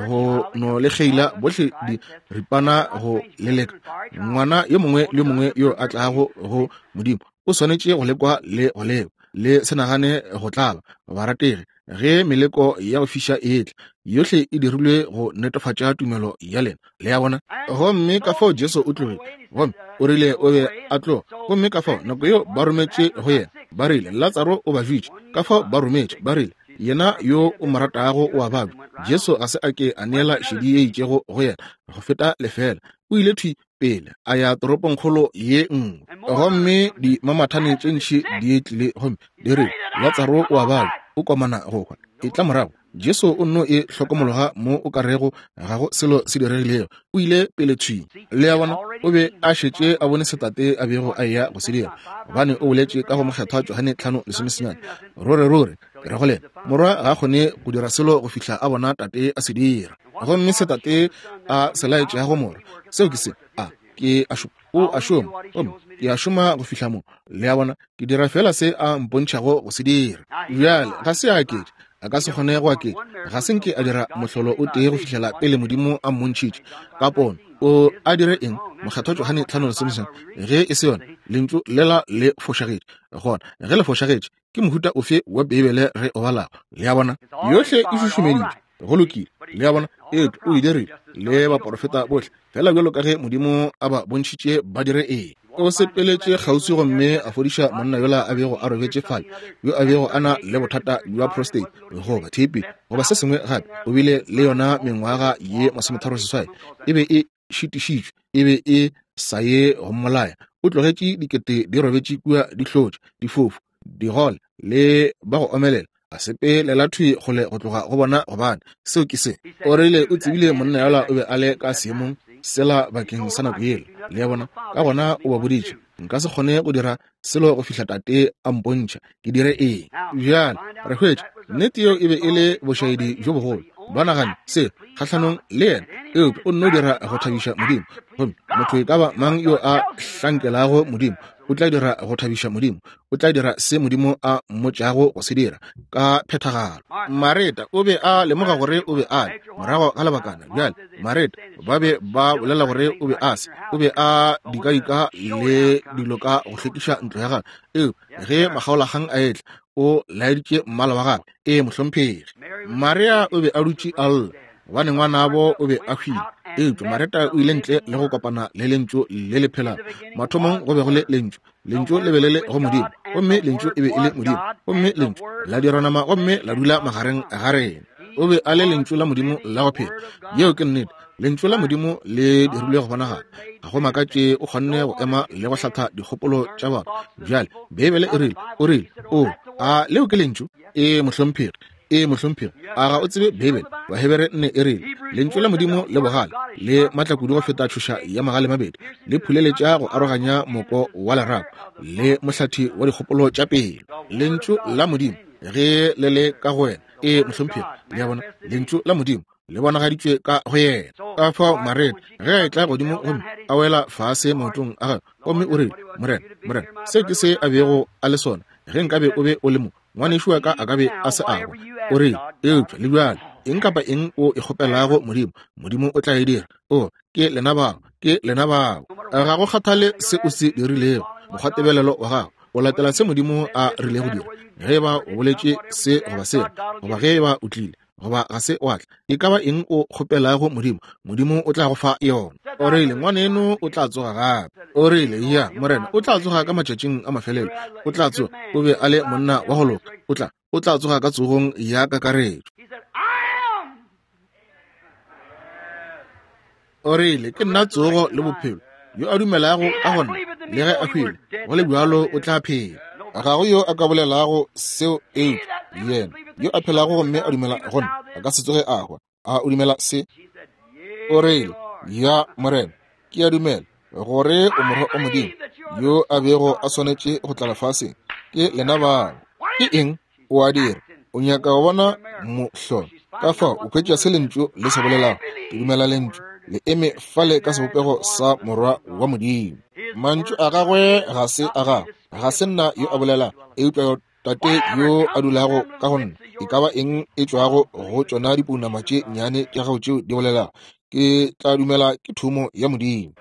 go no le kgeila bohle di ripana go leleka. Ngwana yo mongwe le yo mongwe yo a tlago go Modimo o swanetše go lekwa le go lekwa. Le se nagane go tlala, barategi, ge meleko ya go fiša e etla, yohle e dirilwe go netefatša tumelo ya lena. Le a bona? Gomme ka fao Jesu o tlogile, gomme o rile o be a tloga. Gomme ka fao nako yeo ba rometše go yena, ba rile Latsaro o ba bjetše. Ka fao ba rometše, ba rile yena yo o mo ratago o a babja. Jesu ga se a ke a neela šedi ye itšego go yena go feta lefela. O ile thwi pele a ya toropongkgolo ye nngwe, gomme dimamathane tše ntši di tlile gomme di rile Latsaro o a babja, o komana go hwa. E tla morago. Jesu o nno e hlokomologa mo o ka rego ga go selo se diregilego. O ile pele thwi. Le a bona, o be a šetše a bone se Tate a bego a eya go se dira, gobane o boletše ka go Mokgethwa Johane tlhano lesomesenyane. Ruri ruri ke re go lena, Morwa ga a kgone go dira selo go fihla a bona Tate a se dira. Gomme se Tate a se laetšego Morwa, seo ke se a ke a šoma, o a šoma, gomme ke a šoma go fihla mo. Le a bona, ke dira fela se a mpontšhago go se dira. Bjale ga se a aketše, a ka se kgone go aketša. Ga se nke a dira mohlolo o tee go fihlela pele Modimo a mmontšhitše ka pono. O a dire eng? Mokgethwa Johane tlhano lesomesenyane. Ge e se yona, lentšu lela le fošagetše. Gona ge le fošagetše, ke mohuta ofe wa Beibele re o balago? Le a bona, yohle e šušumeditšwe. Go lokile. Le a bona, eupša o e dirile le baporofeta bohle, fela bjalo ka ge Modimo a ba bontšhitše ba dire eng. O sepeletše kgauswi gomme a fodiša monna yola a bego a robetše fale, yo a bego a na le bothata bja prostate goba T B goba se sengwe gape. O bile le yona mengwaga ye masometharo seswai. E be e šitišitšwe, e be e sa ye go mmolaya. O tlogetše dikete di robetše kua di hlotše, difofu, digole le ba go omelela. A sepelela thwi kgole go tloga go bona, gobane seo ke se. O rile o tsebile monna yola o be a le ka seemong sela bakeng sa nako yela. Le a bona? Ka gona o ba boditše, nka se kgone go dira selo go fihla Tate a mpontšha ke dire eng. Bjale re hwetša nnete yeo e be e le bošaedi bjo bogolo. Ba nagane se kgahlanong le yena, eupša o nno dira go thabiša Modimo. Gomme motho e ka ba mang yo a hlankelago Modimo o tla dira go thabiša Modimo, o tla dira se Modimo a mmotšago go se dira ka phethagalo. Mareta o be a lemoga gore o be a le morago ga lebakana. Bjale Mareta ba be ba bolela gore o be a se, o be a dikadika le dilo ka go hlwekiša ntlo ya gagwe. Eupša ge makgaolakgang a etla, o laeditše mmala wa gagwe. Ee, mohlomphegi. Maria o be a dutše a lla gobane ngwanabo o be a hwile. Eupša Mareta o ile ntle le go kopana le lentšu le le phelago. Mathomong go be go le lentšu, lentšu le be le le go Modimo, gomme lentšu e be e le Modimo, gomme lentšu la dira nama gomme la dula magareng ga rena. O be a le lentšu la Modimo la go phela. Yeo ke nnete. Lentšu la Modimo le dirilwe go bonagala. Ga go makatše o kgonne go ema le go hlatha dikgopolo tša batho. Bjale Beibele e rile, o rile, o a leo ke lentšu? Ee, mohlomphegi. Ee, mohlomphegi. A ga o tsebe Beibele? Bahebere nne e rile, lentšu la Modimo le bogale le matla kudu go feta tšhoša ya magale mabedi, le phuleletša go aroganya moko wa lerapo le mohlathi wa dikgopolo tša pelo. Lentšu la Modimo ge le le ka go wena. Ee, mohlomphegi. Le a bona, lentšu la Modimo le bonagaditšwe ka go yena. Ka fao Mareta ge a etla godimo gomme a wela fase maotong a gagwe, gomme o rile, Morena, Morena, seo ke se a bego a le sona. Ge nkabe o be o le mo, ngwanešu wa ka a ka be a se agwa. O rile, eupša le bjale, eng kapa eng o e kgopelago Modimo, Modimo o tla e dira. O, ke lena bao, ke lena bao. Ga go kgathale se o se dirilego, mokgwatebelelo wa gago o latela se Modimo a rilego dira. Ge eba o boletše se goba sela, goba ge eba o tlile goba ga se wa tla, e ka ba eng o kgopelago Modimo, Modimo o tla go fa yona. O rile, ngwaneno o tla tsoga gape. O rile, ya, Morena, o tla tsoga ka matšatšing a mafelelo. O tla tsoga. O be a le monna wa go loka. O tla, o tla tsoga ka tsogong ya kakaretšo. O rile, ke nna tsogo le bophelo. Yo a dumelago ka go nna, le ge a hwile, go le bjalo o tla phela. Ga go yo a ka bolelago seo eupša yena yo a phelago gomme a dumela go nna a ka se tsoge a hwa. A o dumela se? O rile, ya Morena, ke a dumela gore o morwa o Modimo yo a bego a swanetše go tla lefaseng. Ke lena bao. Ke eng o a dira? O nyaka go bona mohlolo. Ka fao o hwetša se lentšu le se bolelago. Ke dumela lentšu le eme fale ka sebopego sa morwa wa Modimo. Mantšu a gagwe ga se a gagwe, ga se nna yo a bolela, eupša Tate yo a dulago ka go nna. E ka ba eng e tšwago go tšona dipounama tše nnyane tša gago tšeo di bolelago, ke tla dumela ke thomo ya Modimo.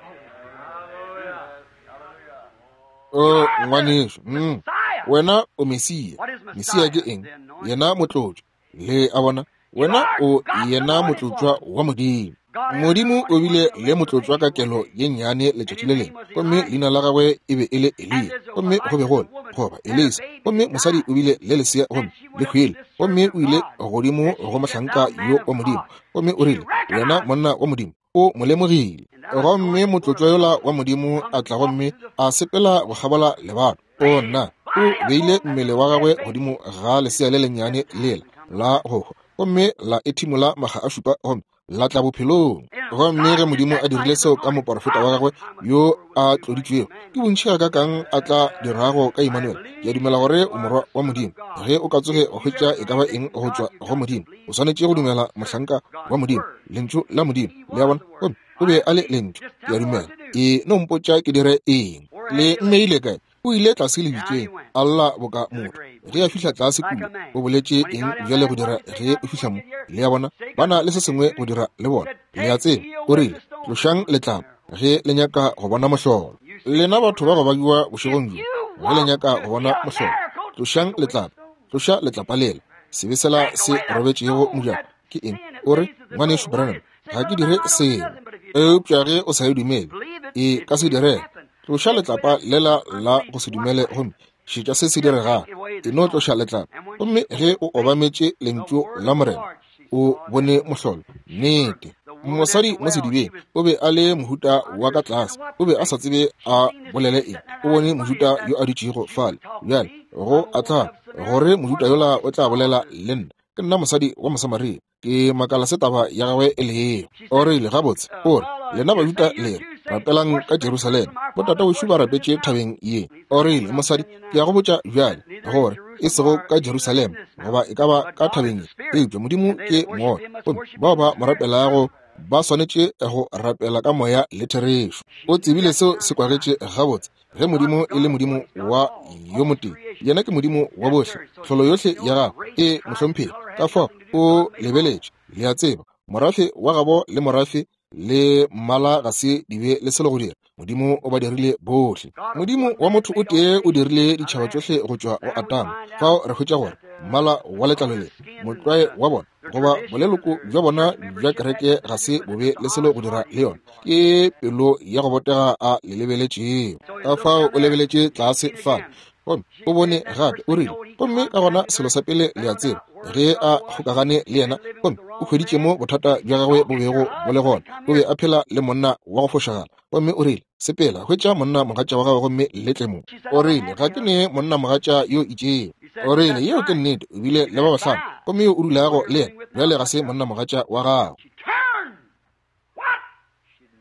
O ngwanešu, mm, wena o Mesia. Mesia ke eng? Yena motlotšwa. Le a bona, wena o yena motlotšwa wa Modimo. Modimo o bile le motlotšwa ka kelo ye nnyane letšatši le lengwe, gomme leina la gagwe e be e le Eliya, gomme go be go le goba Elisa, gomme mosadi o bile le lesea gomme le hwile, gomme o ile godimo go mohlanka yo wa Modimo, gomme o rile, wena monna wa Modimo, o mo lemogile. Gomme motlotšwa yola wa Modimo a tla gomme a sepela go kgabola lebato. O nna, o beile mmele wa gagwe godimo ga lesea le lennyane lela la go hwa, gomme la ethimola maga a šupa gomme la tla bophelong. Gomme ge Modimo a dirile seo ka moporofeta wa gagwe yo a tloditšwego, ke bontši ga kakang a tla dirago ka Emmanuel. Ke a dumela gore o morwa wa Modimo. Ge o ka tsoge wa hwetša e ka ba eng go tšwa go Modimo, o swanetše go dumela mohlanka wa Modimo, lentšu la Modimo. Le a bona? Gomme o be a le lentšu. Ke a dumela. E no mpotša ke dire eng. Le mmeile kae? O ile tlase lebitleng, a lla boka motho. Ge a fihla tlase kua, o boletše eng bjale go dira ge o fihla mo? Le a bona, ba na le se sengwe go dira le bona. Le a tseba, o rile, tlošang letlapa ge le nyaka go bona mohlolo. Lena batho ba go bakiwa bošegong bjo, ge le nyaka go bona mohlolo, tlošang letlapa, tloša letlapa lela. Sebe sela se robetšego mojako ke eng? O re, ngwanešu Branham, ga ke dire selo. Eupša ge o sa e dumele, e ka se direge. Tloša letlapa lela la go se dumele gomme šetša se se diregago. E no tloša letlapa. Gomme ge o obametše lentšu la Morena, o bone mohlolo. Nnete. Mosadi mo sedibeng o be a le mohuta wa ka tlase, o be a sa tsebe a bolele eng. O bone mojuta yo a dutšego fale. Bjale go a tla gore mojuta yola o tla bolela le nna. Ke nna mosadi wa Mosamaria. Ke makala se taba ya gagwe e lego. O rile, gabotse, o re, lena Bajuda le re rapelang ka Jerusalema, botatawešu ba rapetše thabeng ye. O rile, mosadi, ke ya go botša bjale gore e sego ka Jerusalema goba e ka ba ka thabeng ye, eupša Modimo ke moya, gomme bao ba mo rapelago ba swanetše go rapela ka moya le therešo. O tsebile seo se kwagetše gabotse. Ge Modimo e le Modimo wa yo motee, yena ke Modimo wa bohle, tlholo yohle ya gagwe e mohlomphegi. Ka fao o lebeletše, le a tseba, morafe wa gabo le morafe le mmala ga se di be le selo go dira. Modimo o ba dirile bohle. Modimo wa motho o tee o dirile ditšhaba tšohle go tšwa go Adama. Fao re hwetša gore mmala wa letlalo le, motlwae wa bona goba boleloko bja bona bja kereke ga se bobe le selo go dira le yona. Ke pelo ya go botega a le lebeletšego. Ka fao o lebeletše tlase fale, gomme o bone gape, o rile, gomme ka gona selo sa pele le a tseba, ge a kgokagane le yena, gomme o hweditše mo bothata bja gagwe bo bego bo le gona. O be a phela le monna wa go fošagala, gomme o rile, sepela, hwetša monna mogatša wa gagwe gomme le tle mo. O rile, ga ke ne monna mogatša yo itšego. O rile, yeo ke nnete, o bile le ba bahlano, gomme yo o dulago le yena bjale ga se monna mogatša wa gago.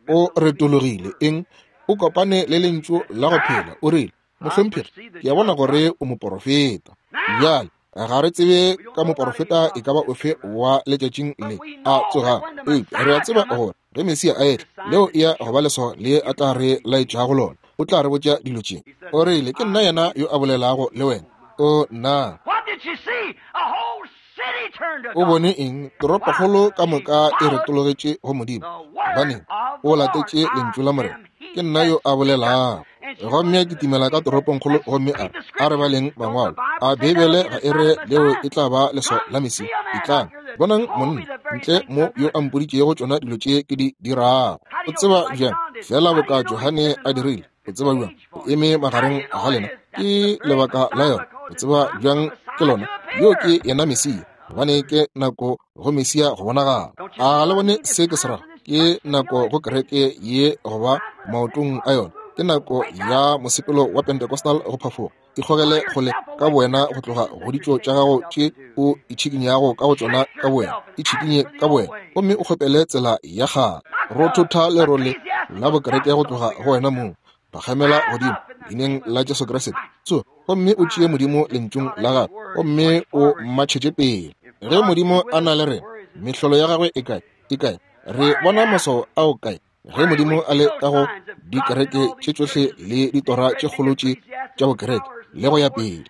O retologile eng? O kopane le lentšu la go phela. O rile, mohlomphegi, ke a bona gore o moporofeta. Bjale ga re tsebe ka moporofeta e ka ba ofe wa letšatšing le a tsogago, eupša re a tseba gore ge Mesia a etla, leo e ya go ba leswao le a tla re laetšago lona. O tla re botša dilo tše. O rile, ke nna yena yo a bolelago le wena. O nna. O bone eng? Toropokgolo ka moka e retologetše go Modimo. Gobaneng? O latetše lentšu la Morena. Ke nna yo a bolelago. Gomme a kitimela ka toropongkgolo gomme a a re baleng mangwalo. A Beibele ga e re leo e tla ba leswao la Mesia? Etlang, bonang monna ntle mo yo a mpoditšego tšona dilo tše ke di dirago. O tseba bjang? Fela boka Johane a dirile. O tseba bjang? O eme magareng ga lena. Ke lebaka la yona. O tseba bjang ke lona? Yo ke yena Mesia. Gobane ke nako go Mesia go bonagala. A le bone se ke se rago? Ke nako go kereke ye goba maotong a yona. Ke nako ya mosepelo wa Pentecostal go phafoga. Ikgogele kgole ka bowena go tloga go ditšo tša gago tše o itšhikinyago ka go tšona ka bowena. Itšhikinye ka bowena gomme o kgopele tsela ya kgale. Rothotha lerole la bokereke go tloga go wena mong. Phagamela godimo leineng la Jesu Kriste. Tsoga gomme o tšee Modimo lentšung la gagwe gomme o matšhetše pele. Ge Modimo a na le rena, mehlolo ya gagwe e kae? E kae? Re bona maswao ao kae? Ge Modimo a le ka go dikereke tše tšohle le ditora tše kgolo tše tša bokereke le go ya pele,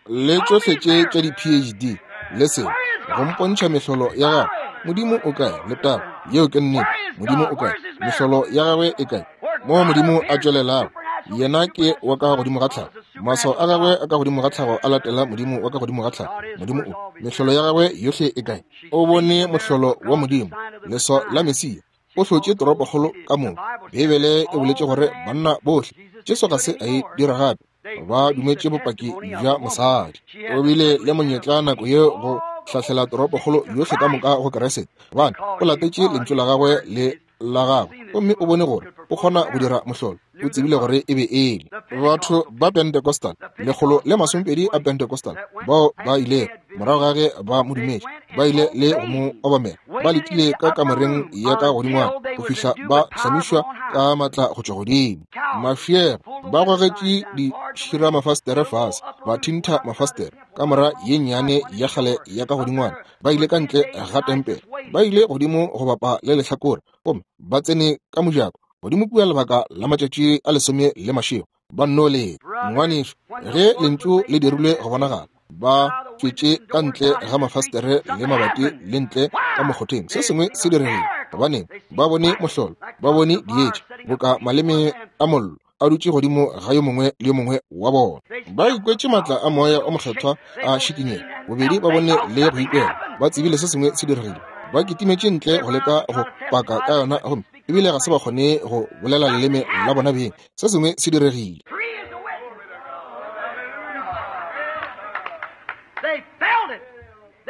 le tšohle tše tša di-P H D le selo, go mpontšha mehlolo ya gagwe, Modimo o kae? Letago, yeo ke nnete. Modimo o kae? Mehlolo ya gagwe e kae? Mo Modimo a tšwelelago, yena ke wa ka godimo ga tlhago. Maswao a gagwe a ka godimo ga tlhago a latela Modimo wa ka godimo ga tlhago. Modimo o, mehlolo ya gagwe yohle e kae? O bone mohlolo wa Modimo, leswao la Mesia. O hlotše toropokgolo ka moka. Beibele e boletše gore banna bohle, Jesu ga se a e dira gape, ba dumetše bopaki bja mosadi. O bile le monyetla nako yeo go hlahlela toropokgolo yohle ka moka go Kriste, gobane o latetše lentšu la gagwe le la gagwe, gomme o bone gore o kgona go dira mohlolo. O tsebile gore e be e le batho ba Pentecostal, lekgolo le masomepedi a Pentecostal, bao ba ile morago ga ge ba mo dumetše, ba ile le go mo obamela, ba letile ka kamoreng ya ka godingwana go fihla ba hlamišwa ka matla go tšwa godimo. Mafiego ba gogetše ditšhiramafastere fase, ba thintha mafastere kamora ye nnyane ya kgale ya ka godingwana. Ba ile ka ntle ga tempele, ba ile godimo go bapa le lehlakore, gomme ba tsene ka mojako godimo kua lebaka la matšatši a lesome le mašego. Ba nno leta. Ngwanešu, ge lentšu le dirilwe go bonagala, ba tšwetše ka ntle ga mafastere le mabati le ntle ka mokgotheng. Se sengwe se diregile. Gobaneng? Ba bone mohlolo, ba bone dietša boka maleme a mollo a dutše godimo ga yo mongwe le yo mongwe wa bona. Ba ikwetše matla a moya o mokgethwa a šikinyega. Bobedi ba bone le go ikwela. Ba tsebile se sengwe se diregile. Ba kitimetše ntle go leka go paka ka yona, gomme ebile ga se ba kgone go bolela leleme la bona beng. Se sengwe se diregile.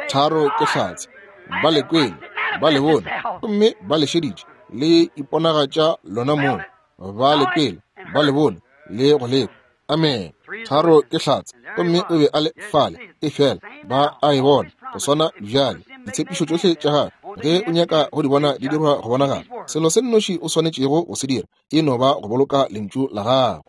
Tharo ke hlatse. Ba le kwele, ba le bone, gomme ba le šeditše, le iponagatša lona mong. Ba le kwele, ba le bone, le go lekwa. Amen. Tharo ke hlatse, gomme o be a le fale, e fela ba a e bona go swana bjale. Ditshepišo tšohle tša gagwe, ge o nyaka go di bona di dirwa go bonagala, selo se nnoši o swanetšego go se dira e no ba go boloka lentšu la gagwe.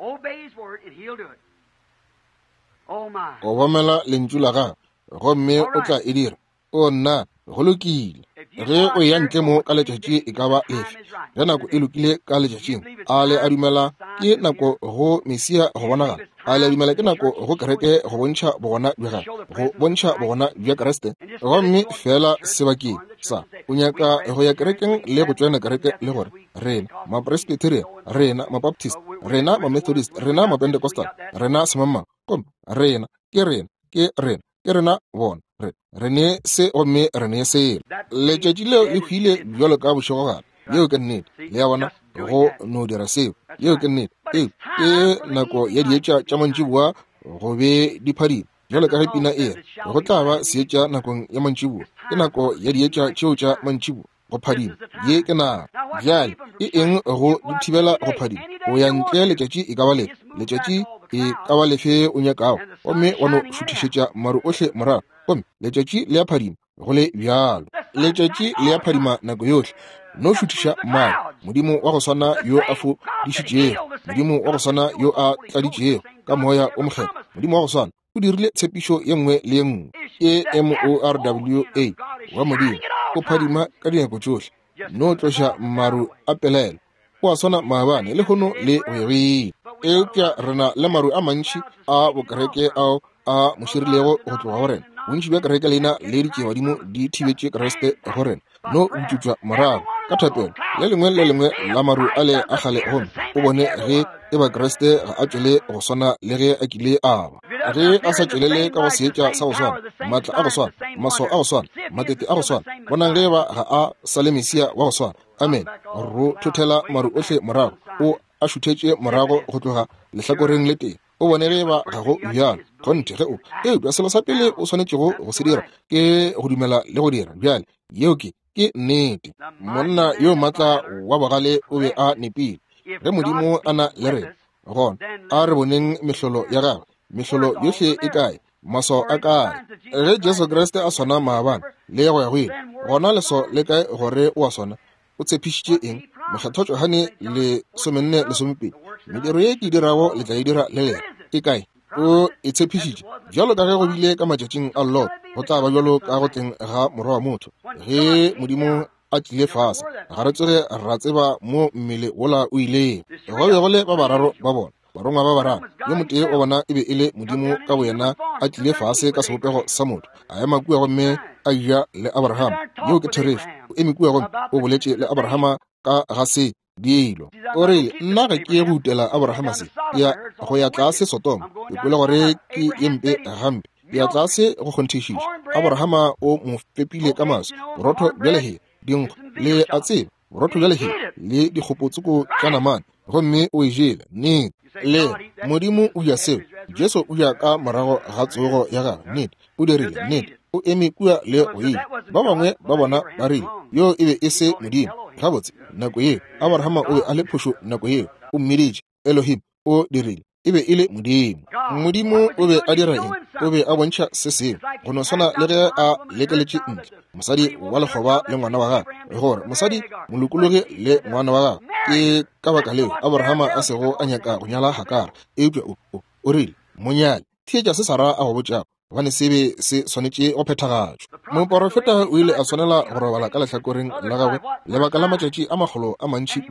Obamela lentšu la gagwe, gomme o tla e dira. O nna, go lokile. Ge o ya ntle mo ka letšatši e ka ba lefe, ge nako e lokile ka letšatšing, a le a dumela ke nako go Mesia go bonagala? A le a dumela ke nako go kereke go bontšha bogona bja gagwe, go bontšha bogona bja Kriste? Gomme fela sebakeng sa o nyaka go ya kerekeng le go tšoena kereke le gore rena Mapresbyterian, rena Mabaptist, rena Mamethodist, rena Mapentecostal, rena semangmang, gomme rena ke rena ke rena ke rena bona, re re ne se gomme re ne selo. Letšatši leo le hwile bjalo ka bošegogare. Yeo ke nnete. Le a bona, go no dira seo. Yeo ke nnete. Ee, ke nako ya dietša tša mantšiboa go be di phadima. Bjalo ka ge pina e re, go tla ba seetša nakong ya mantšiboa. Ke nako ya dietša tšeo tša mantšiboa go phadima. Ye ke nako. Bjale e eng go di thibela go phadima? O ya ntle letšatši e ka ba lefe, letšatši e ka ba lefe o nyakago, gomme wa no šuthišetša maru ohle morago, gomme letšatši le a phadima go le bjalo. Letšatši le a phadima nako yohle. No šuthiša maru. Modimo wa go swana yo a fodišitšego, Modimo wa go swana yo a tladitšego ka moya o mokgethwa, Modimo wa go swana o dirile tshepišo ye nngwe le ye nngwe. E M O R W A wa Modimo o phadima ka dinako tšohle. No tloša maru a pelaelo. O a swana maabane lehono le go ya go ile. Eupša re na le maru a mantši a bokereke ao a mo širilego go tloga go rena. Bontši bja kereke leina le ditšebadimo di thibetše Kriste go rena. No butšutšwa morago ka thapelo le lengwe le lengwe la maru a le a kgale, gomme o bone ge e ba Kriste ga a tšwele go swana le ge a kile a ba. Ge a sa tšwelele ka go seetša sa go swana, matla a go swana, maswao a go swana, matete a go swana, bonang ge ba ga a sa le Mesia wa go swana. Amen. Ro thothela maru ohle morago, o a šuthetše morago go tloga lehlakoreng le tee. O bone ge ba ga go bjalo. Kgonthe ge o, eupša selo sa pele o swanetšego go se dira ke go dumela le go dira. Bjale yeo ke ke nnete. Monna yo matla wa bogale o be a nepile. Ge Modimo a na le rena, gona a re boneng mehlolo ya gagwe. Mehlolo yohle e kae? Maswao a kae? Ge Jesu Kriste a swana maabane le go ya go ile, gona leswao le kae gore o a swana? O tshepišitše eng? Mokgethwa Johane lesomenne lesomepedi, mediro ye ke e dirago le tla e dira le lena. E kae? O e tshepišitše. Bjalo ka ge go bile ka matšatšing a Lot, go tla ba bjalo ka go tleng ga Morwa wa motho. Ge Modimo a tlile fase, ga re tsoge ra tseba mo mmele wola o ilego. Go be go le ba bararo ba bona, barongwa ba bararo. Yo motee wa bona e be e le Modimo ka boyena a tlile fase ka sebopego sa motho, a ema kua gomme a ja le Abraham. Yeo ke therešo. O eme kua gomme o boletše le Abrahama ka ga se dilo. O rile, nna ga ke ye go utela Abrahama se, ke ya go ya tlase Sodoma. Ke kwele gore ke ye mpe gampe, ke ya tlase go kgonthišiša. Abrahama o mo fepile ka maswi, borotho bja lehea, dinkgo, le a tseba, borotho bja lehea le dikgopotsoko tša namane, gomme o e jele. Nnete. Le Modimo o ja seo. Jesu o ja ka morago ga tsogo ya gagwe. Nnete. O dirile. Nnete. O eme kua le go ile. Ba bangwe ba bona ba rile, yo e be e se Modimo. Gabotse, nako yeo Abrahama o be a le phošo nako yeo. O mmiditše Elohim. O dirile. E be e le Modimo. Modimo o be a dira eng? O be a bontšha se sengwe, go no swana le ge a lekeletše ntle mosadi wa lekgoba le ngwana wa gagwe, gore mosadi molokologi le ngwana wa gagwe. Ke ka baka leo Abrahama a sego a nyaka go nyala Hagara, eupša o, o, o rile, monyale, theetša se Sara a go botšago, gobane se be se swanetše go phethagatšwa. Moporofeta o ile a swanela go robala ka lehlakoreng la gagwe lebaka la matšatši a makgolo a mantši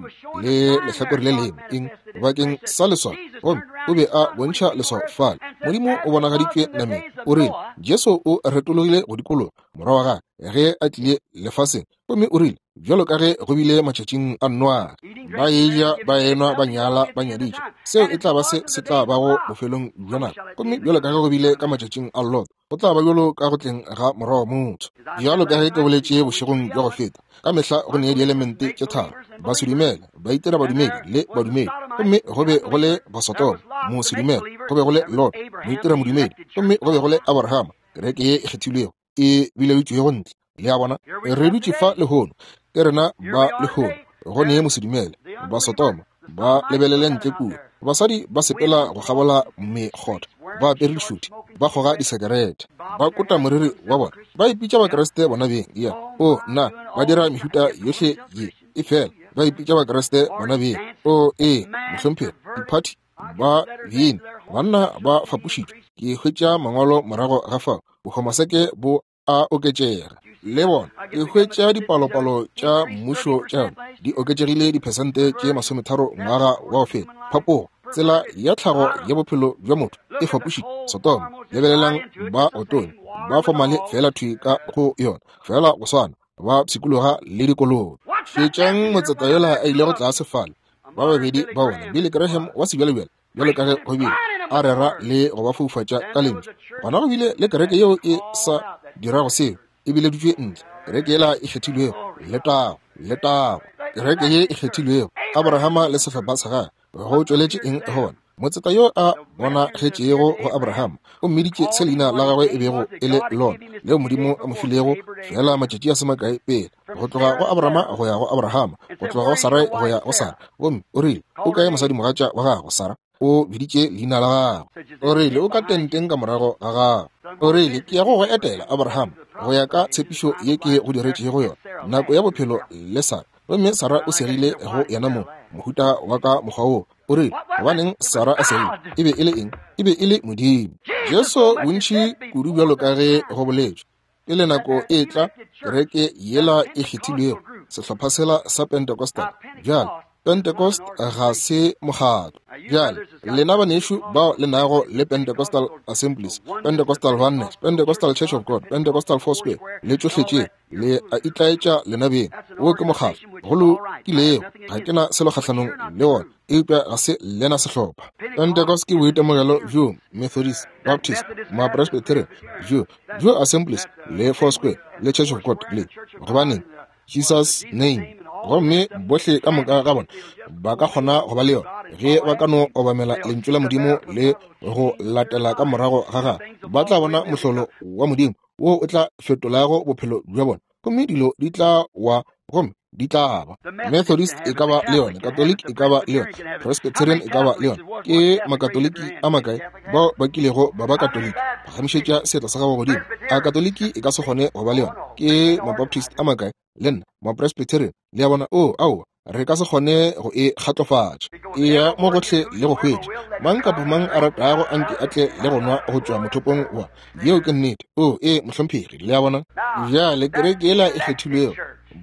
le lehlakore le lengwe, eng, bakeng sa leswao. Gomme o be a bontšha leswao fale. Modimo o bonagaditšwe nameng. O rile, Jesu o retologile go dikologa morwa wa gagwe ge a tlile lefaseng, gomme o rile, bjalo ka ge go bile matšatšing a Noa, ba eja, ba enwa, ba nyala, ba nyaditša, seo e tla ba se se tla bago bofelong bja nako. Gomme bjalo ka ge go bile ka matšatšing a Lot, go tla ba bjalo ka go tleng ga Morwa wa motho. Bjalo ka ge ke boletše bošegong bja go feta, ka mehla go ne dielemente tše tharo: basedumele, baitira badumedi le badumedi. Gomme go be go le Basodoma, mosedumele, go be go le Lot, moitira modumedi, gomme go be go le Abrahama, kereke ye e kgethilwego e bileditšwego ntle. Le a bona, re dutše fa lehono, ke rena ba lehono. Go ne mosedumele, Basodoma ba lebelele ntle kua, basadi ba sepela go kgabola mekgotha, ba apere dišuthi, ba kgoga disekerete, ba kota moriri wa bona, ba ipitša Bakriste bona beng. Ya, o nna, ba dira mehuta yohle ye, e fela ba ipitša Bakriste bona beng. O ee, mohlomphegi, diphathi ba bina, banna ba fapošitšwe. Ke hwetša mangwalo morago ga fao, bohomaseke bo a oketšega. Le bona, ke hwetša dipalopalo tša mmušo tša yona di oketšegile diphesente tše masometharo ngwaga wa go feta. Phapogo, tsela ya tlhago ya bophelo bja motho e fapošitše. Sodoma, lebelelang ba otone, ba fomale fela thwi ka go yona, fela go swana, ba pshikologa le dikolobe. Šetšang motseta yola a ilego tlase fale, ba babedi ba bona, Billy Graham wa sebjalebjale, bjalo ka ge go bile a rera le go ba foufatša ka lentšu. Gona go bile le kereke yeo e sa dirago seo, e bileditšwe ntle, kereke yela e kgethilwego. Letago, letago, kereke ye e kgethilwego. Abrahama le sehlopha sa gagwe, go tšweletše eng go bona? Motseta yo a bonagetšego go Abrahama o mmiditše se leina la gagwe e bego e le lona, leo Modimo a mo filego fela matšatši a se makae pele, go tloga go Abrahama go ya go Abrahama, go tloga go Sarai go ya go Sara. Gomme o rile, o kae mosadimogatša wa gago Sara? O biditše leina la gagwe. O rile, o ka tenteng ka morago ga gago. O rile, ke ya go go etela Abrahama go ya ka tshepišo ye ke go diretšego yona, nako ya bophelo le Sara. Gomme Sara o segile go yena mo mohuta wa ka mokgwa wo. O rile, gobaneng Sara a segile? E be e le eng? E be e le Modimo. Jesu bontši kudu bjalo ka ge go boletšwe pele nako e tla, kereke yela e kgethilwego, sehlopha sela sa Pentecostal. Bjale Pentecost ga se mokgatlo. Bjale lena banešu bao le nago le Pentecostal Assemblies, Pentecostal Oneness, Pentecostal Church of God, Pentecostal Foursquare, le tšohle tše, le a itlaetša lena beng. Wo ke mokgatlo go lokilego, ga ke na selo kgahlanong le wona, eupša ga se lena sehlopha. Pentecost ke boitemogelo bjo Methodist, Baptist, Mapresbyterian, bjo bjo Assemblies le Foursquare le Church of God le, gobaneng, Jesus name. Gomme bohle ka moka ga bona ba ka kgona go ba le yona ge ba ka no obamela lentšu la Modimo le go latela ka morago ga gagwe. Ba tla bona mohlolo wa Modimo wo o tla fetolago bophelo bja bona, gomme dilo di tla wa, gomme di tla ba. Methodist e ka ba le yona, Catholic e ka ba le yona, Presbyterian e ka ba le yona. Ke Makatoliki a makae bao ba kilego ba ba Katoliki? Phagamišetša seatla sa gago godimo. A Katoliki e ka se kgone go ba le yona? Ke Mabaptist a makae? Le nna Mapresbyterian. Le a bona? Oh, aowa, re ka se kgone go e kgatlofatša. E ya mo gohle le go hwetša. Mang kapa mang a ratago anke a tle le go nwa go tšwa mothopong wa. Yeo ke nnete. Oh, ee, mohlomphegi. Le a bona? Bjale kereke yela e kgethilwego,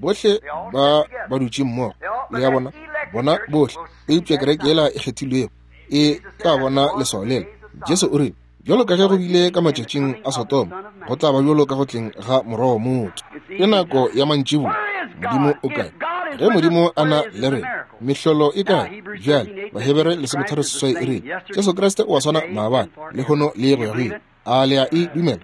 bohle ba ba dutše mmogo. Le a bona? Bona bohle. Eupša kereke yela e kgethilwego e tla bona leswao lela. Jesu o rile, bjalo ka ge go bile ka matšatšing a Sodoma, go tla ba bjalo ka go tleng ga Morwa wa motho. Ke nako ya mantšiboa. Modimo o kae? Ge Modimo a na le rena, mehlolo e kae? Bjale Bahebere lesometharo seswai e rile, Jesu Kriste o a swana maabane, lehono le go ya go ile. A le a e dumela?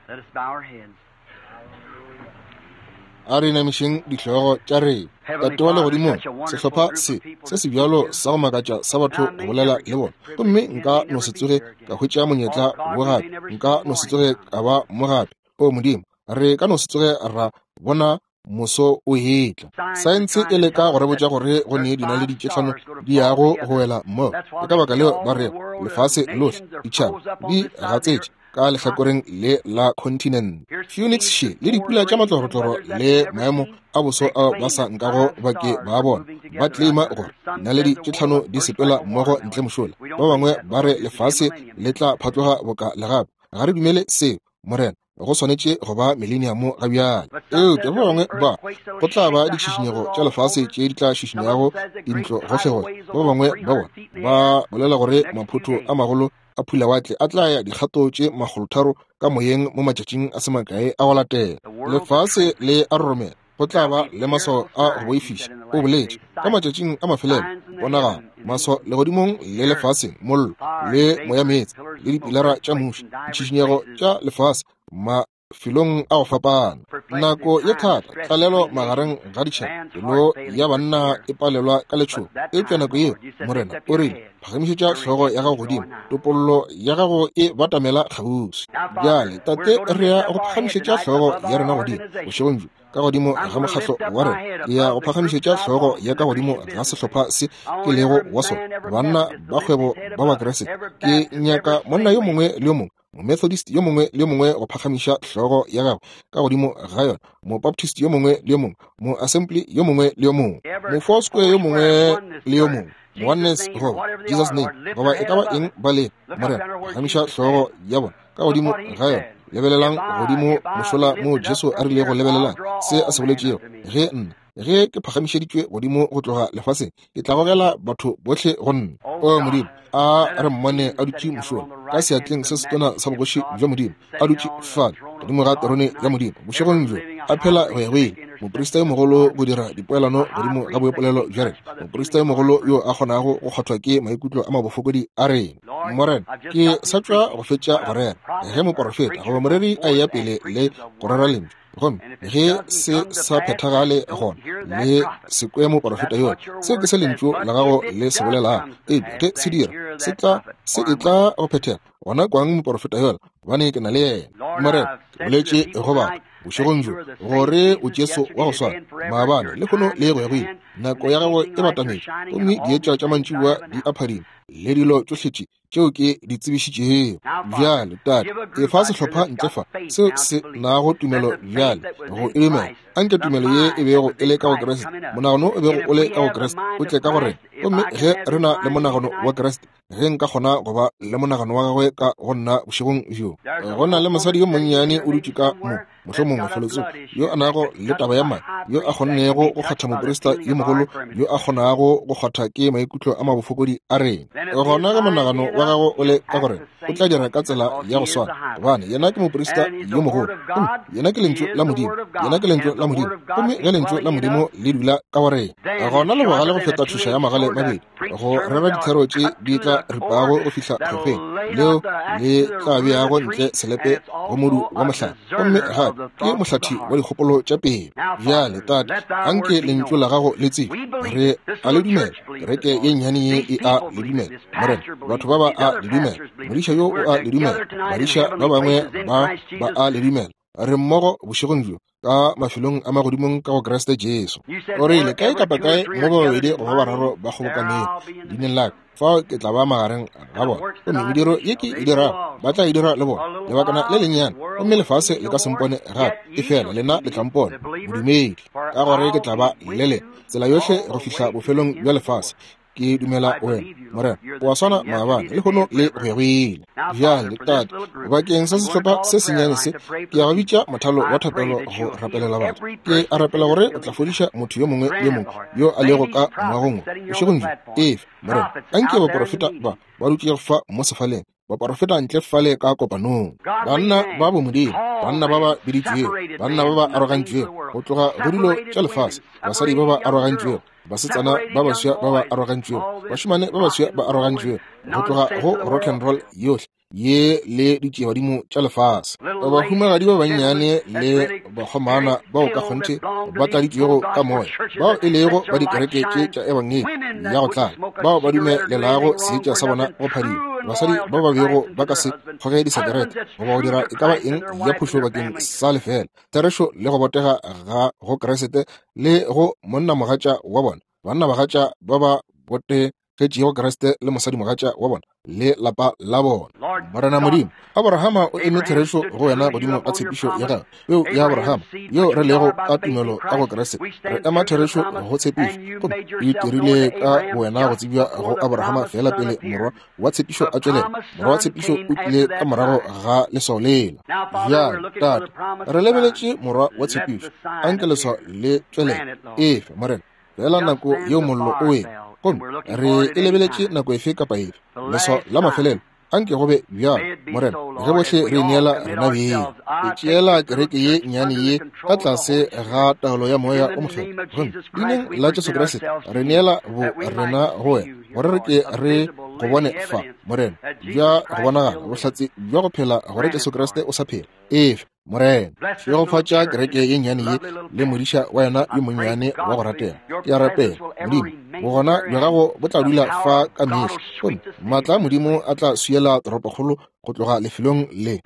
A re inamišeng dihlogo tša rena. Tate wa legodimong, sehlopha se se se bjalo sa go makatša sa batho go bolela le bona, gomme nka no se tsoge ka hwetša monyetla wo gape, nka no se tsoge ka ba mo gape. O Modimo, re ka no se tsoge ra bona moso o etla. Saense e leka go re botša gore go ne dinaledi tše hlano di yago go wela mmogo. Ke ka baka leo ba rego lefase lohle, ditšhaba di gatsetše ka lehlakoreng le la continent. Phoenix she le dipula tša matlorotloro le maemo a boso ao ba sa nkago ba ke ba bona, ba claima gore dinaledi tše hlano di sepela mmogo ntle mošola. Ba bangwe ba re lefase le tla phatloga boka legape. Ga re dumele seo, Morena. Go swanetše go ba millennium ga bjale. Eupša ba bangwe ba go tla ba ditšhišinyego tša lefase tše di tla šišinyago dintlo gohlegohle. Ba bangwe ba bona ba bolela gore maphotho a magolo a phulawatle a tla ya dikgato tše makgolotharo ka moyeng mo matšatšing a se makae a go latela. Lefase le a roromela. Go tla ba le maswao a go boifiša. O boletše ka matšatšing a mafelelo, ponagalo, maswao legodimong le lefaseng, mollo le moyameetse le dipilara tša muši, ditšhišinyego tša lefase mafelong a go fapana. Nako ye thata, tlalelo magareng ga ditšhaba, pelo ya banna e palelwa ka letšhogo. Eupša nako yeo, Morena o rile, phagamišetša hlogo ya gago godimo, topollo ya gago e batamela kgauswi. Bjale, Tate, re ya go phagamišetša hlogo ya rena godimo bošegong bjo, ka godimo ga mokgatlo wa rena. Ke ya go phagamišetša hlogo ya ka godimo ga sehlopha se ke lego wa sona, banna ba kgwebo ba Bakriste. Ke nyaka monna yo mongwe le yo mongwe, Momethodist yo mongwe le yo mongwe go phagamiša hlogo ya gagwe ka godimo ga yona, Mobaptist yo mongwe le yo mongwe, Moassembly yo mongwe le yo mongwe, Mofoursquare yo mongwe le yo mongwe, Oneness goba Jesus name, goba e ka ba eng ba le. Morena, phagamiša hlogo ya bona ka godimo ga yona. Lebelelang godimo mošola moo Jesu a rilego lebelelang se a se boletšego. Ge nna, ge ke phagamišeditšwe godimo go tloga lefaseng, ke tla gogela batho bohle go nna. O Modimo, a re mmone a dutše mošola ka seatleng se setona sa bogoši bja Modimo, a dutše fale godimo ga terone ya Modimo bošegong bjo, a phela go ya go ile. Moprista yo mogolo go dira dipoelano godimo ga boipolelo bja rena, moprista yo mogolo yo a kgonago go kgwathwa ke maikutlo a mabofokodi a rena. Morena, ke sa tšwa go fetša go rera ge moporofeta goba moreri a eya pele le go rera lentšu, gomme ge se sa phethagale gona le se kwe moporofeta yola, seo ke se lentšu la gago le se bolelago. Eupša ge se dira, se tla se e tla go phethega, gona kwang moporofeta yola, gobane ke na le yena. Morena, ke boletše go batho bošegong bjo gore o Jesu wa go swana maabane, lehono le go ya go ile. Nako ya gago e batametše, gomme dietša tša mantšiboa di a phadima, le dilo tšohle tše tšeo ke di tsebišitšego. Bjale, Tate, efa sehlopha ntle fa seo se nago tumelo bjale go e dumela. Anke tumelo ye e bego e le ka go Kriste, monagano o bego o le ka go Kriste, o tle ka go rena. Gomme ge re na le monagano wa Kriste, ge nka kgona go ba le monagano wa gagwe ka go nna bošegong bjo. Go na le mosadi yo monnyane o dutše ka mo, mohlomongwe felotsoko, yo a nago le taba ya madi, yo a kgonnego go kgwatha moprista yo mogolo, yo a kgonago go kgwatha ke maikutlo a mabofokodi a rena. Gona ge monagano wa gago o le ka go rena, o tla dira ka tsela ya go swana, gobane yena ke moprista yo mogolo, gomme yena ke lentšu la Modimo, yena ke lentšu la Modimo, gomme ge lentšu la Modimo le dula ka go rena, gona le bogale go feta tšhoša ya magale mabedi, go rera dithero tše di tla ripago go fihla kgwekgweng, leo le tla beago ntle selepe go modu wa mohlare, gomme gape ke mohlathi wa dikgopolo tša pele. Bjale, Tate, anke lentšu la gago le tsebe re a le dumela. Kereke ye nnyane ye e a le dumela, Morena. Batho ba ba a le dumela, modiša yo o a le dumela, badiša ba bangwe ba ba a le dumela. Re mmogo bošegong bjo ka mafelong a magodimong ka go Kriste Jesu. O rile kae kapa kae mo ba babedi goba bararo ba kgobokanego leineng la ka, fao ke tla ba magareng ga bona. Gomme mediro ye ke e dirago ba tla e dira le bona lebakana le lennyane, gomme lefase le ka se mpone gape, efela lena le tla mpona, modumedi, ka gore ke tla ba le lena tsela yohle go fihla bofelong bja lefase. Ke dumela wena, Morena, o a swana maabane, lehono le go ya go ile. Bjale, Tate, bakeng sa sehlopha se sennyane se, ke ya go bitša mothalo wa thapelo go rapelela batho. Ke a rapela gore o tla fodiša motho yo mongwe le mongwe yo a lego ka moagong wo bošegong bjo. Efe, Morena, anke baprofeta ba ba dutšego fa mo sefaleng, baprofeta ntle fale ka kopanong, banna ba bomodimo, banna ba ba biditšwego, banna ba ba arogantšwego go tloga go dilo tša lefase, basadi ba ba arogantšwego, basetsana ba baswa ba ba arogantšwego, bašemane ba baswa ba arogantšwego go tloga go rock and roll yohle ye le ditšiebadimo tša lefase, bahumagadi ba bannyane le bakgomana bao ka kgonthe ba tladitšwego ka moya, bao e lego ba dikereke tše tša ebangedi ya go tlala, bao ba dumelelago seetša sa bona go phadima, basadi ba ba bego ba ka se kgoge disekerete goba go dira e ka ba eng ya phošo bakeng sa lefela, therešo le go botega ga go Kriste le go monnamogatša wa bona, bannabagatša ba ba botegetšego Kriste le mosadimogatša wa bona le lapa la bona. Morena Modimo, Abrahama o eme therešo go wena godimo ga tshepišo ya gagwe, peo ya Abrahama yeo re lego ka tumelo ka go Kriste, re ema therešo go tshepišo. Gomme o itirile ka wena go tsebja go Abrahama fela pele morwa wa tshepišo a tšwelela. Morwa wa tshepišo o tlile ka morago ga leswao lela. Bjale, Tate, re lebeletše morwa wa tshepišo, anke leswao le tšwelele. Efe, Morena, fela nako yeo mollo o wele, gomme re e lebeletše nako efe kapa efe, leswao la mafelelo. Anke go be bjalo, Morena, ge bohle re ineela rena beng. Ke tšeela kereke ye nnyane ye ka tlase ga taolo ya Moya o Mokgethwa, gomme leineng la Jesu Kriste re neela bo rena go wena, gore re ke re go bone fa, Morena, bja go bonagala bohlatse bja go phela gore Jesu Kriste o sa phela. Efe, Morena, šegofatša kereke ye nnyane ye le modiša wa yena yo monnyane wa go ratega. Ke a rapela, Modimo, bogona bja gago bo tla dula fa ka mehla, gomme maatla a Modimo a tla swiela toropokgolo go tloga lefelong le.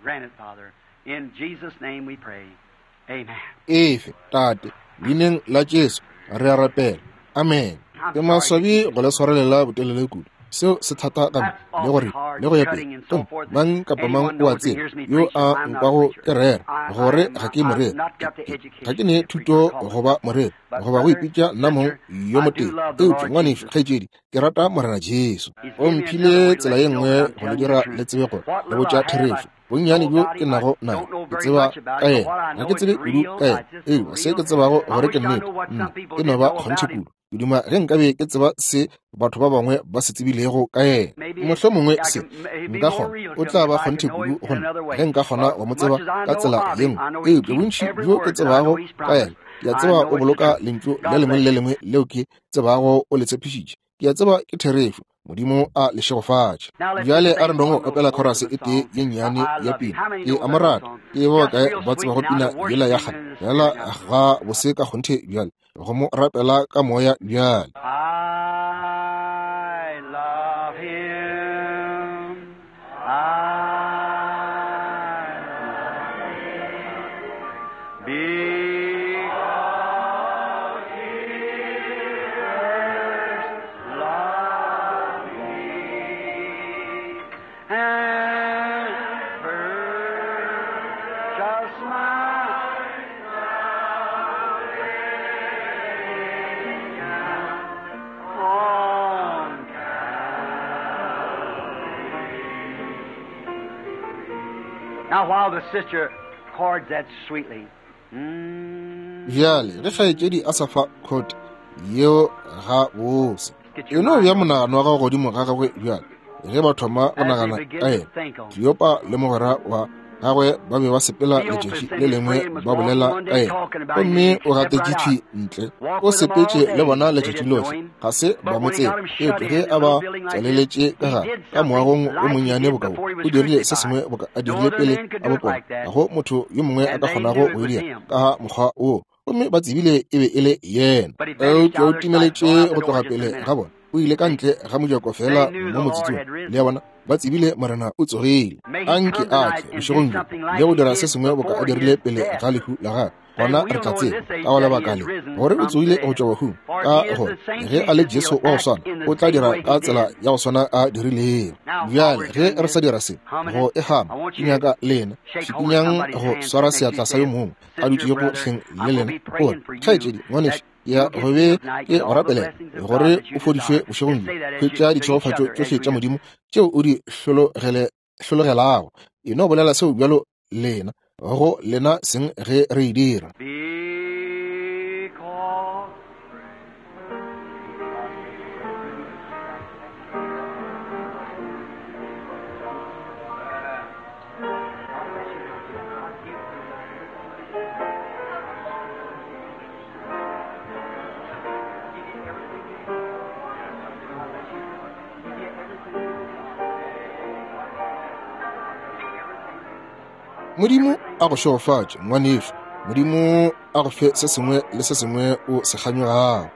Efe, Tate, leineng la Jesu re a rapela. Amen. Ke maswabi go le swarelela botelele kudu. Seo se thata ka nna le gore le go ya pele. Gomme mang kapa mang o a tseba yo a nkwago ke rera gore ga ke moreri, ga ke ne thuto goba moreri goba go ipitša nna mong yo motee, eupša ngwanešu kgaetšedi, ke rata Morena Jesu. O mphile tsela ye nngwe go le dira le tsebe gore le botša therešo. Bonnyane bjo ke nago nayo ke tseba ka yena, ga ke tsebe kudu ka yena, eupša se ke tsebago gore ke nnete, nna ke no ba kgonthe kudu. Ke duma ge nkabe ke tseba se batho ba bangwe ba se tsebilego ka yena. Mohlomongwe se nka kgona, o tla ba kgonthe kudu go nna ge nka kgona go mo tseba ka tsela ye nngwe. Eupša bontši bjo ke tsebago ka yena, ke a tseba o boloka lentšu le lengwe le le lengwe leo ke tsebago o le tshepišitše. Ke a tseba ke therešo. Modimo a le šegofatše. Bjale a re nong go opela chorus e tee ye nnyane ya pina. Ke a mo rata. Ke ba bakae ba tsebago pina yela ya kgale? Fela ga bose ka kgonthe bjale go mo rapela ka moya bjale. I love him. I love him. Because he first loved me and purchased my salvation on Calvary. Now while the sister chords that sweetly, mm, Bjale ge kgaetšedi a sa fa khot yeo ga bose, e no bja monagano wa gago godimo ga gagwe bjale. Ge ba thoma go as they nagana begin ka to yena, think on him. Kleopa le mogwera wa gagwe ba be ba sepela Cleopas letšatši and le his lengwe friend was ba walking bolela one ka day yena, talking about him. gomme They o stepped right gatetše out. ntle. Walked O with him all sepetše le day. bona They letšatši didn't know lohle, him. ga se ba But mo when he tsebe. got him shut Eupša in ge in a a ba little building like this, tswaleletše ka he gare did ka something moagong o like he monnyane did boka wo, before he was o dirile se crucified. sengwe boka a No dirile other pele man could a do it bopona. like that, Ga go motho yo mongwe a and ka they kgonago knew it go e was dira him. ka mokgwa woo, gomme ba tsebile e be e le yena. But he vanished Eupša out o of their sight, gone timeletše out the go door tloga just a pele minute. ga bona, o ile ka ntle ga mojako They fela knew mo the Lord motsotsong. had Le risen. a bona, Ba tsebile Morena o tsogile. Anke a tle bošegong bjo le go dira se sengwe boka a dirile pele ga lehu la gagwe. Gona re tla tseba ka go lebaka le gore o tsogile go tšwa bahung, ka gore ge a le Jesu wa go swana o tla dira ka tsela ya go swana a dirilego. Bjale ge re sa dira se go e gama, ke nyaka lena šikinyang go swara seatla sa yo mongwe a dutšego hleng le lena, o re, kgaetšedi, ngwanešu, ya go be ke go rapelela gore o fodišwe bošegong bjo. Hwetša ditšhegofatšo tšohle tša Modimo tšeo o di hlologelago. E no bolela seo bjalo lena go lena seng ge re e dira. Modimo a go šegofatše, ngwanešu. Modimo a go fe se sengwe le se sengwe o se kganyogago.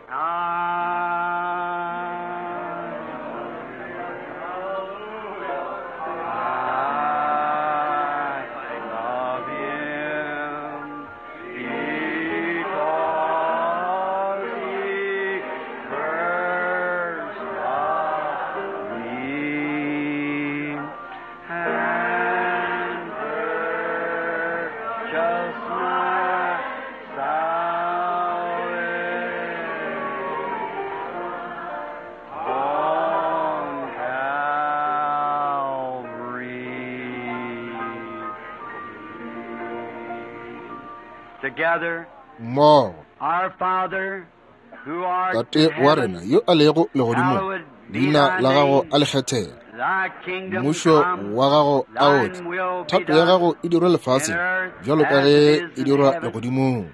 Mmogo, Tate wa rena yo a lego legodimong, leina la gago a le kgethege, mmušo wa gago a o tle, thato ya gago e dirwe lefaseng bjalo ka ge e dirwa legodimong.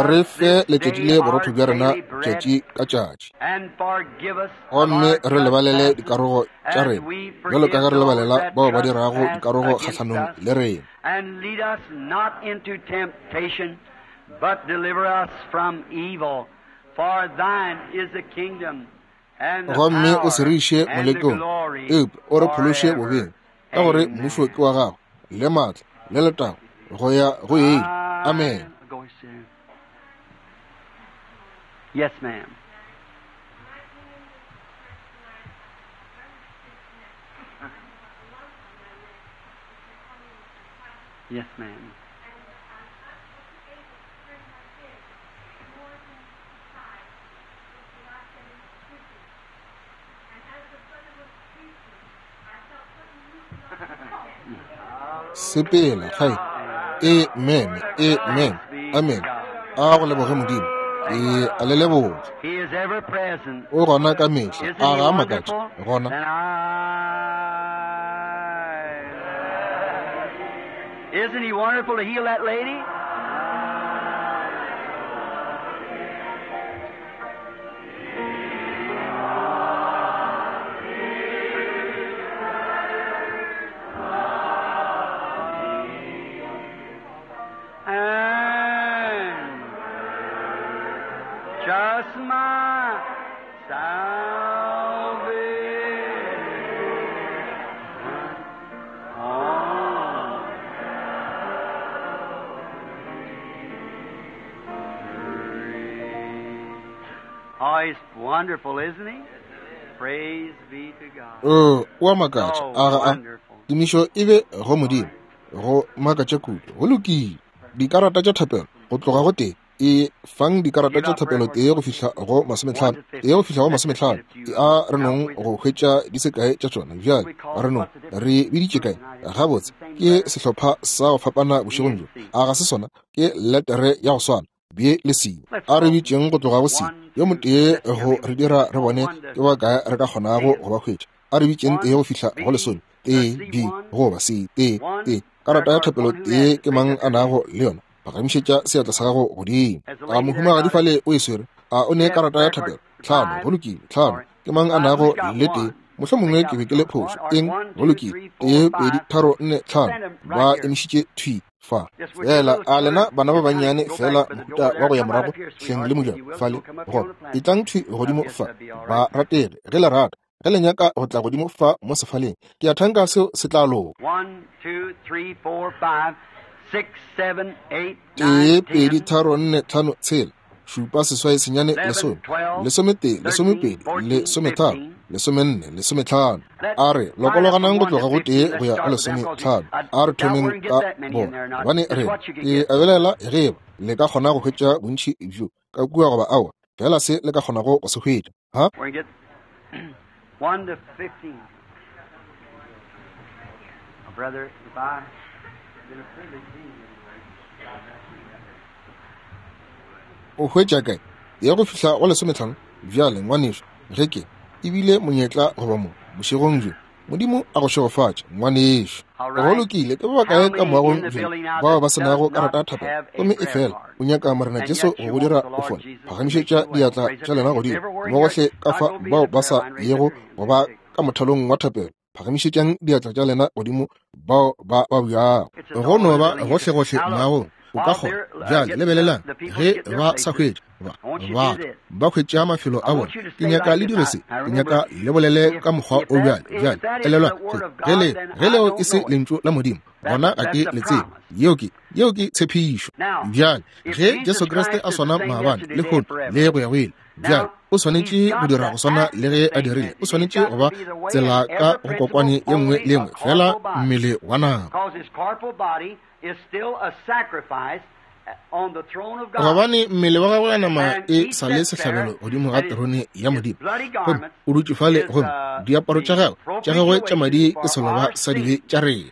Re fe letšatši le borotho bja rena tšatši ka tšatši, gomme re lebalele dikarogo tša rena bjalo ka ge re lebalela bao ba dirago dikarogo kgahlanong le rena. And lead us not into temptation, but deliver us from evil. For thine is the kingdom and the Gomme o se re iše power and the molekong, glory eupša o re phološe forever. bobeng, ka gore mmušo ke wa gago, le maatla, le letago, go ya go ile. Amen. Go soon. Yes, ma'am. Yes, ma'am. Sepela gae. Amen. Amen. Amen. A go leboge Modimo. Ke a le leboga. He is ever present. O gona ka mehla. Isn't A he ga a makatše wonderful? gona. Then I... Isn't he wonderful to heal that lady? And just my salvation on Oh, he's wonderful, isn't he? Praise be to God. O o a makatša. So A ga a. wonderful. Tumišo e be go Modimo. Go makatša kudu. Go lokile. Dikarata tša thapelo go tloga go tee e fang dikarata tša thapelo tee go fihla go masometlhano, tee go fihla go masometlhano. E a re nong go hwetša di se kae tša tšona. Bjale re nong re biditše kae? Gabotse ke sehlopha sa go fapana bošegong bjo. A ga se sona? Ke letere ya go swana B le C. A re bitšeng go tloga go C. Yo motee go re dira re bone ke ba kae re ka kgonago go ba hwetša. A re bitšeng tee go fihla go lesome. T B goba C T T. Karata ya thapelo tee ke mang a nago le yona? Phagamišetša seatla sa gago godimo. A mohumagadi fale o e swere? A o ne karata ya thapelo? Tlhano, go lokile. Tlhano. Ke mang a nago le tee? Mohlomongwe ke be ke le phošo. Eng? Go lokile. Tee, pedi, tharo, nne, tlhano. Ba emišitše thwi fa. Fela a lena bana ba bannyane fela mohuta wa go ya morago hleng le mojako fale gona. Etlang thwi godimo fa. Ba ratege ge le rata. Ge le nyaka go tla godimo fa mo sefaleng, ke a thanka seo se tla loka. Tee, pedi, tharo, nne, tlhano, tshela, šupa, seswai, senyane, lesome, lesometee, lesomepedi, lesometharo, lesomenne, lesometlhano. A re lokologanang go tloga go tee go ya go lesometlhano. A re thomeng ka bona, gobane re ke a belaela ge eba le ka kgona go hwetša bontši bjo ka kua goba aowa, fela se le ka kgonago go se hwetša. Ha? One to fifteen. Oh, brother, if I been a privilege being o hwetša kae ya go fihla go lesometlhano? Bjale ngwanešu, ge ke ebile monyetla goba mo bošegong bjo, Modimo a go šegofatše ngwanešu. Go lokile, ke ba bakae ka moagong bjo bao ba se nago karata ya thapelo, gomme e fela o nyaka Morena Jesu go go dira o fole? Phagamišetša diatla tša lena godimo mo gohle ka fa bao ba sa yego go ba ka mothalong wa thapelo. Phagamišetšang diatla tša lena godimo bao ba babjago. Go no ba gohlegohle moagong o ka kgona. Bjale lebelelang, ge ba sa hwetša ba ba ba hwetša mafelo a bona, ke nyaka le dire se, ke nyaka le bolele ka mokgwa o bjale. Bjale elelwa, ge le ge leo e se lentšu la Modimo, gona ga ke le tsebe. Yeo ke yeo ke tshepišo. Bjale ge Jesu Kriste a swana maabane, lehono le go ya go ile, bjale o swanetše go dira go swana le ge a dirile. O swanetše go ba tsela ka go kokwane ye nngwe le nngwe, fela mmele wa nama. Gobane mmele wa gagwe wa nama e sa le sehlabelo godimo ga terone ya Modimo, gomme o dutše fale, gomme diaparo tša gagwe tša gagwe tša madi ke seloba sa dibe tša rena.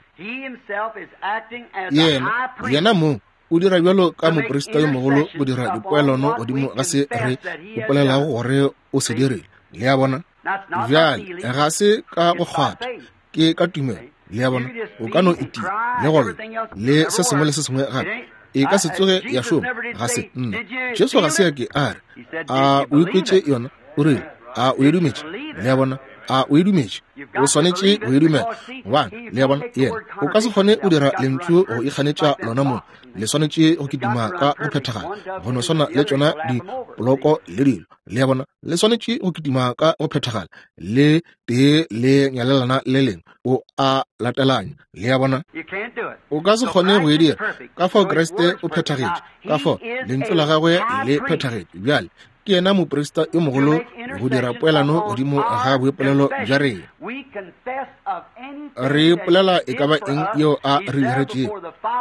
Yena yena mong o dira bjalo ka moprista yo mogolo go dira dipoelano godimo ga se re ipolelago gore o se dirile. Le a bona? Bjale ga se ka go kgwatha, ke ka tumelo. Le a bona? O ka no itia le go le se sengwe le se sengwe gape, e ka se tsoge ya šoma. Ga se nna. Jesu ga se a ke a re a o ikwetše yona, o rile a o e dumetše. Le a bona? A o e dumetše? O swanetše go e dumela, gobane le a bona, yena o ka se kgone go dira lentšu go ikganetša lona mong. Le swanetše go kitima ka go phethagala, go no swana le tšona dipoloko le dilo. Le a bona? Le swanetše go kitima ka go phethagala, le tee le nyalelana le lengwe, o a latelanya. Le a bona? O ka se kgone go e dira. Ka fao Kriste o phethagetše, ka fao lentšu la gagwe le phethagetše. Bjale ke yena moprista yo mogolo go dira poelano godimo ga boipolelo bja rena. Re ipolela e ka ba eng yeo a re diretšego,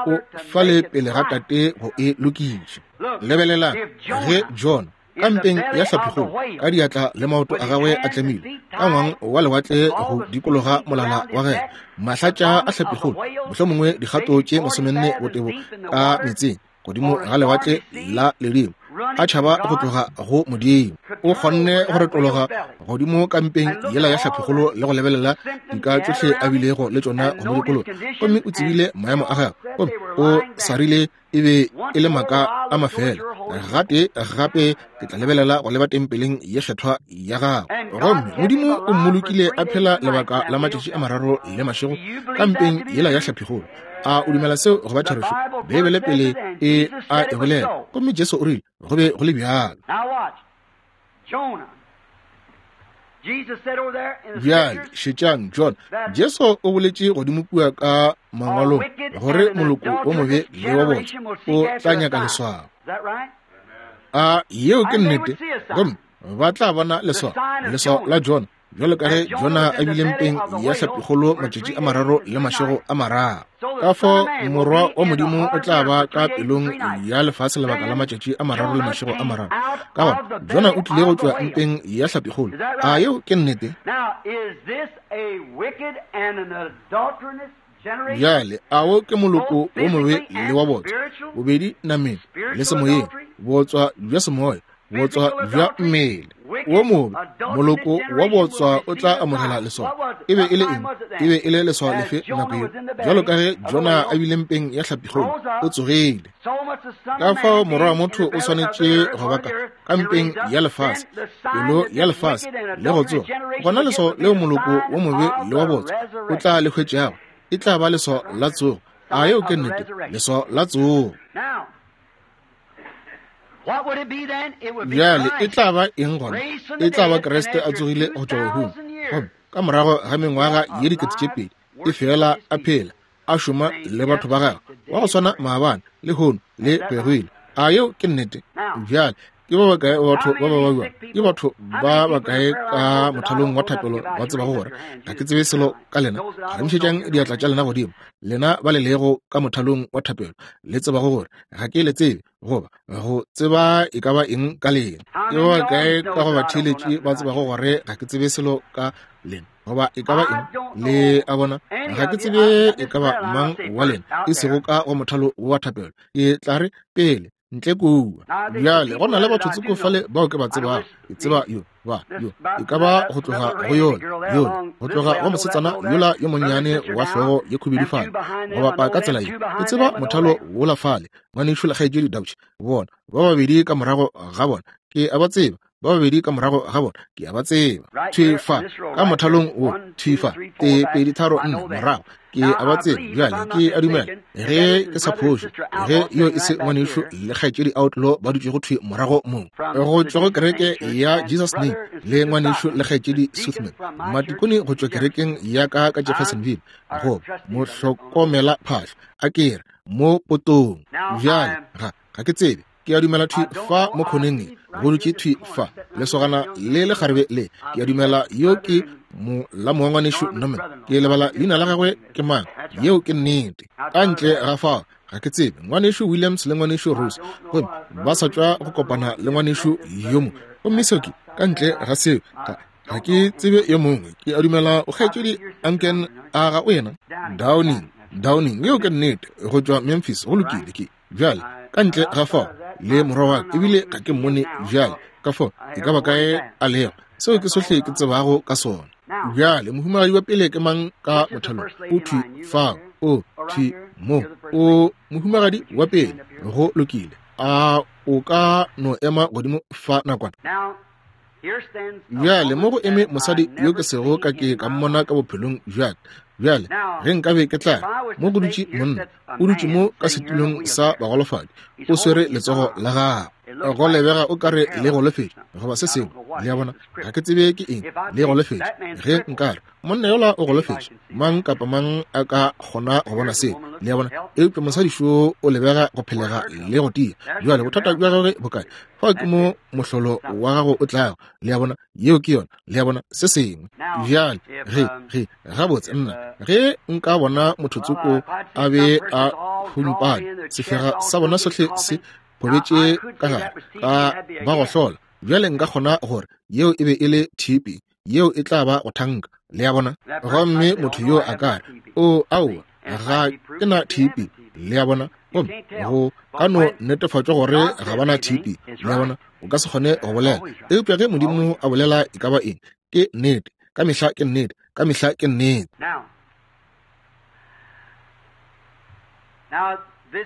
o fale pele ga Tate go e lokiša. Lebelelang ge Jona ka mpeng ya hlapikgolo, ka diatla le maoto a gagwe a tlemilwe ka ngwang wa lewatle go dikologa molala wa gagwe, mahlatša a hlapikgolo, mohlomongwe dikgato tše masomenne botebo ka meetseng godimo ga lewatle la ledimo, a tšhaba go tloga go Modimo. O kgonne go retologa godimo ka mpeng yela ya hlapikgolo le go lebelela dika tšohle a bilego le tšona go mo dikologa, gomme o tsebile maemo a gagwe, gomme o sarile e be e le maaka a mafela. Gape gape ke tla lebelela go leba tempeleng ye kgethwa ya gagwe. Gomme Modimo o mmolokile a phela lebaka la matšatši a mararo le mašego ka mpeng yela ya hlapikgolo. A o dumela seo go ba therešo? Beibele pele e a e bolela, gomme Jesu o rile go be go le bjalo. Bjale šetšang John. Jesu o boletše godimo kua ka mangwalong gore moloko o mobe le wa botse o tla nyaka leswao. A yeo ke nnete? Gomme ba tla bona leswao, leswao la Jona, bjalo ka ge Jona a bile mpeng ya hlapikgolo matšatši a mararo le mašego a mararo. Ka fao Morwa wa Modimo o tla ba ka pelong ya lefase lebaka la matšatši a mararo le mašego a mararo. Ka gona Jona o tlile go tšwa mpeng ya hlapikgolo. A yeo ke nnete? Bjale ao ke moloko wo mobe le wa botswa, bobedi nameng le semoyeng, botswa bja semoya, botswa bja mmele. Wo mobe moloko wa botswa o tla amogela leswao. E be e le eng? E be e le leswao lefe nako yeo? Bjalo ka ge Jona a bile mpeng ya hlapikgolo, o tsogile. Ka fao Morwa wa motho o swanetše go ba ka ka mpeng ya lefase, pelo ya lefase, le go tsoga. Gona leswao leo moloko wo mobe le wa botswa o tla le hwetšago e tla ba leswao la tsogo. A yeo ke nnete? Leswao la tsogo. Bjale e tla ba eng gona? E tla ba Kriste a tsogile go tšwa bahung, Gomme ka morago ga mengwaga ye dikete tše pedi e fela a phela a šoma le batho ba gagwe wa go swana maabane le hono le pegile. A yeo ke nnete? Bjale ke ba bakae batho ba ba babjang? Ke batho ba bakae ka mothalong wa thapelo ba tsebago gore ga ke tsebe selo ka lena? Phagamišetšang diatla tša lena godimo, lena ba le lego ka mothalong wa thapelo, le tsebago gore ga ke le tsebe goba go tseba e ka ba eng ka lena. Ke ba bakae ka go batheeletši ba tsebago gore ga ke tsebe selo ka lena goba e ka ba eng? Le a bona, ga ke tsebe e ka ba mang wa lena e sego ka go mothalo wa thapelo. Ke tla re pele ntle kua. Bjale go na le batho tsoko fale bao ke ba tsebago. Ke tseba yo ba yo e ka ba go tloga go yona yola, go tloga go mosetsana yola yo monnyane wa hlogo ye khubedu fale go bapa ka tsela ye. Ke tseba mothalo wola fale, ngwanešu le kgaetšedi Dauch, bona ba babedi ka morago ga bona ke a ba tseba, ba babedi ka morago ga bona ke a ba tseba. Thwi fa ka mothalong wo, thwi fa, tee pedi tharo nne morago ke a ba tseba. Bjale ke a dumela ge ke sa phošo ge yo e se ngwanešu le kgaetšedi Outlaw ba dutšego thwi morago mo go tšwa go kereke ya Jesus Name, le ngwanešu le kgaetšedi Suthman, matikone go tšwa kerekeng ya ka ka Jeffersonville, go mohlokomela phahlo a ke re mo potong. Bjale ga ga ke tsebe, ke a dumela thwi fa mo khoneng go dutše thwi fa lesogana le lekgarebe le. Ke a dumela yo ke molamo wa ngwanešu Norman, ke lebala leina la gagwe ke mang. Yeo ke nnete. Ka ntle ga fao ga ke tsebe ngwanešu Williams le ngwanešu Rose, gomme ba sa tšwa go kopana le ngwanešu yo mongwe. Gomme seo ke ka ntle ga seo ga ga ke tsebe yo mongwe. Ke a dumela o kgaetšedi Anken a ga o yena Downing, Downing, yeo ke nnete, go tšwa Memphis. Go lokile. Ke bjale ka ntle ga fao le morwa wa ka ebile ga ke mmone bjale, ka fao e ka ba kae a lego. Seo ke sohle ke tsebago ka sona. Bjale mohumagadi wa pele ke mang ka mothalong? O thwi fao, o thwi mo, o mohumagadi wa pele. Go lokile. A o ka no ema godimo fa nakwana? Bjale mo go eme mosadi yo ke sego ka ke ka mmona ka bophelong bjaka. Bjale ge nkabe ke tla mo go dutše monna, o dutše mo ka setulong sa bagolofadi, o swere letsogo la gagwe, go lebega o kare le golofetše goba se sengwe. Le a bona, ga ke tsebe ke eng, le golofetše. Ge nkare monna yola o golofetše, mang kapa mang a ka kgona go bona seo. Le a bona, eupša mosadi šo o lebega go phelega le go tia. Bjale bothata bja gagwe bo kae? Fao ke mo mohlolo wa gago o tlago. Le a bona, yeo ke yona. Le a bona, se sengwe. Bjale ge ge gabotse nna ge nka bona motho tsoko a be a humpane, sefega sa bona sohle se phobetše ka gare ka ba go hlola. Bjale nka kgona gore yeo e be e le T B, yeo e tla ba go thanka. Le a bona, gomme motho yo a ka re o aowa ga ke na T B. Le a bona, gomme go ka no netefatšwa gore ga ba na T B. Le a bona, o ka se kgone go bolela, eupša ge Modimo a bolela e ka ba eng, ke nnete. Ka mehla ke nnete, ka mehla ke nnete.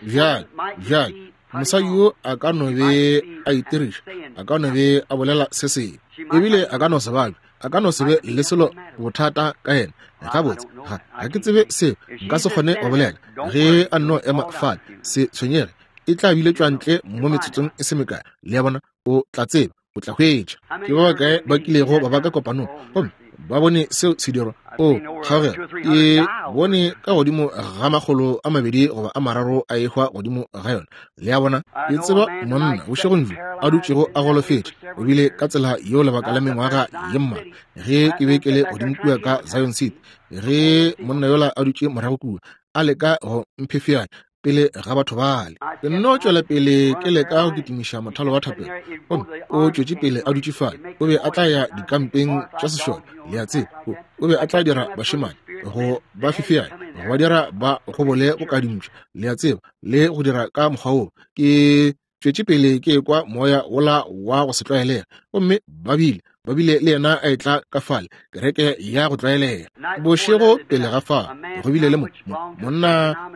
Bjale bjale mosadi yo a ka no be a itiriša, a ka no be a bolela se sengwe, ebile a ka no se babje, a ka no se be le selo bothata ka yena. Gabotse ga ga ke tsebe seo, nka se kgone go bolela. Ge a nno ema fale, se tshwenyege, e tla biletšwa ntle mo metsotsong e se mekae. Le a bona, o tla tseba, o tla hwetša. Ke ba bakae ba kilego ba ba ka kopanong gomme ba bone seo se dirwa? O kgaogelo, ke bone ka godimo ga makgolo a mabedi goba a mararo a ehwa godimo ga yona. Le a bona, ke tseba monna bošegong bjo a dutšego a golofetše, o bile ka tsela yeo lebaka la mengwaga ye mmalwa. Ge ke be ke le godimo kua ka Zion City, ge monna yola a dutše morago kua a leka go mphefeanya pele ga batho bale, ke nno tšwela pele ke leka go kitimiša mothalo wa thapelo. Gomme o tšwetše pele a dutše fale. O be a tla ya dikampeng tša sešole, le a tseba. O be a tla dira bašemane go ba fefeanya, go ba dira ba gobole go kadimpša, le a tseba, le go dira ka mokgwa woo. Ke tšwetše pele ke ekwa moya wola wa go se tlwaelega, gomme ba bile ba bile le yena a etla ka fale kereke ya go tlwaelega. Bošego pele ga fao go bile le mo monna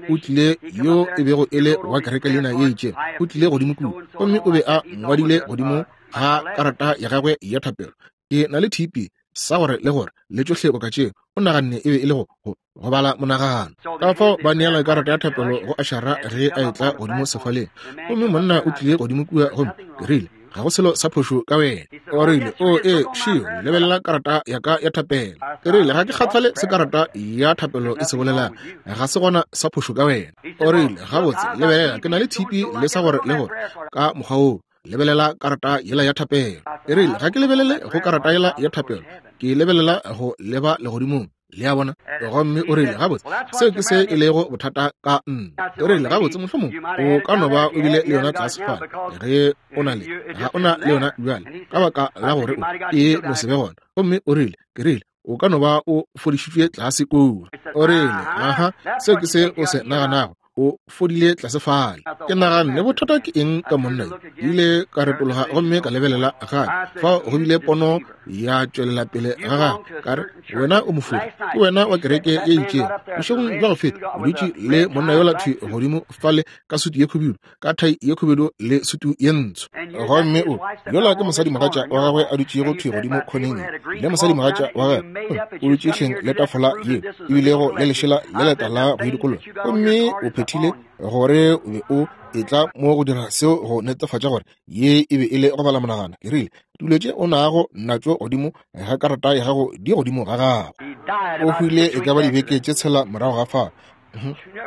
o tlile yo e bego e le wa kereke leina ye itšego, o tlile godimo kua, gomme o be a ngwadile godimo ga karata ya gagwe ya thapelo, ke na le T B sa gore le gore le tšohle boka tšeo. O naganne e be e le go go go bala monagano. Ka fao ba neela karata ya thapelo go ašara ge a etla godimo sefaleng. Gomme monna o tlile godimo kua, gomme ke rile, ga go selo sa phošo ka wena. O rile, o ee, šio, lebelela karata ya ka ya thapelo. Ke rile, ga ke kgathale se karata ya thapelo e se bolelang, ga se gona sa phošo ka wena. O rile, gabotse, lebelela, ke na le tshipi le sa gore le gore ka mokgwa woo. Lebelela karata yela ya thapelo. E rile, ga ke lebelele go karata yela ya thapelo, ke lebelela go leba legodimong. Le a bona? Gomme o rile, gabotse, seo ke se e lego bothata ka nna. O rile, gabotse, mohlomong o ka no ba o bile le yona tlase fale, ge o na le, ga o na le yona bjale, ka baka la gore o e no se be gona. Gomme o rile, ke rile, o ka no ba o fodišitšwe tlase kua. O rile, aha, seo ke se o se naganago, o fodile tlase fale. Ke naganne, bothata ke eng ka monna yo? Ke ile ka retologa gomme ka lebelela gape. Fao go bile pono ya tšwelela pele ga gagwe. Ka re, wena o mofodi, ke wena wa kereke ye itšego. Bošegong bja go feta o dutše le monna yola thwi godimo fale ka sutu ye khubedu, ka thai ye khubedu le sutu ye ntsho. Gomme o yola ke mosadimogatša wa gagwe a dutšego thwi godimo khoneng, le mosadimogatša wa gagwe o dutše hleng le tafola ye ebilego le lešela le letala go idikologa. Gomme o phethile gore o be o etla mo go dira seo go netefatša gore ye e be e le go bala monagano. Ke rile, dilo tše o nago natšo godimo ga karata ya gago di godimo ga gago. O hwile e ka ba dibeke tše tshela morago ga fao.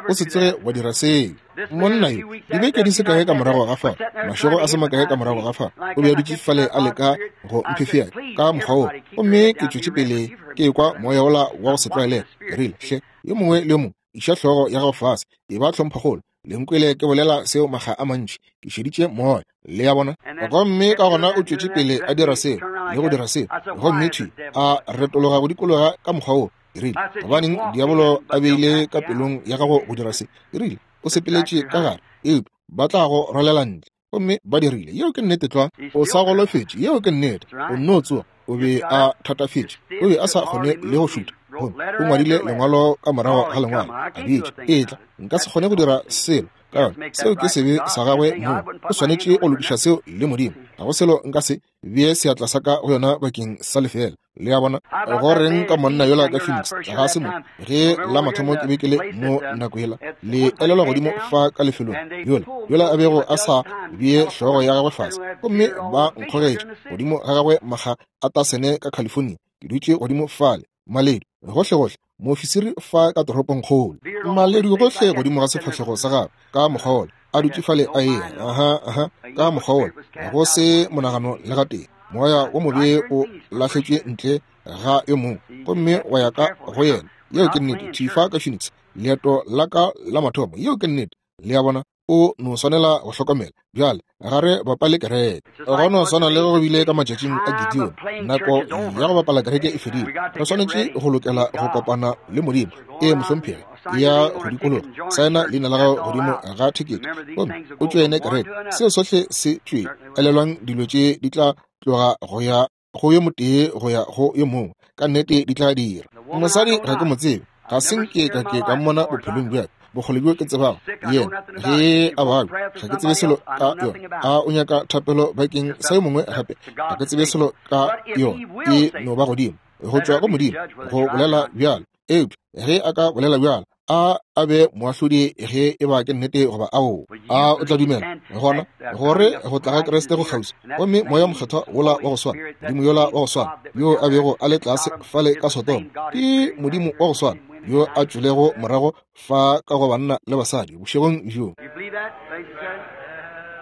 O se tsoge wa dira seo. Monna yo, dibeke di se kae ka morago ga fao, mašego a se makae ka morago ga fao, o be a dutše fale a leka go mphefea ka mokgwa woo. Gomme ke tšwetše pele ke ekwa moya wola wa go se tlwaelege. Ke rile, hle, yo mongwe le yo mongwe iša hlogo ya gago fase, e ba tlhomphagolo. Le nkwele ke bolela seo makga a mantši, ke šeditše moya. Le a bona? Gomme ka gona o tšwetše pele a dira seo le go dira seo, gomme thwi a retologa go dikologa ka mokgwa woo. Ke rile, gobaneng diabolo a beile ka pelong ya gago go dira se? Ke rile, o sepeletše ka gare, eupša ba tla go rwalela ntle. Gomme ba dirile. Yeo ke nnete tlwa. O sa golofetše. Yeo ke nnete. O nno tsoga. O be a thatafetše. O be a sa kgone le go šutha. Gomme o ngwadile lengwalo ka morago ga lengwalo, a bitša, etla, nka se kgone go dira selo ka yona. Seo ke sebe sa gagwe mong. O swanetše go lokiša seo le Modimo. Ga go selo nka se bee seatla sa ka go yona bakeng sa lefela. Le a bona? Go reng ka monna yola ka Phoenix? Ga se mo ge la mathomo ke be ke le mo nako yela, le elelwa godimo fa ka lefelong yola yola a bego a sa bee hlogo ya gagwe fase, gomme ba nkgogetše godimo ga gagwe makga a tasene ka California. Ke dutše godimo fale, maledu gohlegohle, moofisiri fa ka toropongkgolo, maledu gohle godimo ga sefahlego sa gagwe ka mokgwa wola, a dutše fale a eya, aha, aha, ka mokgwa wola, go se monagano le gatee. Moya wo mobe o lahletšwe ntle ga yo mongwe gomme wa ya ka go yena. Yeo ke nnete. Thwi fa ka Phoenix, leeto la ka la mathomo. Yeo ke nnete. Le a bona? O no swanela go hlokomela. Bjale ga re bapale kereke. Go no swana le go bile ka matšatšing a Gideon, nako ya go bapala kereke e fedile. Re swanetše go lokela go kopana le Modimo. Ee, mohlomphegi, ya go dikologa, saena leina la gago godimo ga thekete gomme o tšoene kereke. Seo sohle se tšwele. Elelwang, dilo tše di tla tloga go ya go yo motee go ya go yo mongwe. Ka nnete di tla dira. Mosadi ga ke mo tsebe, ga se nke ka ke ka mmona bophelong bja ka. Bokgole bjo ke tsebago yena ge a babja, ga ke tsebe selo ka yona. A o nyaka thapelo bakeng sa yo mongwe gape? Ga ke tsebe selo ka yona. E no ba godimo go tšwa go Modimo go bolela bjalo. Eupša ge a ka bolela bjalo, a a be moahlodi ge e ba ke nnete goba ao. A o tla dumela gona gore go tla ga Kriste go kgauswi, gomme moya mokgethwa wola wa go swana, Modimo yola wa go swana yo a bego a le tlase fale ka Sodoma, ke Modimo wa go swana yo a tšwelego morago fa ka go banna le basadi bošegong bjo.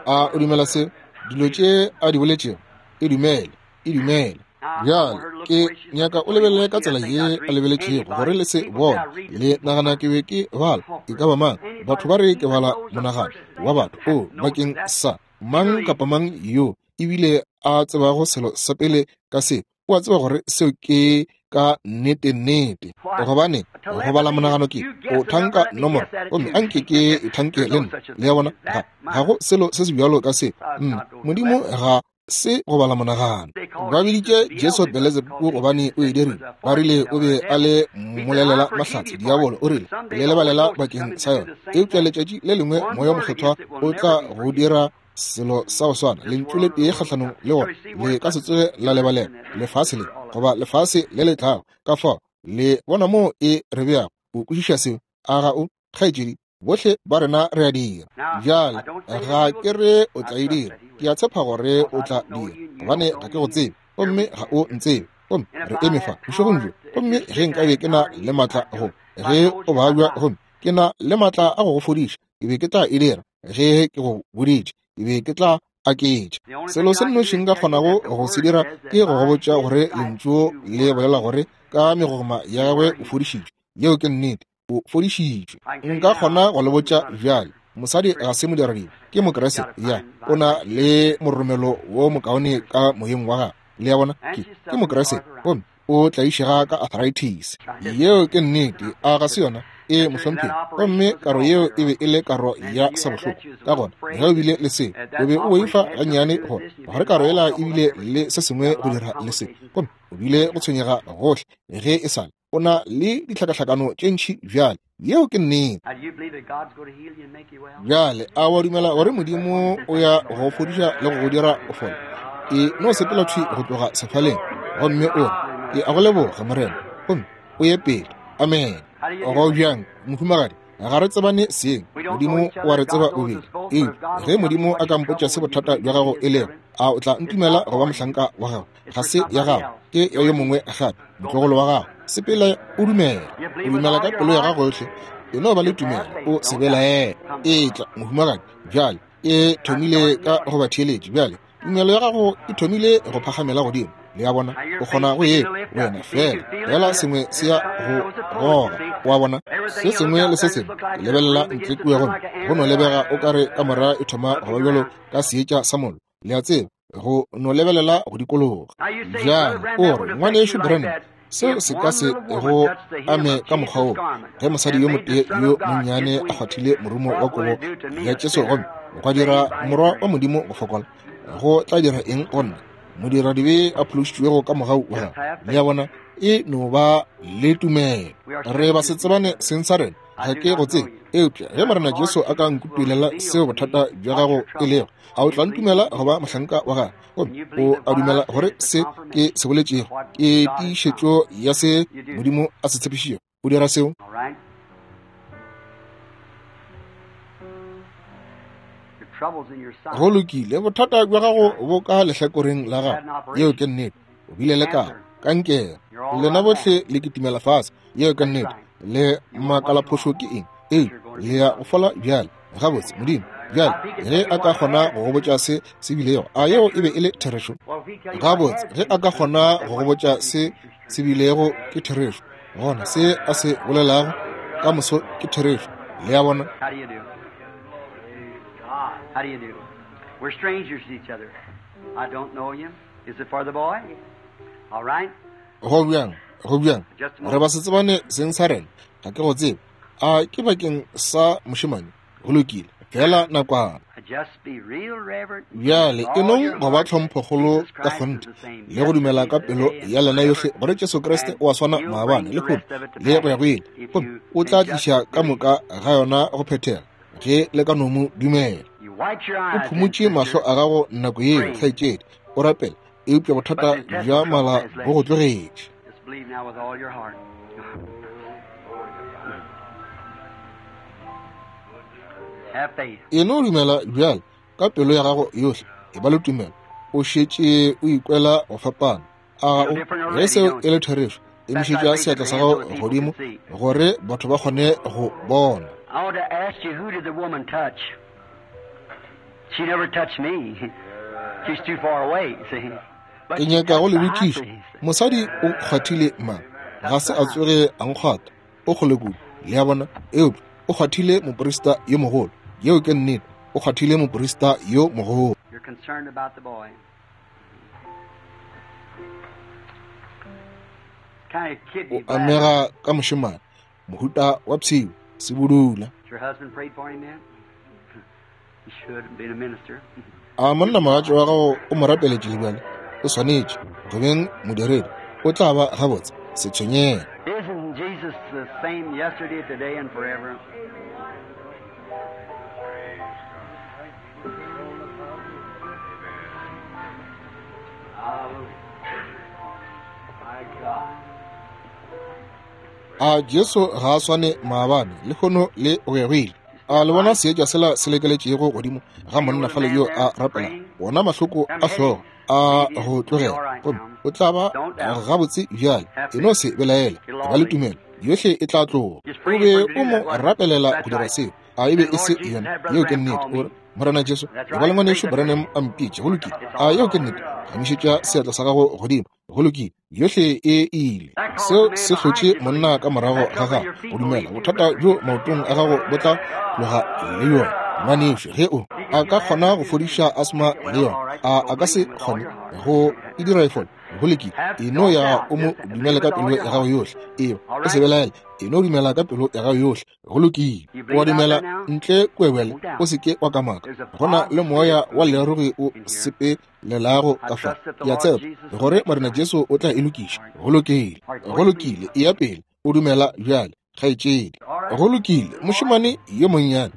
A o dumela se? Dilo tše a di boletšego, e dumele, e dumele. Bjale ke nyaka o lebelele ka tsela ye a lebeletšego gore le se bone. Le nagana ke be ke bala e ka ba mang? Batho ba re ke bala monagano wa batho. O bakeng sa mang kapa mang yo ebile a tsebago selo sa pele ka se, o a tseba gore seo ke ka nnete nnete. Gobane go bala monagano ke o thanka nomoro, gomme anke ke e thanke le nna. Le a bona? Ga ga go selo se se bjalo ka se. Mm, Modimo ga se go bala monagano. Ba biditše Jesu Beelzebub gobane o e dirile. Ba rile o be a le mmolelela mahlatse. Diabolo o rile le lebalela bakeng sa yona. Eupša letšatši le lengwe moya mokgethwa o tla go dira selo sa go swana. Lentšu le tee kgahlanong le gona le ka se tsoge la lebalela lefase le goba lefase le le tlago. Ka fao le bona moo e re beago. O kwešiša seo? A ga o, kgaetšedi? Bohle ba rena re a dira. Bjale ga ke re o tla e dira, ke a tshepa gore o tla dira. gobane ga ke go tsebe, gomme ga o ntsebe. Gomme re eme fa bošegong bjo, gomme ge nkabe ke na le maatla go, ge o babja, gomme ke na le maatla a go go fodiša, ke be ke tla e dira. Ge ke go boditše, ke be ke tla aketša. Selo se nnoši nka kgonago go se dira ke go go botša gore lentšu le bolela gore ka megogoma ya gagwe o fodišitšwe. Yeo ke nnete, o fodišitšwe. Nka kgona go le botša bjale, mosadi ga se modiradibe, ke Mokriste. Ya, o na le moromelo wo mokaone ka moyeng wa gagwe. Le a bona, ke ke Mokriste, gomme o tlaišega ka arthritis. Yeo ke nnete, a ga se yona? E mohlomphegi. Gomme karo yeo e be e le karo ya sabohloko. Ka gona ge o bile le se, o be o boifa gannyane gore gore karo yela e bile le se sengwe go dira le se, gomme o bile go tshwenyega gohle ge e sale. O na le ditlhakahlakano tše ntši bjale. Yeo ke nnete. Bjale a wa dumela gore Modimo o ya go fodiša le go go dira o fole? E no sepela thwi go tloga sefaleng, gomme o re, ke a go leboga Morena, gomme o ye pele. Amen. Go bjang, mohumagadi? Ga re tsebane seng, Modimo o a re tseba bobedi. Eupša ge Modimo a ka mpotša se bothata bja gago e lego, a o tla ntumela go ba mohlanka wa gago? Ga se ya gago, ke ya yo mongwe gape, motlogolo wa gago. Sepela o dumela, o dumela ka pelo ya gago yohle. E no ba le tumelo, o se belaele. Etla, mohumagadi. Bjale e thomile ka go ba theeletše. Bjale tumelo ya gago e thomile go phagamela godimo. Le a bona, o kgona go e wena fela fela sengwe se ya go goga. Wa bona, se sengwe le se sengwe ke lebelela ntle kua, gomme go no lebega o kare kamora e thoma go ba bjalo ka seetša sa mollo. Le a tseba, go no lebelela go dikologa. Bjale o re, ngwanešu Branham, seo se ka se go ame ka mokgwa wo. Ge mosadi yo motee yo monnyane a kgwathile morumo wa kobo ya Jesu, gomme gwa dira morwa wa Modimo go fokola, go tla dira eng go nna, modiradibe a phološitšwego ka mogau wa gagwe? Le a bona, e no ba le tumelo. Re ba se tsebane seng sa rena, ga ke go tsebe. Eupša ge Morena Jesu a ka nkutulela seo bothata bja gago e lego, a o tla ntumela go ba mohlanka wa gagwe? Gomme o a dumela gore se ke se boletšego ke tiišetšo ya se Modimo a se tshepišitšego? O dira seo? Go lokile, bothata bja gago bo ka lehlakoreng la gago. Yeo ke nnete. O bile le karo, kankere. Lena bohle le kitimela fase. Yeo ke nnete. Le makalaphošo ke eng? Ee, le ya go fola bjale. Gabotse, Modimo bjale ge a ka kgona go go botša se se bilego, a yeo e be e le therešo? Gabotse, ge a ka kgona go go botša se se bilego ke therešo, gona se a se bolelago ka moso ke therešo. Le a bona? How do you do? We're strangers to each other. I don't know you. Is it for the boy? All right. Go bjang, go bjang. Re ba se tsebane seng sa rena, ga ke go tsebe. A ke bakeng sa mošemane? Go lokile, fela nakwana. Bjale e nong go ba tlhomphokgolo ka kgonthe le go dumela ka pelo ya lena yohle gore Jesu Kriste o a swana maabane le lehono le go ya go ile, gomme o tla tliša ka moka ga yona go phethega ge le ka no mo dumela. O phumotše mahlo a gago nako yeo, kgaetšedi, o rapela, eupša bothata bja mala bo go tlogetše. E no dumela bjale ka pelo ya gago yohle, e ba le tumelo. O šetše o ikwela go fapana. A ga o? Ge seo e le therešo, emišetša seatla sa gago godimo gore batho ba kgone go bona. I want to ask you, who did the woman touch? She never touched me. She's too far away, see. Ke nyaka go le botšiša, mosadi o kgwathile mang? Ga se a tsoge a nkgwata, o kgole kudu. Le a bona? Eupša o kgwathile moprista yo mogolo. Yeo ke nnete, o kgwathile moprista yo mogolo. You're concerned about the boy. Kind of kidney O amega ka mošemane, mohuta wa pshio, sebudula. Your husband prayed for him then? He should have been a minister. A monna mogatši wa gago o mo rapeletše le bjale? O swanetše go beng modiredi, o tla ba gabotse, se tshwenyege. Isn't Jesus the same yesterday, today, and forever? My God. A Jesu ga a swane maabane, lehono le go ya go ile? A le bona seetša sela se lekeletšego godimo ga monna fale yo a rapela? Wona mahloko a hlogo A go tlogela gomme o tla ba gabotse bjale. E no se belaela, ba le tumelo, yohle e tla tloga. O be o mo rapelela go dira seo. A e be e se yona? Yeo ke nnete. O re, Morena Jesu, e ba le ngwanešu Branham a mpitše. Go lokile. A yeo ke nnete? Gamišetša seatla sa gago godimo. Go lokile. Yohle e ile. Seo se hlotše monna ka morago ga gago go dumela. Bothata bjo maotong a gago bo tla tloga le yona, ngwanešu. Ge o a ka kgona go fodiša asma le yona, a a ka se kgone go e dira e fole? Go lokile. E no ya o mo dumele ka pelo ya gago yohle. Eba o se belaele, e no dumela ka pelo ya gago yohle. Go lokile. O dumela ntle kwebele, o se ke wa kamaka. Go na le moya wa lerogi o sepelelago ka fa. Ke a tshepa gore Morena Jesu o tla e lokiša. Go lokile. Go lokile. E ya pele o dumela bjale, kgaetšedi. Go lokile. Mošemane yo monnyane,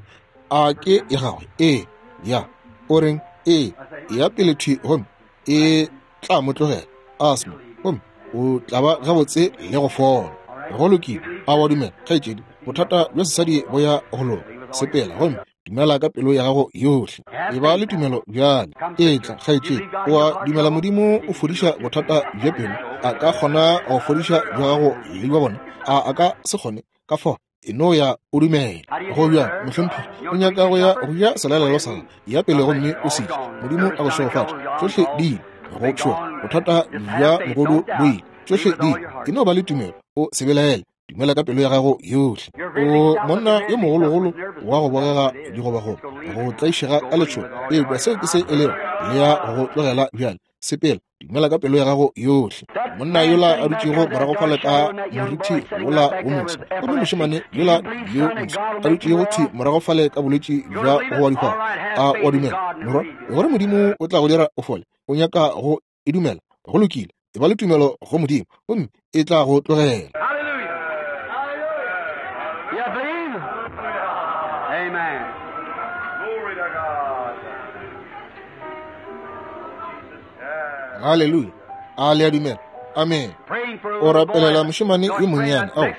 a ke ya gagwe? Ee. Ya. O reng? Ee. Ya pele thwi gomme e tla mo tlogela asma, gomme o tla ba gabotse le go fola. Go lokile. A wa dumela, kgaetšedi? Bothata bja sesadi bo ya go loka. Sepela gomme dumela ka pelo ya gago yohle. E ba le tumelo bjale. Etla, kgaetšedi. O a dumela Modimo o fodiša bothata bja pelo? A ka kgona go fodiša bja gago le bja bona? A a ka se kgone? Ka fao e no ya o dumela. Go bjang, mohlomphegi? O nyaka go ya go ja selalelo sa gago? Ya pele gomme o se je. Modimo a go šegofatše. Tšohle di ile go tšhoga. Bothata bja mogodu bo ile. Tšohle di ile. E no ba le tumelo, o se belaele. Dumela ka pelo ya gago yohle. O monna yo mogologolo wa go bogega digobagoba, go tlaišega ka letšhogo. Eupša seo ke se e lego, le ya go tlogela bjale. Sepela, dumela ka pelo ya gago yohle. Monna yola a dutšego morago fale ka morithi wola wo moso, gomme mošemane yola yo moso a dutšego thwi morago fale ka bolwetši bja go wa dihwahwa. A wa dumela, morwa, gore Modimo o tla go dira o fole? O nyaka go e dumela? Go lokile. E ba le tumelo go Modimo gomme e tla go tlogela. You believe? Amen. Glory to God. Haleluya. A le a dumela? Amen. Praying for a O little boy. rapelela mošemane yo monnyane. Ao,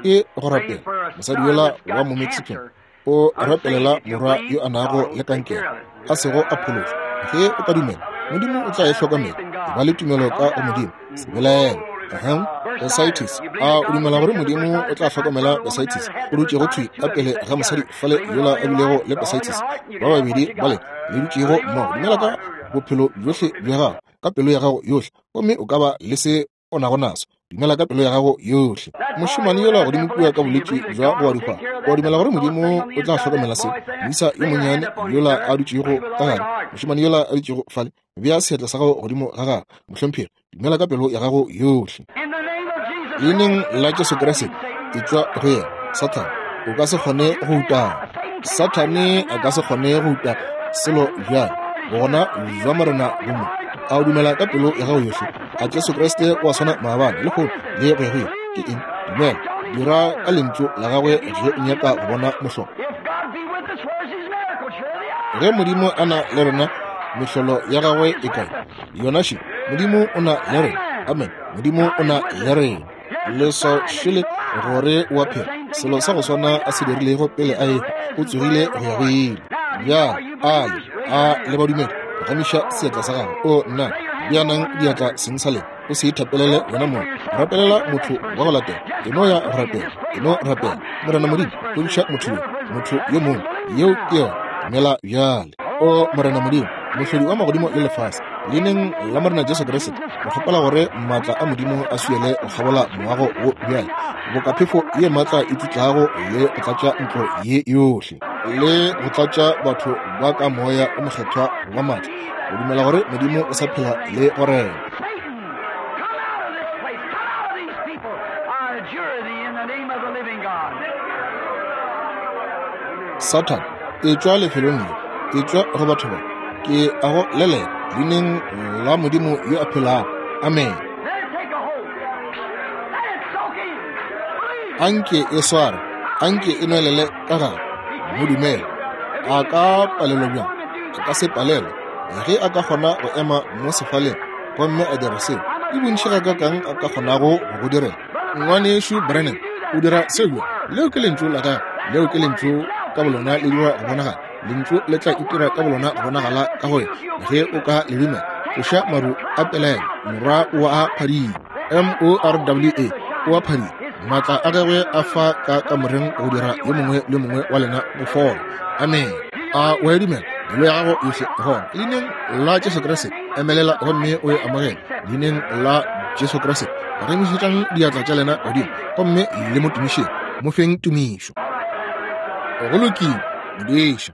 ke go rapela mosadi yola wa mo Mexican. O rapelela morwa yo a nago le kankere, a sego a phološwa. Ge o ka dumela, Modimo o tla e hlokomela. E ba le tumelo ka go Modimo, se belaele. Ahem, bursitis. A o dumela gore Modimo o tla hlokomela bursitis? O dutšego thwi ka pele ga mosadi fale yola a bilego le bursitis. Ba babedi bale le dutšego mmogo. Dumela ka bophelo bjohle bja gago, ka pelo ya gago yohle, gomme o ka ba le se o nago naso. Dumela ka pelo ya gago yohle. Mošemane yola godimo kua ka bolwetši bja go wa dihwahwa, o dumela gore Modimo o tla hlokomela seo? Moisa yo monnyane yola a dutšego ka gare, mošemane yola a dutšego fale, bea seatla sa gago godimo ga gagwe, mohlomphegi. Dumela ka pelo ya gago yohle. In the name of Jesus. Leineng la Jesu Kriste, etšwa go yena. Sathane, o ka se kgone go utama. Sathane a ka se kgone go uta selo bjale. Bogona bja Morena bo mo. A o dumela ka pelo ya gago yohle? A Jesu Kriste o a swana maabane, lehono le go ya go ile? Ke eng? Dumela. Dira ka lentšu la gagwe ge o nyaka go bona mohlolo. If God be with us, where's his miracles? Here they are. Ge Modimo a na le rena, mehlolo ya gagwe e kae? Yona še. Modimo o na le rena. Amen. Modimo o na le rena. Leswao šele gore o a phela. Selo sa go swana a se dirilego pele a ehwa, o tsogile go ya go ile. Bjale ale a le badumedi, phagamiša seatla sa gago. O nna, bjanang diatla seng sa lena. O se ithapelele wena mong. Rapelela motho wa go latela. E no ya go rapela. E no rapela. Morena Modimo, fodiša motho yo, motho yo mongwe. Yeo ke yona. Dumela bjale. O Morena Modimo, mohlodi wa magodimo le lefase, leineng la Morena Jesu Kriste, re kgopela gore maatla a Modimo a swiele go kgabola moago wo bjale, boka phefo ye maatla e tšutlago le go tlatša ntlo ye yohle, le go tlatša batho ba ka moya o mokgethwa wa maatla, go dumela gore Modimo o sa phela le go rena. Satan, come out of this place. Come out of these people. I adjure thee in the name of the living God. Sathane, etšwa lefelong le, etšwa go batho ba. Ke a go lelela leineng la Modimo yo a phelago. Amen. Let it take a hold. Let it soak in. Believe. Anke e sware, anke e nwelele ka gare. Mo dumele. A ka palelwa bjang? A ka se palelwe. Ge a ka kgona go ema mo sefaleng gomme a dira seo, ke bontši gakaakang a ka kgonago go go direla? Ngwanešu Branham o dira seo bjang? Leo ke lentšu la gagwe. Leo ke lentšu ka bolona le dira go bonagala. Lentšu le tla itira ka bolona go bonagala ka go wena ge o ka le dumela. Tloša maru a pelaelo, morwa o a phadima. M O R W A, o a phadima. Maatla a gagwe a fa ka kamoreng go dira yo mongwe le mongwe wa lena go fola. Amen. A o a dumela? Pelo ya gago yohle gona leineng la Jesu Kriste, emelela gomme o e amogele leineng la Jesu Kriste. Phagamišetšang diatla tša lena godimo gomme le mo tumišeng, mo feng tumišo. Go lokile, modiša.